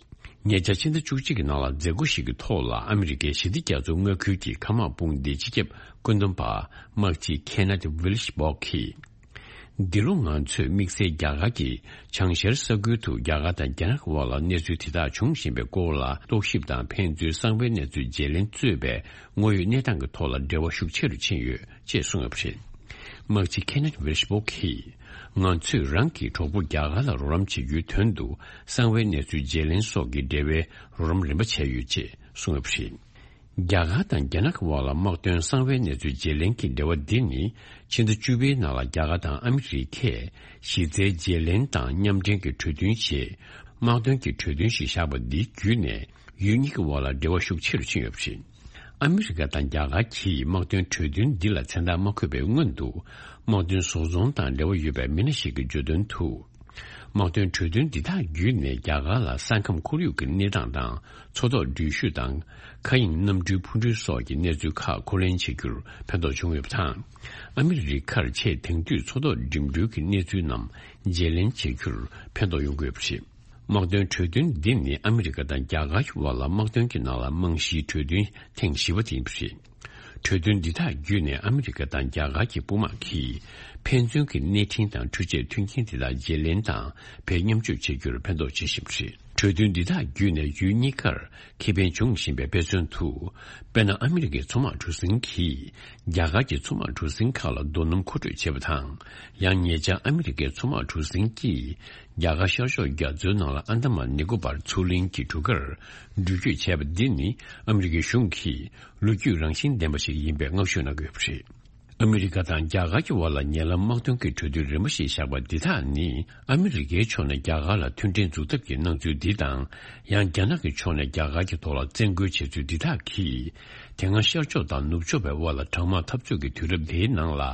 ཉེ་ཆར་ཕྱི་ཟླ་བཅུ་གཅིག་གི་ནང་ལ་མཛད་སྒོ་ཞིག་གི་ཐོག་ལ་ཨ་མི་རི་ཀའི་ཞི་བདེ་རྒྱ་མཚོའི་མངའ་ཁུལ་གྱི་མཁའ་དམག་དཔུང་སྡེའི་སྤྱི་ཁྱབ་བཀོད་འདོམས་པ་དམག་སྤྱི་ཁེ་ནེད་ཝིལ་ཤ་བྷོག་གིས། འདི་ལོ་ང་ཚོས་དམིགས་བསལ་རྒྱ་གར་གྱི་བྱང་ཤར་ས་ཁུལ་དུ་རྒྱ་གར་དང་རྒྱ་ནག་གི་དབར་ལ་གནས་ཚུལ་དེ་དག་འབྱུང་བཞིན་པའི་སྐོར་ལ་རྟོག་ཞིབ་དང་ཕན་ཚུན་གསང་བའི་གནས་ཚུལ་བརྗེ་ལེན་གཙོས་པའི་དངོས་ཡོད་གནས་སྟངས་ཀྱི་ཐོག་ལ་འབྲེལ་བ་ཤུགས་ཆེ་རུ་ཕྱིན་ཡོད་ཅེས་གསུངས་ཡོད་པ་རེད། དམག་སྤྱི་ཁེ་ནེད་ཝིལ་ཤ་བྷོག་གིས། ང་ཚོས་རང་གི་གྲོགས་པོ་རྒྱ་གར་ལ་རོགས་རམ་བྱེད་རྒྱུའི་དོན་དུ་གསང་བའི་གནས་ཚུལ་བརྗེ་ལེན་སོགས་ཀྱི་འབྲེལ་བའི་རོགས་རམ་རིམ་པ་བྱས་ཡོད་ཅེས་གསུངས་ཡོད་པ་རེད། རྒྱ་གར་དང་རྒྱ་ནག་གི་དབར་ལ་དམག་དོན་གསང་བའི་གནས་ཚུལ་བརྗེ་ལེན་གྱི་འབྲེལ་བ་འདི་ནི་ཕྱི་ཟླ་བཅུ་པའི་ནང་ལ་རྒྱ་གར་དང་ཨ་མི་རི་ཀས་གཞི་རྩའི་བརྗེ་ལེན་དང་མཉམ་འབྲེལ་གྱི་གྲོས་མཐུན་ཞེས་དམག་དོན་གྱི་གྲོས་མཐུན་ཞིག་བཞག་པ་འདི་བརྒྱུད་ནས་ཡུལ་གཉིས་ཀྱི་དབར་ལ་འབྲེལ་བ་ཤུགས་ཆེ་རུ་ཕྱིན་ཡོད་པ་རེད། ཨ་མི་རི་ཀ་དང་རྒྱ་གར་གྱིས་དམག་དོན་གྲོས་མཐུན་འདི་ལ་མཚན་རྟགས་མ་འཁོད་པའི་སྔོན་དུ་དམག་དོན་བཟོ་ཚོང་དང་འབྲེལ་བ་ཡོད་པའི་མི་སྣ་ཞིག་གིས་བརྗོད་དོན་དུ། དམག་དོན་གྲོས་མཐུན་འདི་དག་བརྒྱུད་ནས་རྒྱ་གར་ལ་ས་ཁམས་ཁོར་ཡུག་གི་གནས་སྟངས་དང་མཚོ་ཐོག་འགྲུལ་བཞུད་དང་མཁའ་དབྱིངས་གནམ་གྲུའི་འཕུར་འགྲུལ་སོགས་ཀྱི་གནས་ཚུལ་ཁག་འཁུར་ལེན་བྱེད་རྒྱུར་ཕན་ཐོགས་བྱུང་ཡོད་པ་དང་། ཨ་མི་རི་ཀར་ཆེས་དེང་དུས་མཚོ་ཐོག་འགྲིམ་འགྲུལ་གྱི་གནས་ཚུལ་རྣམས་བརྗེ་ལེན་བྱེད་རྒྱུར་ཕན་ཐོགས་ཡོང་གི་ཡོད་པ་རེད། དམག་དོན་གྲོས་མཐུན་འདི་ནི་ཨ་མི་རི་ཀ་དང་རྒྱ་གར་གྱི་དབར་ལ་དམག་དོན་གྱི་ནང་ལ་རྨང་གཞིའི་གྲོས་མཐུན་ཐེངས་བཞི་པ་དེ་ཡིན་པ་རེད། གྲོས་མཐུན་འདི་དག་བརྒྱུད་ནས་ཨ་མི་རི་ཀ་དང་རྒྱ་གར་གྱི་དཔུང་དམག་གིས་ཕན་ཚུན་གྱི་གནས་འཕྲིན་དང་འཕྲུལ་ཆས་མཐུན་རྐྱེན་དེ་དག་བརྗེ་ལེན་དང་བེད་མཉམ་སྤྱོད་བྱེད་རྒྱུར་ཕན་ཐོགས་བྱེད་བཞིན་པ་རེད། གྲོས་མཐུན་འདི་དག་བརྒྱུད་ནས་ཡུལ་གཉིས་ཀར་ཁེ་ཕན་འབྱུང་བཞིན་པའི་དཔེ་མཚོན་དུ། དཔེར་ན་ཨ་མི་རི་ཀའི་མཚོ་དམག་གྲུ་གཟིངས་ཀྱིས་རྒྱ་གར་གྱི་མཚོ་དམག་གྲུ་གཟིངས་ཁག་ལ་རྡོ་སྣུམ་མཁོ་སྤྲོད་བྱས་པ་དང་། ཡང་ཉེ་ཆར་ཨ་མི་རི་ཀའི་མཚོ་དམག་གྲུ་གཟིངས་ཀྱིས། རྒྱ་གར་ཤར་ཕྱོགས་རྒྱ་མཚོའི་ནང་ལ་ཨན་དམན་ནི་ཀོ་པར་མཚོ་གླིང་གི་གྲུ་ཁར་འགྲུལ་སྐྱོད་བྱས་པ་འདི་ནི་ཨ་མི་རི་ཀའི་གཞུང་གིས་ལོ་རྒྱུས་རང་བཞིན་ལྡན་པ་ཞིག་ཡིན་པའི་བསྔགས་བརྗོད་གནང་གི་ཡོད་པ་རེད། ཨ་མི་རི་ཀ་དང་རྒྱ་གར་གྱི་དབར་ལ་ཉེ་ལམ་དམག་དོན་གྱི་གྲོས་མཐུན་རིམ་པ་ཞིག་བཞག་པ་འདི་དག་ནི་ཨ་མི་རི་ཀའི་ཕྱོགས་ནས་རྒྱ་གར་ལ་མཐུན་སྒྲིལ་འཛུགས་ཐབས་ཀྱི་སྣང་ཚུལ་འདི་དང་། ཡང་རྒྱ་ནག་གི་ཕྱོགས་ནས་རྒྱ་གར་གྱི་ཐོག་ལ་བཙན་རྒོལ་བྱས་ཚུལ་འདི་དག་གིས། དེ་སྔ་ཤར་ཕྱོགས་དང་ནུབ་ཕྱོགས་པའི་དབར་ལ་གྲང་དམག་འཐབ་རྩོད་ཀྱི་དུས་རབས་འདིའི་ནང་ལ།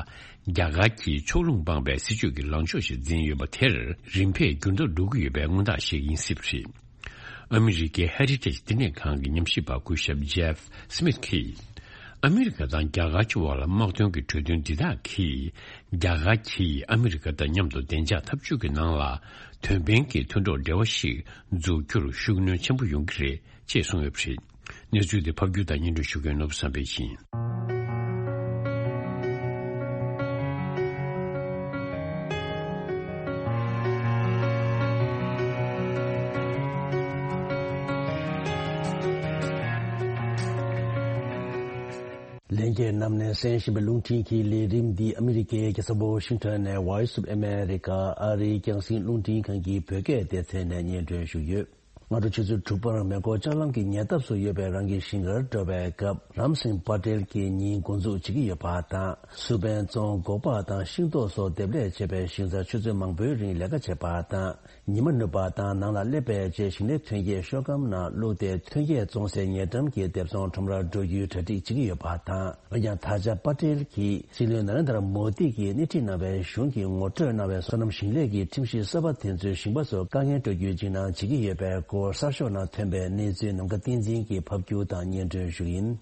རྒྱ་གར་གྱིས་ཕྱོགས་ལྷུང་སྤངས་པའི་སྲིད་བྱུས་ཀྱི་ལངས་ཕྱོགས་ཤིག་འཛིན་ཡོད་པ་དེར་རིམ་པས་འགྱུར་ལྡོག་འགྲོ་གི་ཡོད་པའི་མངོན་རྟགས་ཤིག་ཡིན་སྲིད་པ་རེད། ཨ་མི་རི་ཀའི་ཧེ་རི་ཊེཇ་བསྟི་གནས་ཁང་གི་ཉམས་ཞིབ་པ་སྐུ་ཞབས་ཇེབ་སི་མིད་ཀྱིས། ཨ་མི་རི་ཀ་དང་རྒྱ་གར་གྱི་དབར་ལ་དམག་དོན་གྱི་གྲོས་མཐུན་འདི་དག་གིས། རྒྱ་གར་གྱིས་ཨ་མི་རི་ཀ་དང་མཉམ་དུ་བདེ་འཇགས་འཐབ་ཇུས་ཀྱི་ནང་ལ། དོན་ཕན་གྱི་མཐུན་གྲོགས་འབྲེལ་བ་ཞིག་འཛུགས་རྒྱུར་ཤུགས་སྣོན་ཆེན་པོ་ཡོང་གི་རེད། ཅེས་གསུངས་ཡོད་པ་རེད། གནས་ཚུལ་དེ་ཕབ་སྒྱུར་དང་སྙན་སྒྲོན་ཞུ་མཁན་ནོར་བུ་བསམ་འཕེལ་ཡིན། ལྷན་རྒྱས་རྣམས་ནས་གསན་བཞིན་པའི་རླུང་འཕྲིན་གྱི་ལས་རིམ་འདི་ཨ་མི་རི་ཀའི་རྒྱལ་ས་ཝོ་ཤིང་ཊོན་ནས་Voice of America ཨ་རིའི་རྒྱང་སྲིང་རླུང་འཕྲིན་ཁང་གི་བོད་སྐད་སྡེ་ཚན་ནས་སྙན་སྒྲོན་ཞུ་ཡོད། སྔ་དྲོ་ཆུ་ཚོད་དྲུག་པར་མེ་འཁོར་ལྕགས་ལམ་གྱི་ཉེ་འདབས་སུ་ཡོད་པའི་རང་གི་ཞིང་ཁར་འགྲོ་བའི་སྐབས། རམ་སིང་པ་ཏེལ་གྱིས་ཉིན་འགོ་འཛུགས་བྱེད་ཀྱི་ཡོད་པ་དང་། སུར་པན་བཙོང་། སྒོག་པ་དང་ཤིང་ཏོག་སོགས་འདེབས་ལས་བྱེད་པའི་ཞིང་སར་ཆུ་ཚོད་མང་པོའི་རིང་ལས་ཀ་བྱེད་པ་དང་། ཉི་མ་ནུབ་པ་དང་ནང་ལ་སླེབས་པའི་རྗེས་ཞིང་ལས་ཐོན་སྐྱེད་ཤོག་སྒམ་ནང་བླུགས་ཏེ། ཐོན་སྐྱེད་བཙོང་སའི་ཉེ་འགྲམ་གྱི་སྡེབ་ཚོང་ཁྲོམ་རར་འགྲོ་རྒྱུའི་གྲ་སྒྲིག་བྱེད་ཀྱི་ཡོད་པ་དང་། འོན་ཀྱང་། ད་ཆ་པ་ཏེལ་གྱིས་སྲིད་བློན་ན་རེན་དར་མོ་དི་གིས་སྣེ་ཁྲིད་གནང་བའི་གཞུང་གིས་ངོ་སྤྲོད་གནང་བའི་སོ་ནམ་ཞིང་ལས་ཀྱི་ཁྲིམས་གཞི་གསར་པ་དེ་ཚོས་ཞིང་པ་ཚོར་དཀའ་ངལ་སྤྲོད་རྒྱུའི་འཇིགས་སྣང་བྱེད་ཀྱི་ཡོད་པའི་སྐོར། གསར་ཤོག་ནང་ཐོན་པའི་གནས་ཚུལ་ནམ་མཁའ་བསྟན་འཛིན་གྱིས་ཕབ་སྒྱུར་དང་སྙན་སྒྲོན་ཞུ་ཡིན།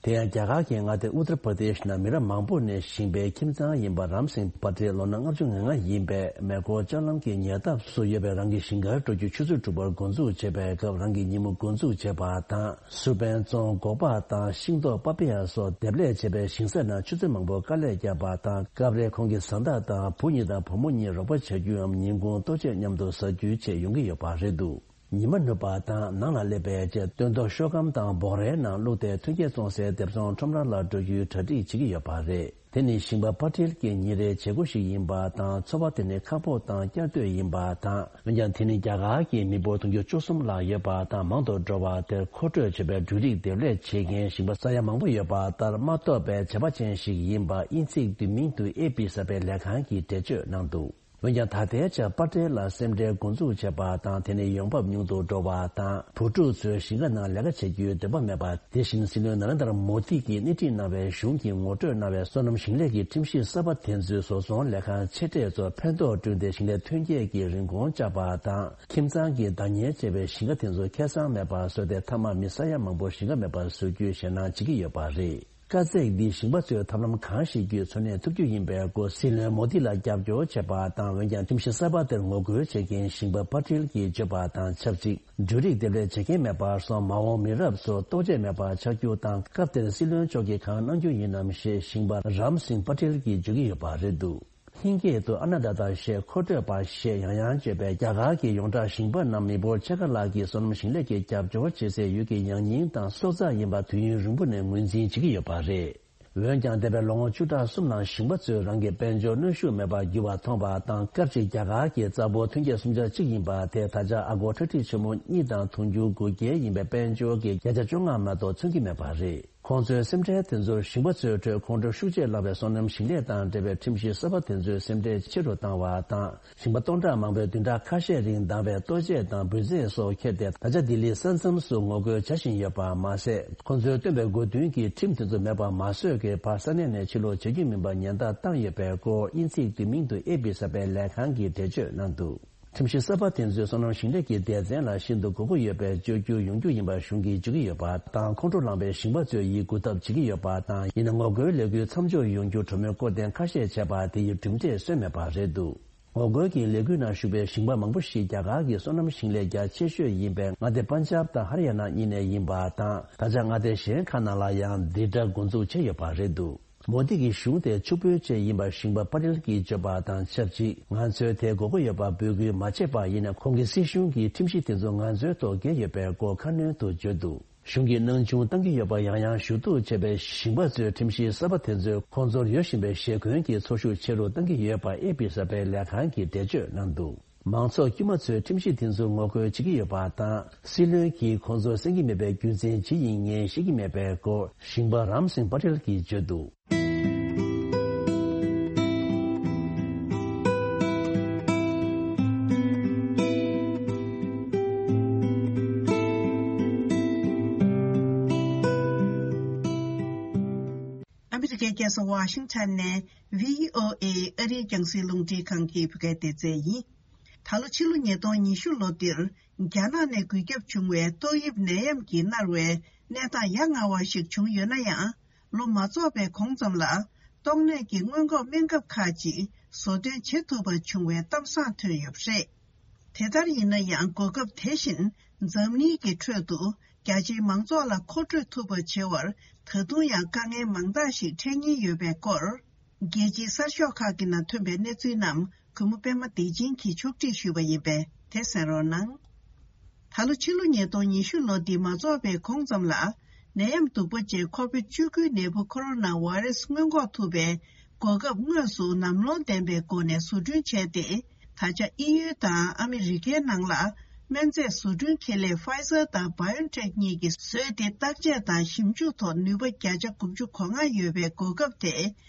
དེ་ཡང་། རྒྱ་གར་གྱི་མངའ་སྡེ་ཨུ་ཏར་པར་དེཤ་ནང་མི་རབས་མང་པོ་ནས་ཞིང་པའི་ཁྱིམ་ཚང་ཡིན་པ་རམ་སིང་པ་ཏེལ་ལོ་ན་ལྔ་བཅུ་ང་ལྔ་ཡིན་པས། མེ་འཁོར་ལྕགས་ལམ་གྱི་ཉེ་འདབས་སུ་ཡོད་པའི་རང་གི་ཞིང་ཁར་འགྲོ་རྒྱུ་ཆུ་ཚོད་དྲུག་པར་འགོ་འཛུགས་བྱེད་པའི་སྐབས། རང་གི་ཉིན་མོ་འགོ་འཛུགས་བྱེད་པ་དང་། སུར་པན་བཙོང་། སྒོག་པ་དང་ཤིང་ཏོག་པ་པི་ཡ་སོགས་འདེབས་ལས་བྱེད་པའི་ཞིང་ས་ནང་ཆུ་ཚོད་མང་པོ་དཀའ་ལས་བརྒྱབ་པ་དང་། སྐབས་རེ་ཁོང་གི་བཟའ་ཟླ་དང་བུ་གཉིས་དང་བུ་མོ་གཉིས་རོགས་པ་བྱ་རྒྱུའམ་ཉིན་གུང་ལྟོ་ཆས་མཉམ་དུ་ཟ་རྒྱུའི་ཆེད་ཡོང་གི་ཡོད་པ་རེད་འདུག། ཉི་མ་ནུབ་པ་དང་ནང་ལ་སླེབས་པའི་རྗེས། སྟོན་ཐོག་ཤོག་སྒམ་དང་སྦོག་རའི་ནང་བླུགས་ཏེ། ཐོན་སྐྱེད་བཙོང་སའི་སྡེབ་ཚོང་ཁྲོམ་ར་ལ་འགྲོ་རྒྱུའི་གྲ་སྒྲིག་བྱེད་ཀྱི་ཡོད་པ་རེད། དེ་ནི་ཞིང་པ་པ་ཏེལ་གྱི་ཉིན་རེའི་བྱེད་སྒོ་ཞིག་ཡིན་པ་དང་། འཚོ་བ་དེ་ནི་ཁག་པོ་དང་བསྐྱར་ཟློས་ཡིན་པ་དང་། འོན་ཀྱང་། དེ་ནི་རྒྱ་གར་གྱི་མི་འབོར་དུང་ཕྱུར་བཅུ་གསུམ་ལྷག་ཡོད་པ་དང་། མང་དུ་འགྲོ་བ་དེར་མཁོ་སྤྲོད་བྱེད་པའི་འབྲུ་རིགས་འདེབས་ལས་བྱེད་མཁན་ཞིང་པ་ས་ཡ་མང་པོ་ཡོད་པ་ལྟར་མ་གཏོགས་པའི་བྱེད་པ་ཅན་ཞིག་ཡིན་པ། དབྱིན་ཚིག་ཏུ་མིང་དུ་ཨེ་པི་གསར་སྤེལ་ལས་ཁང་གིས་འགྲེལ་བརྗོད་གནང་འདུག། འོན་ཀྱང་ད་ལྟའི་ཆར་པ་ཏེལ་ལ་སེམས་ཁྲལ་འགོ་འཛུགས་བྱས་པ་དང་། དེ་ནི་ཡོང་འབབ་ཉུང་དུ་འགྲོ་བ་དང་། བུ་ཕྲུག་ཚོས་ཞིང་ཁ་ནང་ལས་ཀ་བྱེད་རྒྱུའི་འདོད་པ་མེད་པ། དེ་བཞིན་སྲིད་བློན་ན་རེན་དར་མོ་དི་གིས་སྣེ་ཁྲིད་གནང་བའི་གཞུང་གིས་ངོ་སྤྲོད་གནང་བའི་སོ་ནམ་ཞིང་ལས་ཀྱི་ཁྲིམས་གཞི་གསར་པ་དེ་ཚོས་བཟོ་ཚོང་ལས་ཁང་ཆེ་གྲས་ཚོར་ཕན་ཐོགས་བསྐྲུན་ཏེ། ཞིང་ལས་ཐོན་སྐྱེད་ཀྱི་རིན་གོང་བཅག་པ་དང་། ཁྱིམ་ཚང་གི་བདག་གཉེར་བྱས་པའི་ཞིང་ཁ་དེ་ཚོ་ཁེ་བཟང་མེད་པར་བཟོས་ཏེ། མཐའ་མ་མི་ས་ཡ་མང་པོར་ཞིང་ཁ་མེད་པར་བཟོ་རྒྱུའི་ཞེད་སྣང་བྱེད་ཀྱི་ཡོད་པ་རེད། དཀའ་ཚེགས་འདིས་ཞིང་པ་ཚོས་ཐབས་ལམ་གང་ཞིག་བརྒྱུད་འཚོ་གནས་ཐུབ་རྒྱུ་ཡིན་པའི་སྐོར་སྲིད་བློན་མོ་དི་ལ་རྒྱབ་སྐྱོར་བྱེད་པ་དང་། འོན་ཀྱང་ཁྲིམས་གཞི་གསར་པ་དེར་ངོ་རྒོལ་བྱེད་མཁན་ཞིང་པ་པ་ཏེལ་གྱིས་བརྗོད་པ་དང་ཆབས་ཅིག་འབྲུ་རིགས་འདེབས་ལས་བྱེད་མཁན་མེད་པར་སོང་། མ་འོངས་མི་རབས་ཚོར་ལྟོ་ཆས་མེད་པར་ཆགས་རྒྱུ་དང་། སྐབས་དེར་སྲིད་བློན་མཆོག་གིས་གང་གནང་རྒྱུ་ཡིན་ནམ་ཞེས་ཞིང་པ་རམ་སིང་པ་ཏེལ་གྱིས་བརྗོད་ཀྱི་ཡོད་པ་རེད་འདུག་ཧིན་སྐད་དུ་ཨ་ན་ད་ཏཱ་ཞེས་མཁོ་སྤྲོད་པ་ཞེས་ཡང་ཡང་བརྗོད་པའི་རྒྱ་གར་གྱི་ཡོངས་གྲགས་ཞིང་པ་ནམ་མི་བོར་ཆེ་ཁ་ལགས་ཀྱིས་སོ་ནམ་ཞིང་ལས་ཀྱི་རྒྱབ་སྐྱོར་བྱེད་སའི་ཡུལ་གྱི་ཡང་སྙིང་དང་སྲོག་རྩ་ཡིན་པ་དུས་ཡུན་རིང་པོ་ནས་ངོས་འཛིན་བྱེད་ཀྱི་ཡོད་པ་རེད། འོན་ཀྱང་། འདས་པའི་ལོ་ངོ་བཅུ་ཕྲག་གསུམ་ནང་ཞིང་པ་ཚོས་རང་གི་དཔལ་འབྱོར་གནོན་ཤུགས་མེད་པར་འགྱུར་བ་མཐོང་བ་དང་། སྐབས་གཅིག་རྒྱ་གར་གྱི་རྩ་འབོར་ཐོན་སྐྱེད་སུམ་ཆ་གཅིག་ཡིན་པ་དེ་ད་ཆ་ཨ་སྒོར་ཁྲག་ཁྲིག་ཆེན་མོ་གཉིས་དང་དུང་ཕྱུར་དགུ་བརྒྱ་ཡིན་པའི་དཔལ་འབྱོར་གྱི་བརྒྱ་ཆ་བཅོ་ལྔ་མ་གཏོགས་མཚོན་གྱི་མེད་པ་རེད། ཁོང་ཚོའི་སེམས་ཁྲལ་དེ་ཚོར་ཞིང་པ་ཚོའི་ཁྲོད་ཁོང་ཁྲོ་ཤུགས་ཆེར་ལངས་པའི་སོ་ནམ་ཞིང་ལས་དང་འབྲེལ་བའི་ཁྲིམས་གཞི་གསར་པ་དེ་ཚོས་སེམས་ཁྲལ་ཆེ་རུ་བཏང་བ་དང་། ཞིང་པ་སྟོང་ཕྲག་མང་པོས་བདུན་ཕྲག་ཁ་ཤས་རིང་འདང་བའི་ལྟོ་ཆས་དང་འབུལ་རྫས་སོགས་ཁྱེར་ཏེ། ད་ཆ་ལྡི་ལི་ས་མཚམས་སུ་ངོ་རྒོལ་བྱ་བཞིན་ཡོད་པ་མ་ཟད། ཁོང་ཚོས་བཏོན་པའི་དགོས་འདུན་གྱི་ཁྲིམས་དེ་ཚོ་མེད་པ་མ་བཟོས་ཀྱི་བར་ས་གནས་ནས་ཕྱིར་ལོག་བྱེད་རྒྱུ་མིན་པ་ཉེན་བརྡ་བཏང་ཡོད་པའི་སྐོར། དབྱིན་ཚིག་བསྡུས་མིང་དུ་ཨེ་པི་གསར་པའི་ལས་ཁང་གིས་འགྲེལ་བརྗོད་གནང་འདུག་ཁྲིམས་གཞི་གསར་པ་དེ་ཚོས་སོ་ནམ་ཞིང་ལས་ཀྱི་སྡེ་ཚན་ལ་ཤིན་ཏུ་དགོས་མཁོ་ཡོད་པའི་བཅོས་བསྒྱུར་ཡོང་རྒྱུ་ཡིན་པ་གཞུང་གིས་བརྗོད་ཀྱི་ཡོད་པ་དང་། ཁོང་ཁྲོ་ལངས་པའི་ཞིང་པ་ཚོས་ཡིད་འགུག་ཐབས་བྱེད་ཀྱི་ཡོད་པ་དང་། ཡིན་ནའང་ངོ་རྒོལ་ལས་འགུལ་མཚམས་འཇོག་ཡོང་རྒྱུ་གྲོས་མོལ་སྐོར་ཐེངས་ཁ་ཤས་བྱས་པ་དེ་ཡི་གྲུབ་འབྲས་སོན་མེད་པ་རེད་འདུག་ངོ་རྒོལ་གྱི་ལས་འགུལ་ནང་ཞུགས་པའི་ཞིང་པ་མང་པོ་ཞིག་རྒྱ་གར་གྱི་སོ་ནམ་ཞིང་ལས་རྒྱ་ཆེ་ཤོས་ཡིན་པའི་མངའ་སྡེ་པན་ཇབ་དང་ཧར་ཡ་ན་གཉིས་ནས་ཡིན་པ་དང་། ད་ཆ་མངའ་སྡེ་གཞན་ཁག་ནང་ལ་ཡང་འདི་འདྲ་འགོ་འཛུགས་བྱས་ཡོད་པ་རེད་འདུག་མོ་དི་གི་གཞུང་དེ་ཕྱུག་པོའི་ཆེད་ཡིན་པ་ཞིང་པ་པ་ཏེལ་གྱིས་བརྗོད་པ་དང་ཆབས་ཅིག་ང་ཚོས་དེ་དགོས་མཁོ་ཡོད་པ་འབོད་སྐུལ་མ་བྱས་པ་ཡིན་ན། ཁོང་གིས་སྲིད་གཞུང་གི་ཁྲིམས་གཞི་དེ་ཚོ་ང་ཚོའི་ཐོག་འགེལ་ཡོད་པའི་སྐོར་ཁ་སྣོན་དུ་བརྗོད་འདུག་གཞུང་གིས་སྣང་ཆུང་བཏང་གི་ཡོད་པ་ཡང་ཡང་ཞུ་གཏུག་བྱས་པའི་ཞིང་པ་ཚོས་ཁྲིམས་གཞི་གསར་པ་དེ་ཚོས་ཁོང་ཚོར་ཡོད་བཞིན་པའི་ཞེ་འཁོན་གྱི་ཚོར་ཤུགས་ཆེ་རུ་གཏང་གི་ཡོད་པ་ཨེ་པི་གསར་པའི་ལས་ཁང་གིས་འགྲེལ་བརྗོད་གནང་འདུག་མང་ཚོགས་དཀྱུས་མ་ཚོས་ཁྲིམས་གཞི་དེ་ཚོར་ངོ་རྒོལ་བྱེད་ཀྱི་ཡོད་པ་དང་། སྲིད་བློན་གྱིས་ཁོང་ཚོར་གསན་གྱི་མེད་པའི་རྒྱུ་མཚན་ཇི་ཡིན་ངས་ཤེས་ཀྱི་མེད་པའི་སྐོར་ཞིང་པ་རམ་སིང་པ་ཏེལ་གྱིས་བརྗོད་འདུག་ཨ་མི་རི་ཀའི་རྒྱལ་ས་ཝ་ཤིང་ཊོན་ནས་བྷི་ཨོ་ཨེ་ཨ་རིའི་རྒྱང་སྲིང་རླུང་འཕྲིན་ཁང་གི་བོད་སྐད་སྡེ་ཚན་ཡིན། ད་ལོ་ཕྱི་ལོ་ཉིས་སྟོང་ཉི་ཤུ་ལོ་འདིར་རྒྱ་ནག་ནས་འགོས་ཁྱབ་བྱུང་བའི་ཏོག་དབྱིབས་ནད་ཡམས་ཀྱིས་མནར་བའི་གནས་སྟངས་ཡ་ང་བ་ཞིག་བྱུང་ཡོད་ན་ཡང་། ལོ་མ་རྫོགས་པའི་གོང་ཙམ་ལ་ཏོག་ནད་ཀྱི་སྔོན་འགོག་སྨན་ཁབ་ཁག་ཅིག་བཟོ་སྐྲུན་བྱེད་ཐུབ་པ་བྱུང་བའི་གཏམ་བཟང་ཐོན་ཡོད་པ་རེད། དེ་ལྟར་ཡིན་ན་ཡང་། གོ་སྐབས་དེ་བཞིན་འཛམ་གླིང་གི་ཁྲོད་དུ་རྒྱ་ཆེའི་མང་ཚོགས་ལ་མཁོ་སྤྲོད་ཐུབ་པ་བྱེད་པར་ད་དུང་ཡང་དཀའ་ངལ་མང་དག་ཞིག་འཕྲད་ཉེན་ཡོད་པའི་སྐོར། རྒྱལ་སྤྱིའི་གསར་ཤོག་ཁག་གི་ནང་ཐོན་པའི་གནས་ཚུལ་རྣམས་གུས་མོ་པད་མ་བདེ་ཆེན་གྱིས་ཕྱོགས་སྒྲིག་ཞུས་པ་ཡིན་པས། དེ་གསན་རོགས་གནང་། ད་ལོ་ཕྱི་ལོ་ཉིས་སྟོང་ཉི་ཤུ་ལོ་འདི་མ་རྫོགས་པའི་གོང་ཙམ་ལ། ནད་ཡམས་གདུག་པ་ཅན་ཁོ་བིད་བཅུ་དགུ་ནད་འབུ་ཁོ་རོ་ན་བྷ་རེ་སི་སྔོན་འགོག་ཐུབ་པའི་གོ་སྐབས་དངོས་སུ་ནམ་ལངས་ལྡན་པའི་སྒོ་ནས་བཟོ་སྐྲུན་བྱས་ཏེ། ད་ཆ་ཨི་ཡུ་དང་ཨ་མི་རི་ཀའི་ནང་ལ་སྨན་རྫས་བཟོ་སྐྲུན་ཁེ་ལས་ཕའི་ཛར་དང་བྷ་ཡོ་ཊེག་གཉིས་ཀྱིས་བཟོས་ཏེ། བརྟག་དཔྱད་དང་ཞིབ་འཇུག་ཐོག་ནུས་པ་བརྒྱ་ཆ་དགུ་བཅུ་གོ་ལྔ་ཡོད་པའི་གོ་སྐབས་དེ་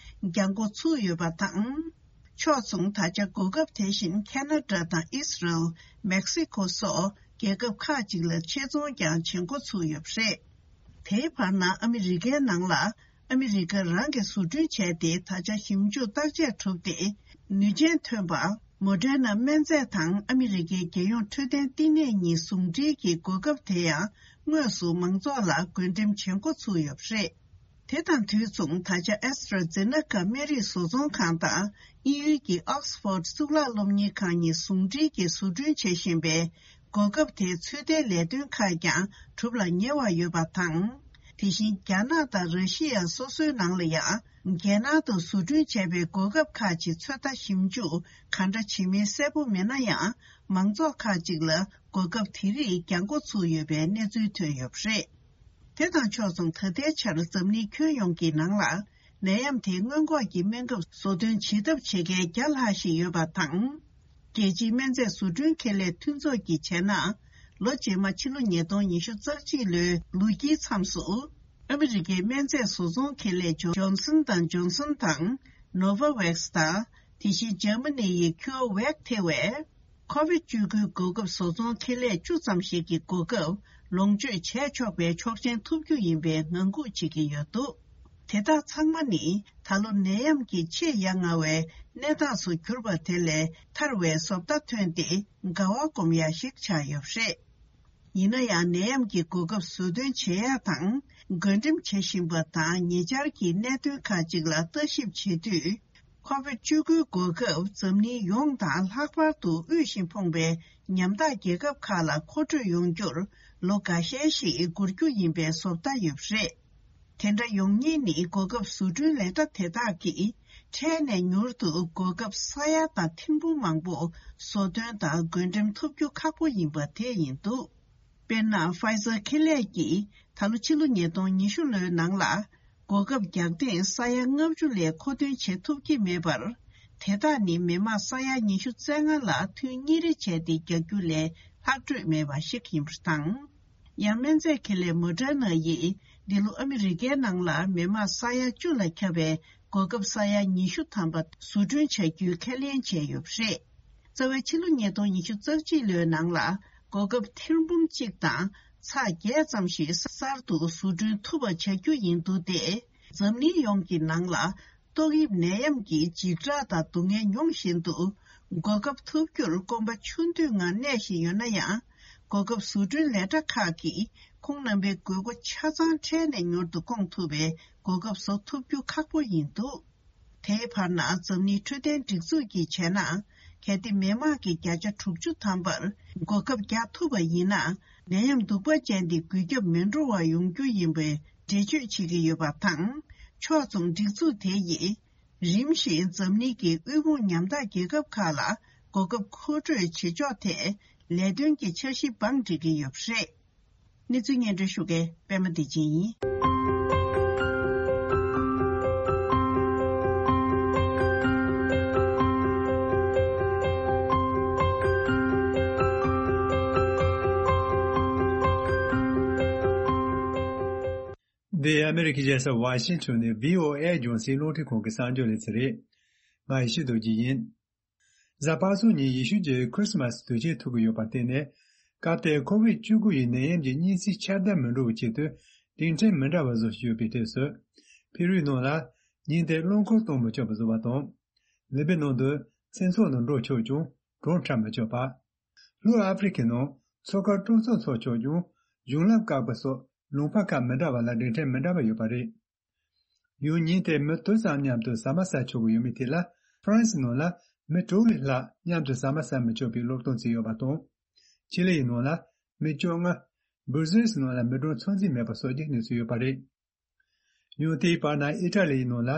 འགྱངས་འགོ་ཚུགས་ཡོད་པ་དང་། ཕྱོགས་མཚུངས། ད་ཆ་གོ་སྐབས་དེ་བཞིན་ཁེ་ན་ཌ་དང་ཨི་སི་རལ། མེག་སི་ཁོ་སོགས་རྒྱལ་ཁབ་ཁག་ཅིག་ལ་ཆེད་རྫོང་ཀྱང་བྱེད་འགོ་ཚུགས་ཡོད་པ་རེད། དེའི་བར་ན་ཨ་མི་རི་ཀའི་ནང་ལ་ཨ་མི་རི་ཀ་རང་གིས་བཟོ་སྐྲུན་བྱས་ཏེ། ད་ཆ་ཞིབ་འཇུག་བརྟག་དཔྱད་གྲུབ་སྟེ་ནུས་ཅན་ཐོན་པ། མོ་ཌེར་ན་སྨན་རྫས་དང་ཨ་མི་རི་ཀའི་རྒྱལ་ཡོངས་འཕྲོད་བསྟེན་བསྟི་གནས་གཉིས་ཟུང་འབྲེལ་གྱི་གོ་སྐབས་དེ་ཡང་དངོས་སུ་མང་ཚོགས་ལ་བགོ་འགྲེམས་བྱེད་འགོ་ཚུགས་ཡོད་པ་རེད། དེ་དང་དུས་མཚུངས། ད་ཆ་ཨེ་སི་ཊ་ར་ཛེ་ན་ཀ་སྨན་རིགས་བཟོ་ཚོང་ཁང་དང་དབྱིན་ཡུལ་གྱི་ཨོག་སི་ཕོར་ཌ་གཙུག་ལག་སློབ་གཉེར་ཁང་གཉིས་ཟུང་འབྲེལ་གྱིས་བཟོ་སྐྲུན་བྱེད་བཞིན་པའི་གོ་སྐབས་དེའི་ཚོད་ལྟའི་ལས་དོན་ཁག་ཀྱང་གྲུབ་ལ་ཉེ་བ་ཡོད་པ་དང་། དེ་བཞིན་རྒྱ་ནག་དང་ར་ཤི་ཡ་སོ་སོའི་ནང་ལ་ཡང་རྒྱལ་ནང་དུ་བཟོ་སྐྲུན་བྱས་པའི་གོ་སྐབས་ཁག་ཅིག་ཚོད་ལྟ་ཞིབ་འཇུག་ག་འདྲ་བྱེད་མིན་གསལ་པོ་མེད་ན་ཡང་། མང་ཚོགས་ཁག་ཅིག་ལ་གོ་སྐབས་དེ་རིགས་འགྱངས་འགོ་ཚུགས་ཡོད་པའི་གནས་ཚུལ་ཐོན་ཡོད་པ་རེད། དེ་དང་ཕྱོགས་མཚུངས། ད་ལྟའི་ཆར་འཛམ་གླིང་ཁྱོན་ཡོངས་ཀྱི་ནང་ལ་ནད་ཡམས་དེའི་སྔོན་འགོག་གི་སྨན་ཁབ་བཟོ་སྐྲུན་བྱེད་ཐབས་བྱེད་མཁན་བརྒྱ་ལྷག་ཞིག་ཡོད་པ་དང་། རྒྱལ་སྤྱིའི་སྨན་རྫས་བཟོ་སྐྲུན་ཁེ་ལས་མཐུན་ཚོགས་ཀྱིས་བྱས་ན། ལོ་རྗེས་མ་ཕྱི་ལོ་ཉིས་སྟོང་ཉི་ཤུ་རྩ་གཅིག་ལོའི་ལོ་དཀྱིལ་མཚམས་སུ། ཨ་མི་རི་ཀའི་སྨན་རྫས་བཟོ་ཚོང་ཁེ་ལས་ཇོན་སན་དང་ཇོན་སན་དང་། ནོ་ཝ་ཝེག་སི་དང་ དེ་བཞིན་འཇར་མ་ནི་ཡི་ཁྱུའོ་ཝེག་ཐེ་བས། ཁོ་བིད་བཅུ་དགུའི་གོ་སྐབས་བཟོ་ཚོང་ཁེ་ལས་བཅུ་ཙམ་ཞིག་གི་གོ་སྐབས་ལོངས་སྤྱོད་བྱས་ཆོག་པའི་ཆོག་མཆན་ཐོབ་རྒྱུ་ཡིན་པའི་ངང་སྒུག་བྱེད་ཀྱི་ཡོད་འདུག་དེ་དག་ཚང་མ་ནི་ད་ལོ་ནད་ཡམས་ཀྱི་ཆེས་ཡ་ང་བའི་གནས་སྟངས་སུ་གྱུར་པ་དེ་ལས་ཐར་བའི་བཟོ་ལྟ་ཐོན་ཏེ་དགའ་བ་སྒོམ་ཡ་ཞིག་ཆགས་ཡོད་པ་རེད། ཡིན་ན་ཡང་ནད་ཡམས་ཀྱི་གོ་སྐབས་ཟུར་འདོན་བྱེད་ཡ་དང་བགོ་འགྲེམས་བྱེད་བཞིན་པ་དང་ཉེ་ཆར་གྱི་གནད་དོན་ཁག་ཅིག་ལ་ལྟ་ཞིབ་བྱེད་དུས། ཁོ་བིད་བཅུ་དགུའི་གོ་སྐབས་འཛམ་གླིང་ཡོངས་དང་ལྷག་པར་དུ་དབུལ་ཞིང་ཕོངས་པའི་ཉམ་ཐག་རྒྱལ་ཁབ་ཁག་ལ་མཁོ་སྤྲོད་ཡོང་རྒྱུར་ལོ་འགའ་ཤས་ཤིག་འགོར་རྒྱུ་ཡིན་པའི་བཟོ་ལྟ་ཡོད་པ་རེད། དེ་འདྲ་ཡོང་ཉེན་ནི་གོ་སྐབས་བཟོ་སྐྲུན་ལས་གྲྭ་དེ་དག་གིས་འཕྲལ་ནས་མྱུར་དུ་གོ་སྐབས་ས་ཡ་དང་ཐེར་འབུམ་མང་པོ་བཟོ་ཐོན་དང་བགོ་འགྲེམས་ཐོབ་རྒྱུ་ཁག་པོ་ཡིན་པ་དེ་ཡིན་འདུག་དཔེར་ན། ཕའི་ཛར་ཁེ་ལས་ཀྱིས་ད་ལོ་ཕྱི་ལོ་ཉིས་སྟོང་ཉི་ཤུ་ལོའི་ནང་ལ་གོ་སྐབས་རྒྱག་ཐེངས་ས་ཡ་ལྔ་བཅུ་ལས་མཁོ་འདོན་བྱེད་ཐུབ་ཀྱི་མེད་པར། དེ་དག་ནི་མི་མང་ས་ཡ་ཉི་ཤུ་རྩ་ལྔ་ལ་ཐོན་གཉེར་བྱས་ཏེ་རྒྱག་རྒྱུ་ལས་ལྷག་འཕྲོས་མེད་པ་ཞིག་ཡིན་པ་དང་། ཡང་སྨན་རྫས་ཁེ་ལས་མོ་ཌར་ན་ཡིས་འདི་ལོ་ཨ་མི་རི་ཀའི་ནང་ལ་མི་མང་ས་ཡ་བཅུ་ལ་ཁྱབ་པའི་གོ་སྐབས་ས་ཡ་ཉི་ཤུ་ཐམ་པ་བཟོ་སྐྲུན་བྱ་རྒྱུའི་ཁས་ལེན་བྱས་ཡོད་པ་རེད། རྩ་བའི་ཕྱི་ལོ་ཉིས་སྟོང་ཉི་ཤུ་རྩ་གཅིག་ལོའི་ནང་ལ་གོ་སྐབས་ཐེར་འབུམ་གཅིག་དང་ཚེག་བརྒྱད་ཙམ་ཞིག་གསར་དུ་བཟོ་སྐྲུན་ཐུབ་པ་བྱ་རྒྱུ་ཡིན་འདུག་སྟེ། འཛམ་གླིང་ཡོངས་ཀྱི་ནང་ལ་ཏོག་དབྱིབས་ནད་ཡམས་ཀྱི་འཇིགས་སྐྲག་དང་སྡུག་བསྔལ་མྱོང་བཞིན་དུ། གོ་སྐབས་ཐོབ་རྒྱུར་སྐོམ་པ་ཆུ་འདོད་ངང་གནས་བཞིན་ཡོད་ན་ཡང་། གོ་སྐབས་བཟོ་སྐྲུན་ལས་གྲྭ་ཁག་གིས་ཁོང་རྣམ་པའི་དགོས་མཁོ་ཆ་ཚང་འཕྲལ་ནས་མྱུར་དུ་སྐོང་ཐུབ་པའི་གོ་སྐབས་བཟོ་ཐུབ་རྒྱུ་ཁག་པོ་ཡིན་འདུག་དེའི་བར་ན་འཛམ་གླིང་འཕྲོད་བསྟེན་སྒྲིག་འཛུགས་ཀྱིས་བྱས་ན། གལ་ཏེ་མི་དམངས་ཀྱི་བརྒྱ་ཆ་དྲུག་ཅུ་ཐམ་པར་གོ་སྐབས་རྒྱག་ཐུབ་པ་ཡིན་ན། ནད་ཡམས་གདུག་པ་ཅན་འདི་འགོས་ཁྱབ་མི་འགྲོ་བ་ཡོང་རྒྱུ་ཡིན་པའི་འགྲེལ་བརྗོད་བྱེད་ཀྱི་ཡོད་པ་དང་། ཕྱོགས་མཚུངས་སྒྲིག་འཛུགས་དེ་ཡིས་རིམ་བཞིན་འཛམ་གླིང་གི་དབུལ་ཕོངས་ཉམ་ཐག་རྒྱལ་ཁབ་ཁག་ལ་གོ་སྐབས་མཁོ་སྤྲོད་བྱེད་ཕྱོགས་ཐད་ལས་དོན་གྱི་འཆར་གཞི་བང་སྒྲིག་གི་ཡོད་པ་རེད། གནས་ཚུལ་སྙན་སྒྲོན་ཞུ་མཁན་པད་མ་བདེ་ཆེན་ཡིན། འདི་ཨ་མེ་རི་ཁའི་རྒྱལ་ས་ཝ་ཤིང་ཊོན་ནས་བྷི་ཨོ་ཨེ་རྒྱང་སྲིང་རླུང་འཕྲིན་ཁང་གི་གསར་འགྱུར་ལེ་ཚན་རེད། ང་ཡེ་ཤེས་རྡོ་རྗེ་ཡིན། གཟའ་པ་སངས་ཉིན་ཡེ་ཤུ་ཆོས་ཁྲི་སི་མ་སི་དུས་ཆེན་ཐུག་གི་ཡོད་པར་བརྟེན་ནས། སྐབས་དེར་ཁོ་བིད་བཅུ་དགུ་ཡི་ནད་ཡམས་ཀྱི་གཉན་སྲིན་ཁྱབ་གདལ་མི་འགྲོ་བའི་ཆེད་དུ་སྒྲིག་ཁྲིམས་མི་འདྲ་བ་བཟོ་བཞིན་ཡོད་པའི་གྲས་སུ། ཕེ་རུའི་ནང་ལ་ཉིན་དེར་རླངས་འཁོར་གཏོང་མི་ཆོག་པ་བཟོ་བ་དང་། ལི་པི་ནང་དུ་མཚན་ཚོགས་ནང་འགྲོ་ཆོག་ཀྱང་གྲོང་འཁྲབ་མི་ཆོག་པ། ལྷོ་ཨ་ཧྥེ་རི་ཁའི་ནང་མཚོ་ཁར་སྤྲོ་ཚོགས་འཚོགས་ཆོག་ཀྱང་གཞུང་ལམ་བཀག་པ་སོགས་ལུང་པ་ཁག་མི་འདྲ་བ་ལ་སྒྲིག་ཁྲིམས་མི་འདྲ་བ་ཡོད་པ་རེད། ཡང་ཉིན་དེར་མི་དུ་ཙམ་མཉམ་དུ་ཟ་མ་ཟ་ཆོག་གི་ཡོད་མེད་ཐད་ལ། ཧྥ་རན་སི་ནང་ལ་མི་དྲུག་ལས་ལྷག་མཉམ་དུ་ཟ་མ་ཟ་མི་ཆོག་པའི་སློབ་སྟོན་བྱས་ཡོད་པ་དང་། ཆི་ལི་ཡི་ནང་ལ་མི་བཅོ་ལྔ། སྦུར་ཟེལ་སི་ནང་ལ་མི་གྲངས་ཚོད་འཛིན་མེད་པ་སོགས་ཀྱི་གནས་ཚུལ་ཡོད་པ་རེད། ཡང་དེའི་བར་ན་ཨི་ཊ་ལི་ཡི་ནང་ལ་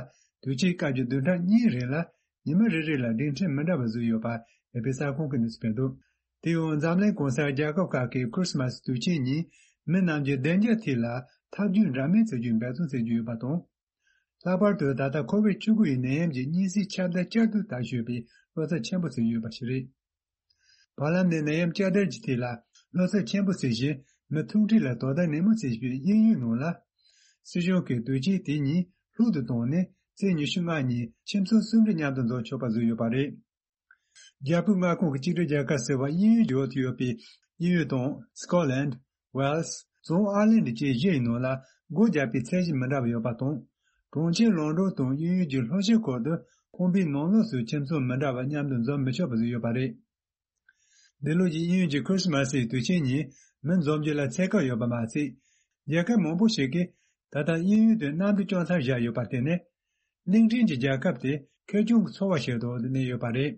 དུས་ཆེན་སྐབས་ཀྱི་བདུན་ཕྲག་གཉིས་རིང་ལ་ཉི་མ་རེ་རེ་ལ་སྒྲིག་ཁྲིམས་མི་འདྲ་བ་བཟོས་ཡོད་པ་ཨེ་ཕི་གསར་ཁང་གིས་གནས་ཚུལ་སྤེལ་འདུག་དེ་ཡང་འཛམ་གླིང་གང་སར་རྒྱལ་ཁབ་ཁག་གིས་ཁྲི་སི་མ་སི་དུས་ཆེན་ཉིན་མི་རྣམས་ཀྱི་བདེ་འཇགས་ཐད་ལ་ཐབས་ཇུས་འདྲ་མིན་བརྩི་རྒྱུའི་འབད་བརྩོན་བྱེད་ཀྱི་ཡོད་པ་དང་། ལྷག་པར་དུ་ད་ལྟ་ཁོ་བིད་བཅུ་དགུ་ཡི་ནད་ཡམས་ཀྱི་གཉན་སྲིན་ཁྱབ་གདལ་བསྐྱར་དུ་དར་བཞིན་པའི་བློ་འཚབ་ཆེན་པོ་བྱེད་ཀྱི་ཡོད་པ་ཞིག་རེད། བར་ལམ་ནས་ནད་ཡམས་བསྐྱར་དར་གྱི་ཐད་ལ་བློ་འཚབ་ཆེན་པོ་བྱེད་བཞིན་མི་ཐུག་འཕྲད་ལ་དོ་ཟླ་ནན་མོ་བྱེད་བཞིན་པའི་དབྱིན་ཡུལ་ནང་ལ། སྲིད་གཞུང་གིས་དུས་ཆེན་དེ་ཉིད་ལྷུག་ཏུ་བཏང་ནས་ཚེས་ཉི་ཤུ་ལྔ་ཉིན་ཁྱིམ་ཚང་གསུམ་རེ་མཉམ་དུ་འཛོམས་ཆོག་པ་བཟོས་ཡོད་པ་རེད། རྒྱལ་པོའི་མངའ་ཁོངས་ཀྱི་གཅིག་སྒྲིལ་རྒྱལ་ཁབ་ཟེར་བ་དབྱིན་ཡུལ་གྱི་འོག་ཏུ་ཡོད་པའི་དབྱིན་ཡུལ་དང་སི་ཀོ་ལན། ཝེལ་སི། རྫོང་ཨར་ལན་ཌི་བཅས་བཞི་ཡི་ནང་ལ་སྒོ་རྒྱག་པའི་ཚད་གཞི་མི་འདྲ་བ་ཡོད་པ་དང་། གྲོང་ཁྱེར་ལོན་ཌོན་དང་དབྱིན་ཡུལ་གྱི་ལྷོ་ཤར་ཁུལ་དུ་ཁང་པའི་ནང་ལོགས་སུ་ཁྱིམ་ཚང་མི་འདྲ་བ་མཉམ་དུ་འཛོམས་མི་ཆོག་པ་བཟོས་ཡོད་པ་རེད། འདི་ལོ་ཀྱི་དབྱིན་ཡུལ་གྱི་ཁྲི་སི་མ་སི་ཡི་དུས་ཆེན་ཉིན་མི་འཛོམས་རྒྱུ་ལ་ཚད་བཀག་ཡོད་པ་མ་ཟད། རྒྱལ་ཁབ་མང་པོ་ཞིག་གིས་ད་ལྟ་དབྱིན་ཡུལ་དུ་གནམ་གྲུ་བསྐྱོད་མཚམས་བཞག་ཡོད་པར་བརྟེན་ནས། གླིང་ཕྲན་གྱི་རྒྱལ་ཁབ་དེ་ཁེར་རྐྱང་གི་འཚོ་བ་ཞིག་ཏུ་གནས་ཡོད་པ་རེད།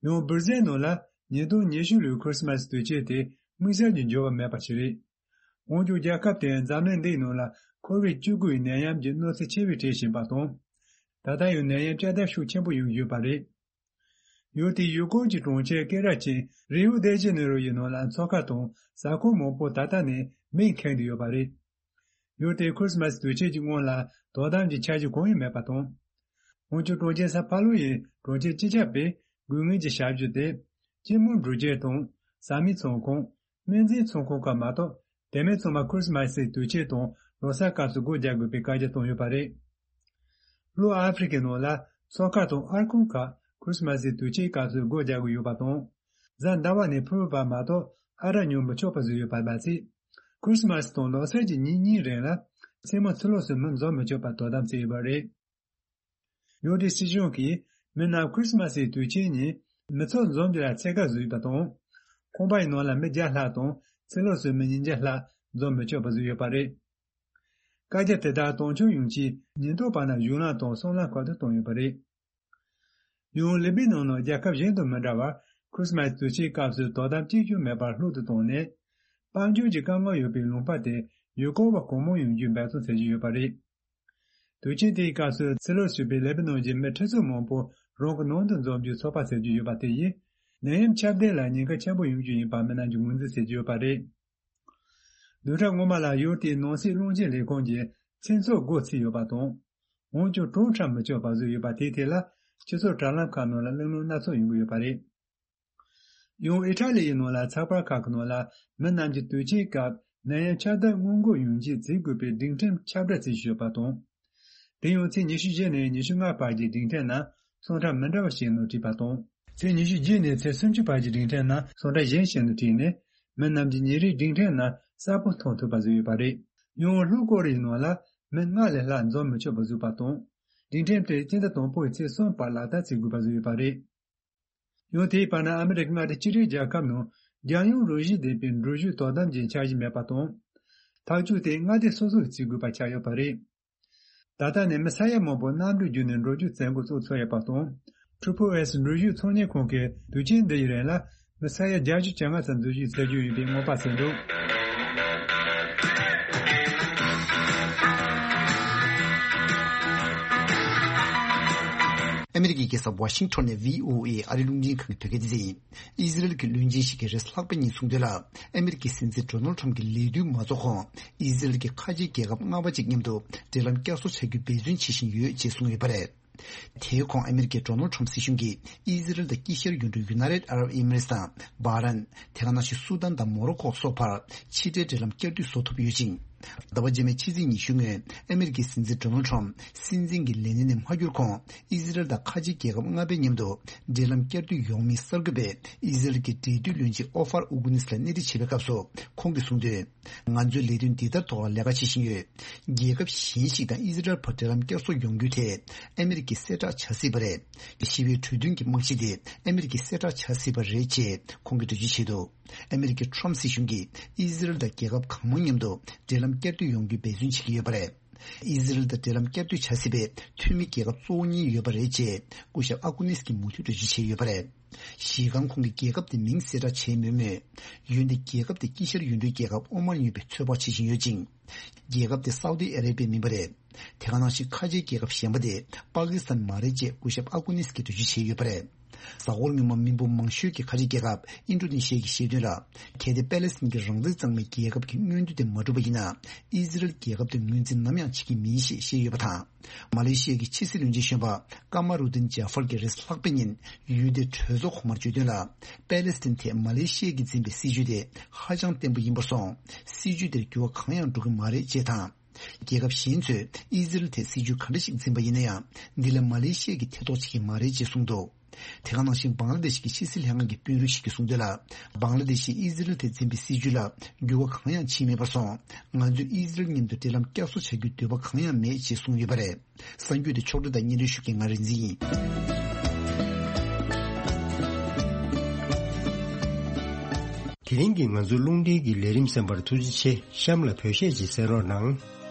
ཡང་སྦུར་ཟེལ་ནང་ལ་ཉིས་སྟོང་ཉི་ཤུ་ལོའི་ཁྲི་སི་མ་སི་དུས་ཆེན་དེ་དམིགས་བསལ་གྱི་འགྱུར་བ་མེད་པ་ཞིག་རེད། འོན་ཀྱང་རྒྱལ་ཁབ་དེས་འཛམ་གླིང་འདིའི་ནང་ལ་ཁོ་བིད་བཅུ་དགུ་ཡི་ནད་ཡམས་ཀྱི་གནོད་འཚེ་ཆེ་བའི་གྲས་ཤིག་ཡིན་པ་དང་། ད་ལྟ་ཡང་ནད་ཡམས་བསྐྱར་དར་ཤུགས་ཆེན་པོ་ཡོང་བཞིན་ཡོད་པ་རེད། ཡུལ་དེའི་ཡུལ་སྐོར་གྱི་གྲོང་ཁྱེར་སྐད་གྲགས་ཅན་རིའུ་དེ་ཇེ་ནེ་རོ་ཡི་ནང་ལ་མཚོ་ཁ་དང་གཟའ་འཁོར་མང་པོ་ད་ལྟ་ནས་མེས་ཁེངས་ཏེ་ཡོད་པ་རེད། ཡུལ་དེའི་ཁྲི་སི་མ་སི་དུས་ཆེན་གྱི་སྔོན་ལ་དོ་དམ་གྱི་འཆར་གཞི་གང་ཡང་མེད་པ་དང་། འོན་ཀྱང་གྲོང་ཁྱེར་སཱ་ཕ་ལོ་ཡི་གྲོང་ཁྱེར་སྤྱི་ཁྱབ་པས་དགོས་ངེས་ཀྱི་ཞབས་ཞུ་དེ། སྐྱེད་མོས་འབྲུ་སྐྱེལ་དང་ཟ་མའི་ཚོང་ཁང་། སྨན་རྫས་ཚོང་ཁང་ཁག་མ་གཏོགས། དེ་མིན་ཚང་མ་ཁྲི་སི་མ་སི་དུས་ཆེན་དང་ལོ་གསར་སྐབས་སུ་སྒོ་རྒྱག་དགོས་པའི་བཀའ་རྒྱ་བཏང་ཡོད་པ་རེད། ལྷོ་ཨ་ཧྥེ་རི་ཁའི་ནང་ལ་ མཚོ་ཁ་དང་ཨར་ཀོན་ཁག་ཁྲིས་མ་སི་དུས་ཆེན་སྐབས་སུ་སྒོ་རྒྱག་གི་ཡོད་པ་དང་། གཟའ་ཟླ་བ་ནས་ཕུར་བུ་བར་མ་གཏོགས་ཨ་རག་ཉོ་མི་ཆོག་པ་བཟོས་ཡོད་པ་མ་ཟད། ཁྲིས་མ་སི་དང་ལོ་གསར་གྱི་ཉིན་གཉིས་རིང་ལ་མཚན་མོ་ཚུར་ལོག་སུ་མི་འཛོམས་མི་ཆོག་པ་དོ་དམ་བྱས་ཡོད་པ་རེད། ཡུལ་དེའི་སྲིད་གཞུང་གིས་མི་རྣམས་ཁྲིས་མ་སི་དུས་ཆེན་ཉིན་མི་ཚོགས་འཛོམས་རྒྱུ་ལ་ཚད་བཀག་བཟོས་པ་དང་། ཁང་པའི་ནང་ལ་མི་བརྒྱ་ལྷག་དང་ཚུར་ལོག་སུ་མི་ཉིས་བརྒྱ་ལྷག་འཛོམས་མི་ཆོག་པ་བཟོས་ཡོད་པ་རེད། བཀའ་རྒྱ་དེ་དག་དོན་འཁྱོལ་ཡོང་ཆེད་ཉིན་ཐོ་བར་ན་གཞུང་ལམ་དང་སྲང་ལམ་ཁག་ཏུ་བཏང་ཡོད་པ་རེད། ཡང་ལི་པི་ནང་ནང་རྒྱལ་ཁབ་གཞན་དང་མི་འདྲ་བར་ཁྲིས་མ་སི་དུས་ཆེན་སྐབས་སུ་དོ་དམ་གཅིག་ཀྱང་མེད་པར་ལྷུག་ཏུ་བཏང་ནས། དཔལ་འབྱོར་གྱི་དཀའ་ངལ་ཡོད་པའི་ལུང་པ་དེ་ཡུལ་སྐོར་བ་གང་མང་ཡོང་རྒྱུའི་འབད་བརྩོན་བྱེད་ཀྱི་ཡོད་པ་རེད། དུས་ཆེན་དེའི་སྐབས་སུ་ཚུར་ལོག་བྱས་པའི་ལེ་པི་ནོན་གྱི་མི་ཁྲི་ཚོ་མང་པོ་རང་གི་ནང་དུ་འཛོམས་རྒྱུའི་ཚོགས་པ་ཟེར་རྒྱུ་ཡོད་པ་དེ་ཡིས། ནད་ཡམས་ཁྱབ་གདལ་ལ་ཉེན་ཁ་ཆེན་པོ་ཡོང་རྒྱུ་ཡིན་པ་མི་རྣམས་ཀྱིས་ངོས་འཛིན་བྱེད་ཀྱི་ཡོད་པ་རེད། བདུན་ཕྲག་སྔོན་མ་ལ་ཡུལ་དེའི་ནང་སྲིད་བློན་ཆེན་ལས་ཁུངས་ཀྱིས་མཚན་ཚོགས་སྒོ་ཕྱེ་ཡོད་པ་དང་། འོན་ཀྱང་གྲོངས་ཁྲབ་མི་ཆོག་པ་བཟོས་ཡོད་པ་དེའི་ཐད་ལ། སྤྱི་ཚོགས་དྲ་ལམ་ཁག་ནང་ལ་གླེང་སློང་སྣ་ཚོགས་ཡོང་གི་ཡོད་པ་རེད། ཡང་ཨི་ཊ་ལི་ཡི་ནང་ལ་ཚགས་པར་ཁག་གི་ནང་ལ་མི་རྣམས་ཀྱིས་དུས་ཆེན་སྐབས་ནད་ཡམས་ཁྱབ་གདལ་སྔོན་འགོག་ཡོང་ཆེད་བརྩི་དགོས་པའི་སྒྲིག་ཁྲིམས་ཁྱབ་བསྒྲགས་བྱེད་བཞིན་ཡོད་པ་དང་། དེ་ཡང་ཚེས་ཉི་ཤུ་བཞི་ནས་ཉི་ཤུ་ལྔ་བར་གྱི་སྒྲིག་ཁྲིམས་ནང་ཚོང་ཁྲ་མི་འདྲ་བ་ཞིག་ནང་བྲིས་པ་དང་། ཚེས་ཉི་ཤུ་བརྒྱད་ནས་ཚེས་སུམ་ཅུ་བར་གྱི་སྒྲིག་ཁྲིམས་ནང་ཚོང་ཁྲ་གཞན་ཞིག་ནང་བྲིས་ནས། མི་རྣམས་ཀྱིས་ཉིན་རེའི་སྒྲིག་ཁྲིམས་ནང་གསལ་པོ་མཐོང་ཐུབ་པ་བཟོས་ཡོད་པ་རེད། ཡང་ལྷོ་ཀོ་རི་ཡའི་ནང་ལ་མི་ལྔ་ལས་ལྷག་འཛོམས་མི་ཆོག་པ་བཟོས་པ་དང་། སྒྲིག་ཁྲིམས་དེ་སྤྱི་ཟླ་དང་པོའི་ཚེས་གསུམ་བར་ལག་བསྟར་བྱེད་དགོས་པ་བཟོས་ཡོད་པ་རེད། ཡང་དེའི་བར་ན་ཨ་མི་རི་ཀ་མངའ་སྡེ་གཅིག་སྒྲིལ་རྒྱལ་ཁབ་ནང་རྒྱལ་ཡོངས་རུ་བཞི་ལྡན་པའི་འགྲུལ་བཞུད་དོ་དམ་གྱི་འཆར་གཞི་མེད་པ་དང་། ཐག་གཅོད་དེ་མངའ་སྡེ་སོ་སོས་བྱེད་དགོས་པ་ཆགས་ཡོད་པ་རེད། ད་ལྟ་ནས་མི་ས་ཡ་མང་པོ་གནམ་གྲུ་བརྒྱུད་ནས་འགྲོ་རྒྱུ་བཙན་སྐུལ་བཙུགས་ཚར་ཡོད་པ་དང་། ཊི་ཕི་ཨེས་འགྲུལ་བཞུད་ཚོང་གཉེར་ཁང་གིས་དུས་ཆེན་འདི་ཡི་རིང་ལ་མི་ས་ཡ་བརྒྱད་ཅུ་གྱ་ལྔ་ཙམ་འཛུལ་ཞུགས་བྱེད་རྒྱུ་ཡིན་པའི་སྔོན་དཔག་བྱས་འདུག་ཨ་མི་རི་ཀའི་རྒྱལ་ས་ཝ་ཤིང་ཊོན་ནས་ཝི་ཨོ་ཨེ་ཨ་རིའི་རླུང་འཕྲིན་ཁང་གི་བོད་སྐད་སྡེ་ཚན་ཡིན། ཨི་ཟི་རལ་གྱི་བློན་ཆེན་ཞིག་གིས་རེས་ལྷག་པའི་ཉིན་གསུངས་དོན་ལ། ཨ་མི་རི་ཀའི་སྲིད་འཛིན་ཌོ་ནལ་ཁྲམ་གྱི་ལས་དུས་མ་རྫོགས་གོང་། ཨི་ཟི་རལ་གྱི་ཁ་ཆེ་རྒྱལ་ཁབ་ལྔ་པ་ཅིག་མཉམ་དུ་འབྲེལ་ལམ་བསྐྱར་གསོ་བྱ་རྒྱུའི་འབད་བརྩོན་བྱེད་བཞིན་ཡོད་ཅེས་གསུངས་ཡོད་པ་རེད། དེའི་གོང་ཨ་མི་རི་ཀའི་ཌོ་ནལ་ཁྲམ་སྲིད་གཞུང་གིས་ཨི་ཟི་རལ་དང་དཀྱིལ་ཤར་ཡུལ་གྲུའི་ཡུ་ནའི་ཊེཌ་ཨ་རབ་ཨི་མི་རེ་ཊི་དང་སྦ་རན། དེ་ག་ནང་བཞིན་སུ་དཱན་དང་མོ་རོ་ཁོ་སོགས་བར་ཕྱི་འབྲེལ་འབྲེལ་ལམ་བསྐྱར་མཐུད་བཟོ་ཐུབ་ཡོད་ཅིང་། ཟླ་བ་རྗེས་མའི་ཕྱི་ཚེས་ཉི་ཤུ་ཉིན་ཨ་མི་རི་ཀའི་སྲིད་འཛིན་ཌོ་ནལ་ཁྲམ་སྲིད་འཛིན་གྱི་ལས་གནས་ནས་མ་འཁྱུར་གོང་ཨི་ཟི་རལ་དང་ཁ་ཆེ་རྒྱལ་ཁབ་ལྔ་པའི་མཉམ་དུ་འབྲེལ་ལམ་བསྐྱར་མཐུད་ཡོང་མིན་གསར་འགོད་པས་ཨི་ཟི་རལ་གྱི་འབྲེལ་མཐུད་བློན་ཆེན་ཨོ་ཧྥར་ཨུ་གུ་ནིས་ལ་གནས་འདྲི་བྱེད་པའི་སྐབས་སུ་ཁོང་གིས་གསུངས་དོན། ང་ཚོའི་ལས་དོན་འདི་ལྟར་ཐོག་ལ་ལས་ཀ་བྱེད་བཞིན་ཡོད། རྒྱལ་ཁབ་གཞན་ཞིག་དང་ཨི་ཟི་རལ་བར་འབྲེལ་ལམ་བསྐྱར་གསོ་ཡོང་རྒྱུ་དེ་ཨ་མི་རི་ཀའི་གསལ་བསྒྲགས་བྱ་སྲིད་པ་རེད། ཞི་བའི་གྲོས་མཐུན་གྱི་རྨང་གཞི་དེ་ཨ་མི་རི་ཀའི་གསལ་བསྒྲགས་བྱ་སྲིད་པ་རེད་ཅེས་ཁོང་གིས་འགྲེལ་བརྗོད་བྱས་འདུག་ཨ་མི་རི་ཀའི་ཁྲམ་སྲིད་གཞུང་གིས་ཨི་ཟི་རལ་དང་རྒྱལ་ཁབ་གང་མང་མཉམ་དུ་འབྲེལ་ལམ་བསྐྱར་མཐུད་ཡོང་རྒྱུའི་འབད་བརྩོན་བྱེད་ཀྱི་ཡོད་པ་རེད། ཨི་ཟི་རལ་དང་འབྲེལ་ལམ་བསྐྱར་མཐུད་བྱ་སྲིད་པའི་འཐུས་མི་རྒྱལ་ཁབ་གཙོ་བོ་གཉིས་ཡོད་པ་རེད་ཅེས་སྐུ་ཞབས་ཨ་ཀུ་ནིས་ཀྱིས་མུ་མཐུད་འགྲེལ་བརྗོད་བྱས་ཡོད་པ་རེད། གཞི་རྐང་ཁོང་གིས་རྒྱལ་ཁབ་དེ་མིང་གསལ་བསྒྲགས་བྱས་མེད་མོད། ཡུལ་འདི་རྒྱལ་ཁབ་དེ་དཀྱིལ་ཤར་ཡུལ་གྲུའི་རྒྱལ་ཁབ་ཨོ་མན་ཡོད་པའི་ཚོད་དཔག་བྱེད་བཞིན་ཡོད་ཅིང་། རྒྱལ་ཁབ་དེ་སའུ་ཏི་ཨ་རེ་བྷི་ཡ་མིན་པ་རེད། དེ་ག་ནང་བཞིན་ཁ་ཆེའི་རྒྱལ་ཁབ་གཞན་པ་དེ་པ་ཀི་སི་ཐན་མ་རེད་ཅེས་སྐུ་ཞབས་ཨ་ཀུ་ནིས་ཀྱིས་འགྲེལ་བརྗོད་བྱས་ཡོད་པ་རེད། གཟའ་འཁོར་སྔོན་མ་མི་འབོར་མང་ཤོས་ཀྱི་ཁ་ཆེ་རྒྱལ་ཁབ་ཨིན་ཌོ་ནེ་ཤི་ཡ་གིས་བཤད་དོན་ལ། གལ་ཏེ་པེ་ལེ་སི་ཐན་གྱིས་རང་བཙན་གཙང་མའི་རྒྱལ་ཁབ་ཀྱི་མངོན་འདོད་དེ་མ་འགྲུབ་པ་ཡིན་ན། ཨི་ཟི་རལ་རྒྱལ་ཁབ་དེ་ངོས་འཛིན་ནམ་ཡང་བྱེད་ཀྱི་མིན་ཞེས་བཤད་ཡོད་པ་དང་། མ་ལེ་ཤི་ཡ་གི་ཕྱི་སྲིད་བློན་ཆེན་གཞོན་པ་ཀ་མ་རུ་ཏིན་ཇཱ་ཧྥར་གྱིས་རེས་ལྷག་པའི་ཉིན་ཡུལ་དེའི་གྲོས་ཚོགས་གོང་མར་བརྗོད་དོན་ལ། པེ་ལེ་སི་ཐན་ཐད་མ་ལེ་ཤི་ཡ་གིས་འཛིན་པའི་སྲིད་བྱུས་དེ་ཧ་ཅང་བརྟན་པོ་ཡིན་པར་སོང་། སྲིད་བྱུས་དེར་འགྱུར་བ་གང་ཡང་འགྲོ་གི་མ་རེད་ཅེས་དང་། རྒྱལ་ཁབ་གཞན་ཚོས་ཨི་ཟི་རལ་ཐད་སྲིད་བྱུས་ག་འདྲ་ཞིག་འཛིན་པ་ཡིན་ན་ཡང་། འདི་ལ་མ་ལེ་ཤི་ཡ་གིས་ཐེ་གཏོགས་བྱེད་ཀྱི་མ་རེད་ཅེས་གསུངས་འདུག་དེ་ག་ནང་བཞིན་བང་ལ་དེ་ཤི་གི་ཕྱི་སྲིད་ལྷན་ཁང་གི་དཔོན་རིགས་ཤིག་གིས་གསུངས་དོན་ལ། བང་ལ་དེ་ཤིས་ཨི་ཟི་རལ་དེ་འཛིན་པའི་སྲིད་བྱུས་ལ་འགྱུར་བ་གང་ཡང་ཕྱིན་མེད་པར་སོང་། ང་ཚོས་ཨི་ཟི་རལ་མཉམ་དུ་འབྲེལ་ལམ་བསྐྱར་གསོ་བྱ་རྒྱུའི་འདོད་པ་གང་ཡང་མེད་ཅེས་གསུངས་ཡོད་པ་རེད། གསར་འགྱུར་དེ་ཕྱོགས་སྒྲིག་དང་སྙན་སྒྲོན་ཞུ་མཁན་ང་རིག་འཛིན་ཡིན། དེ་རིང་གི་ང་ཚོའི་རླུང་འཕྲིན་གྱི་ལས་རིམ་གསན་པར་ཐུགས་རྗེ་ཆེ། གཤམ་ལ་བོད་གཞས་ཅིག་གསན་རོགས་གནང་།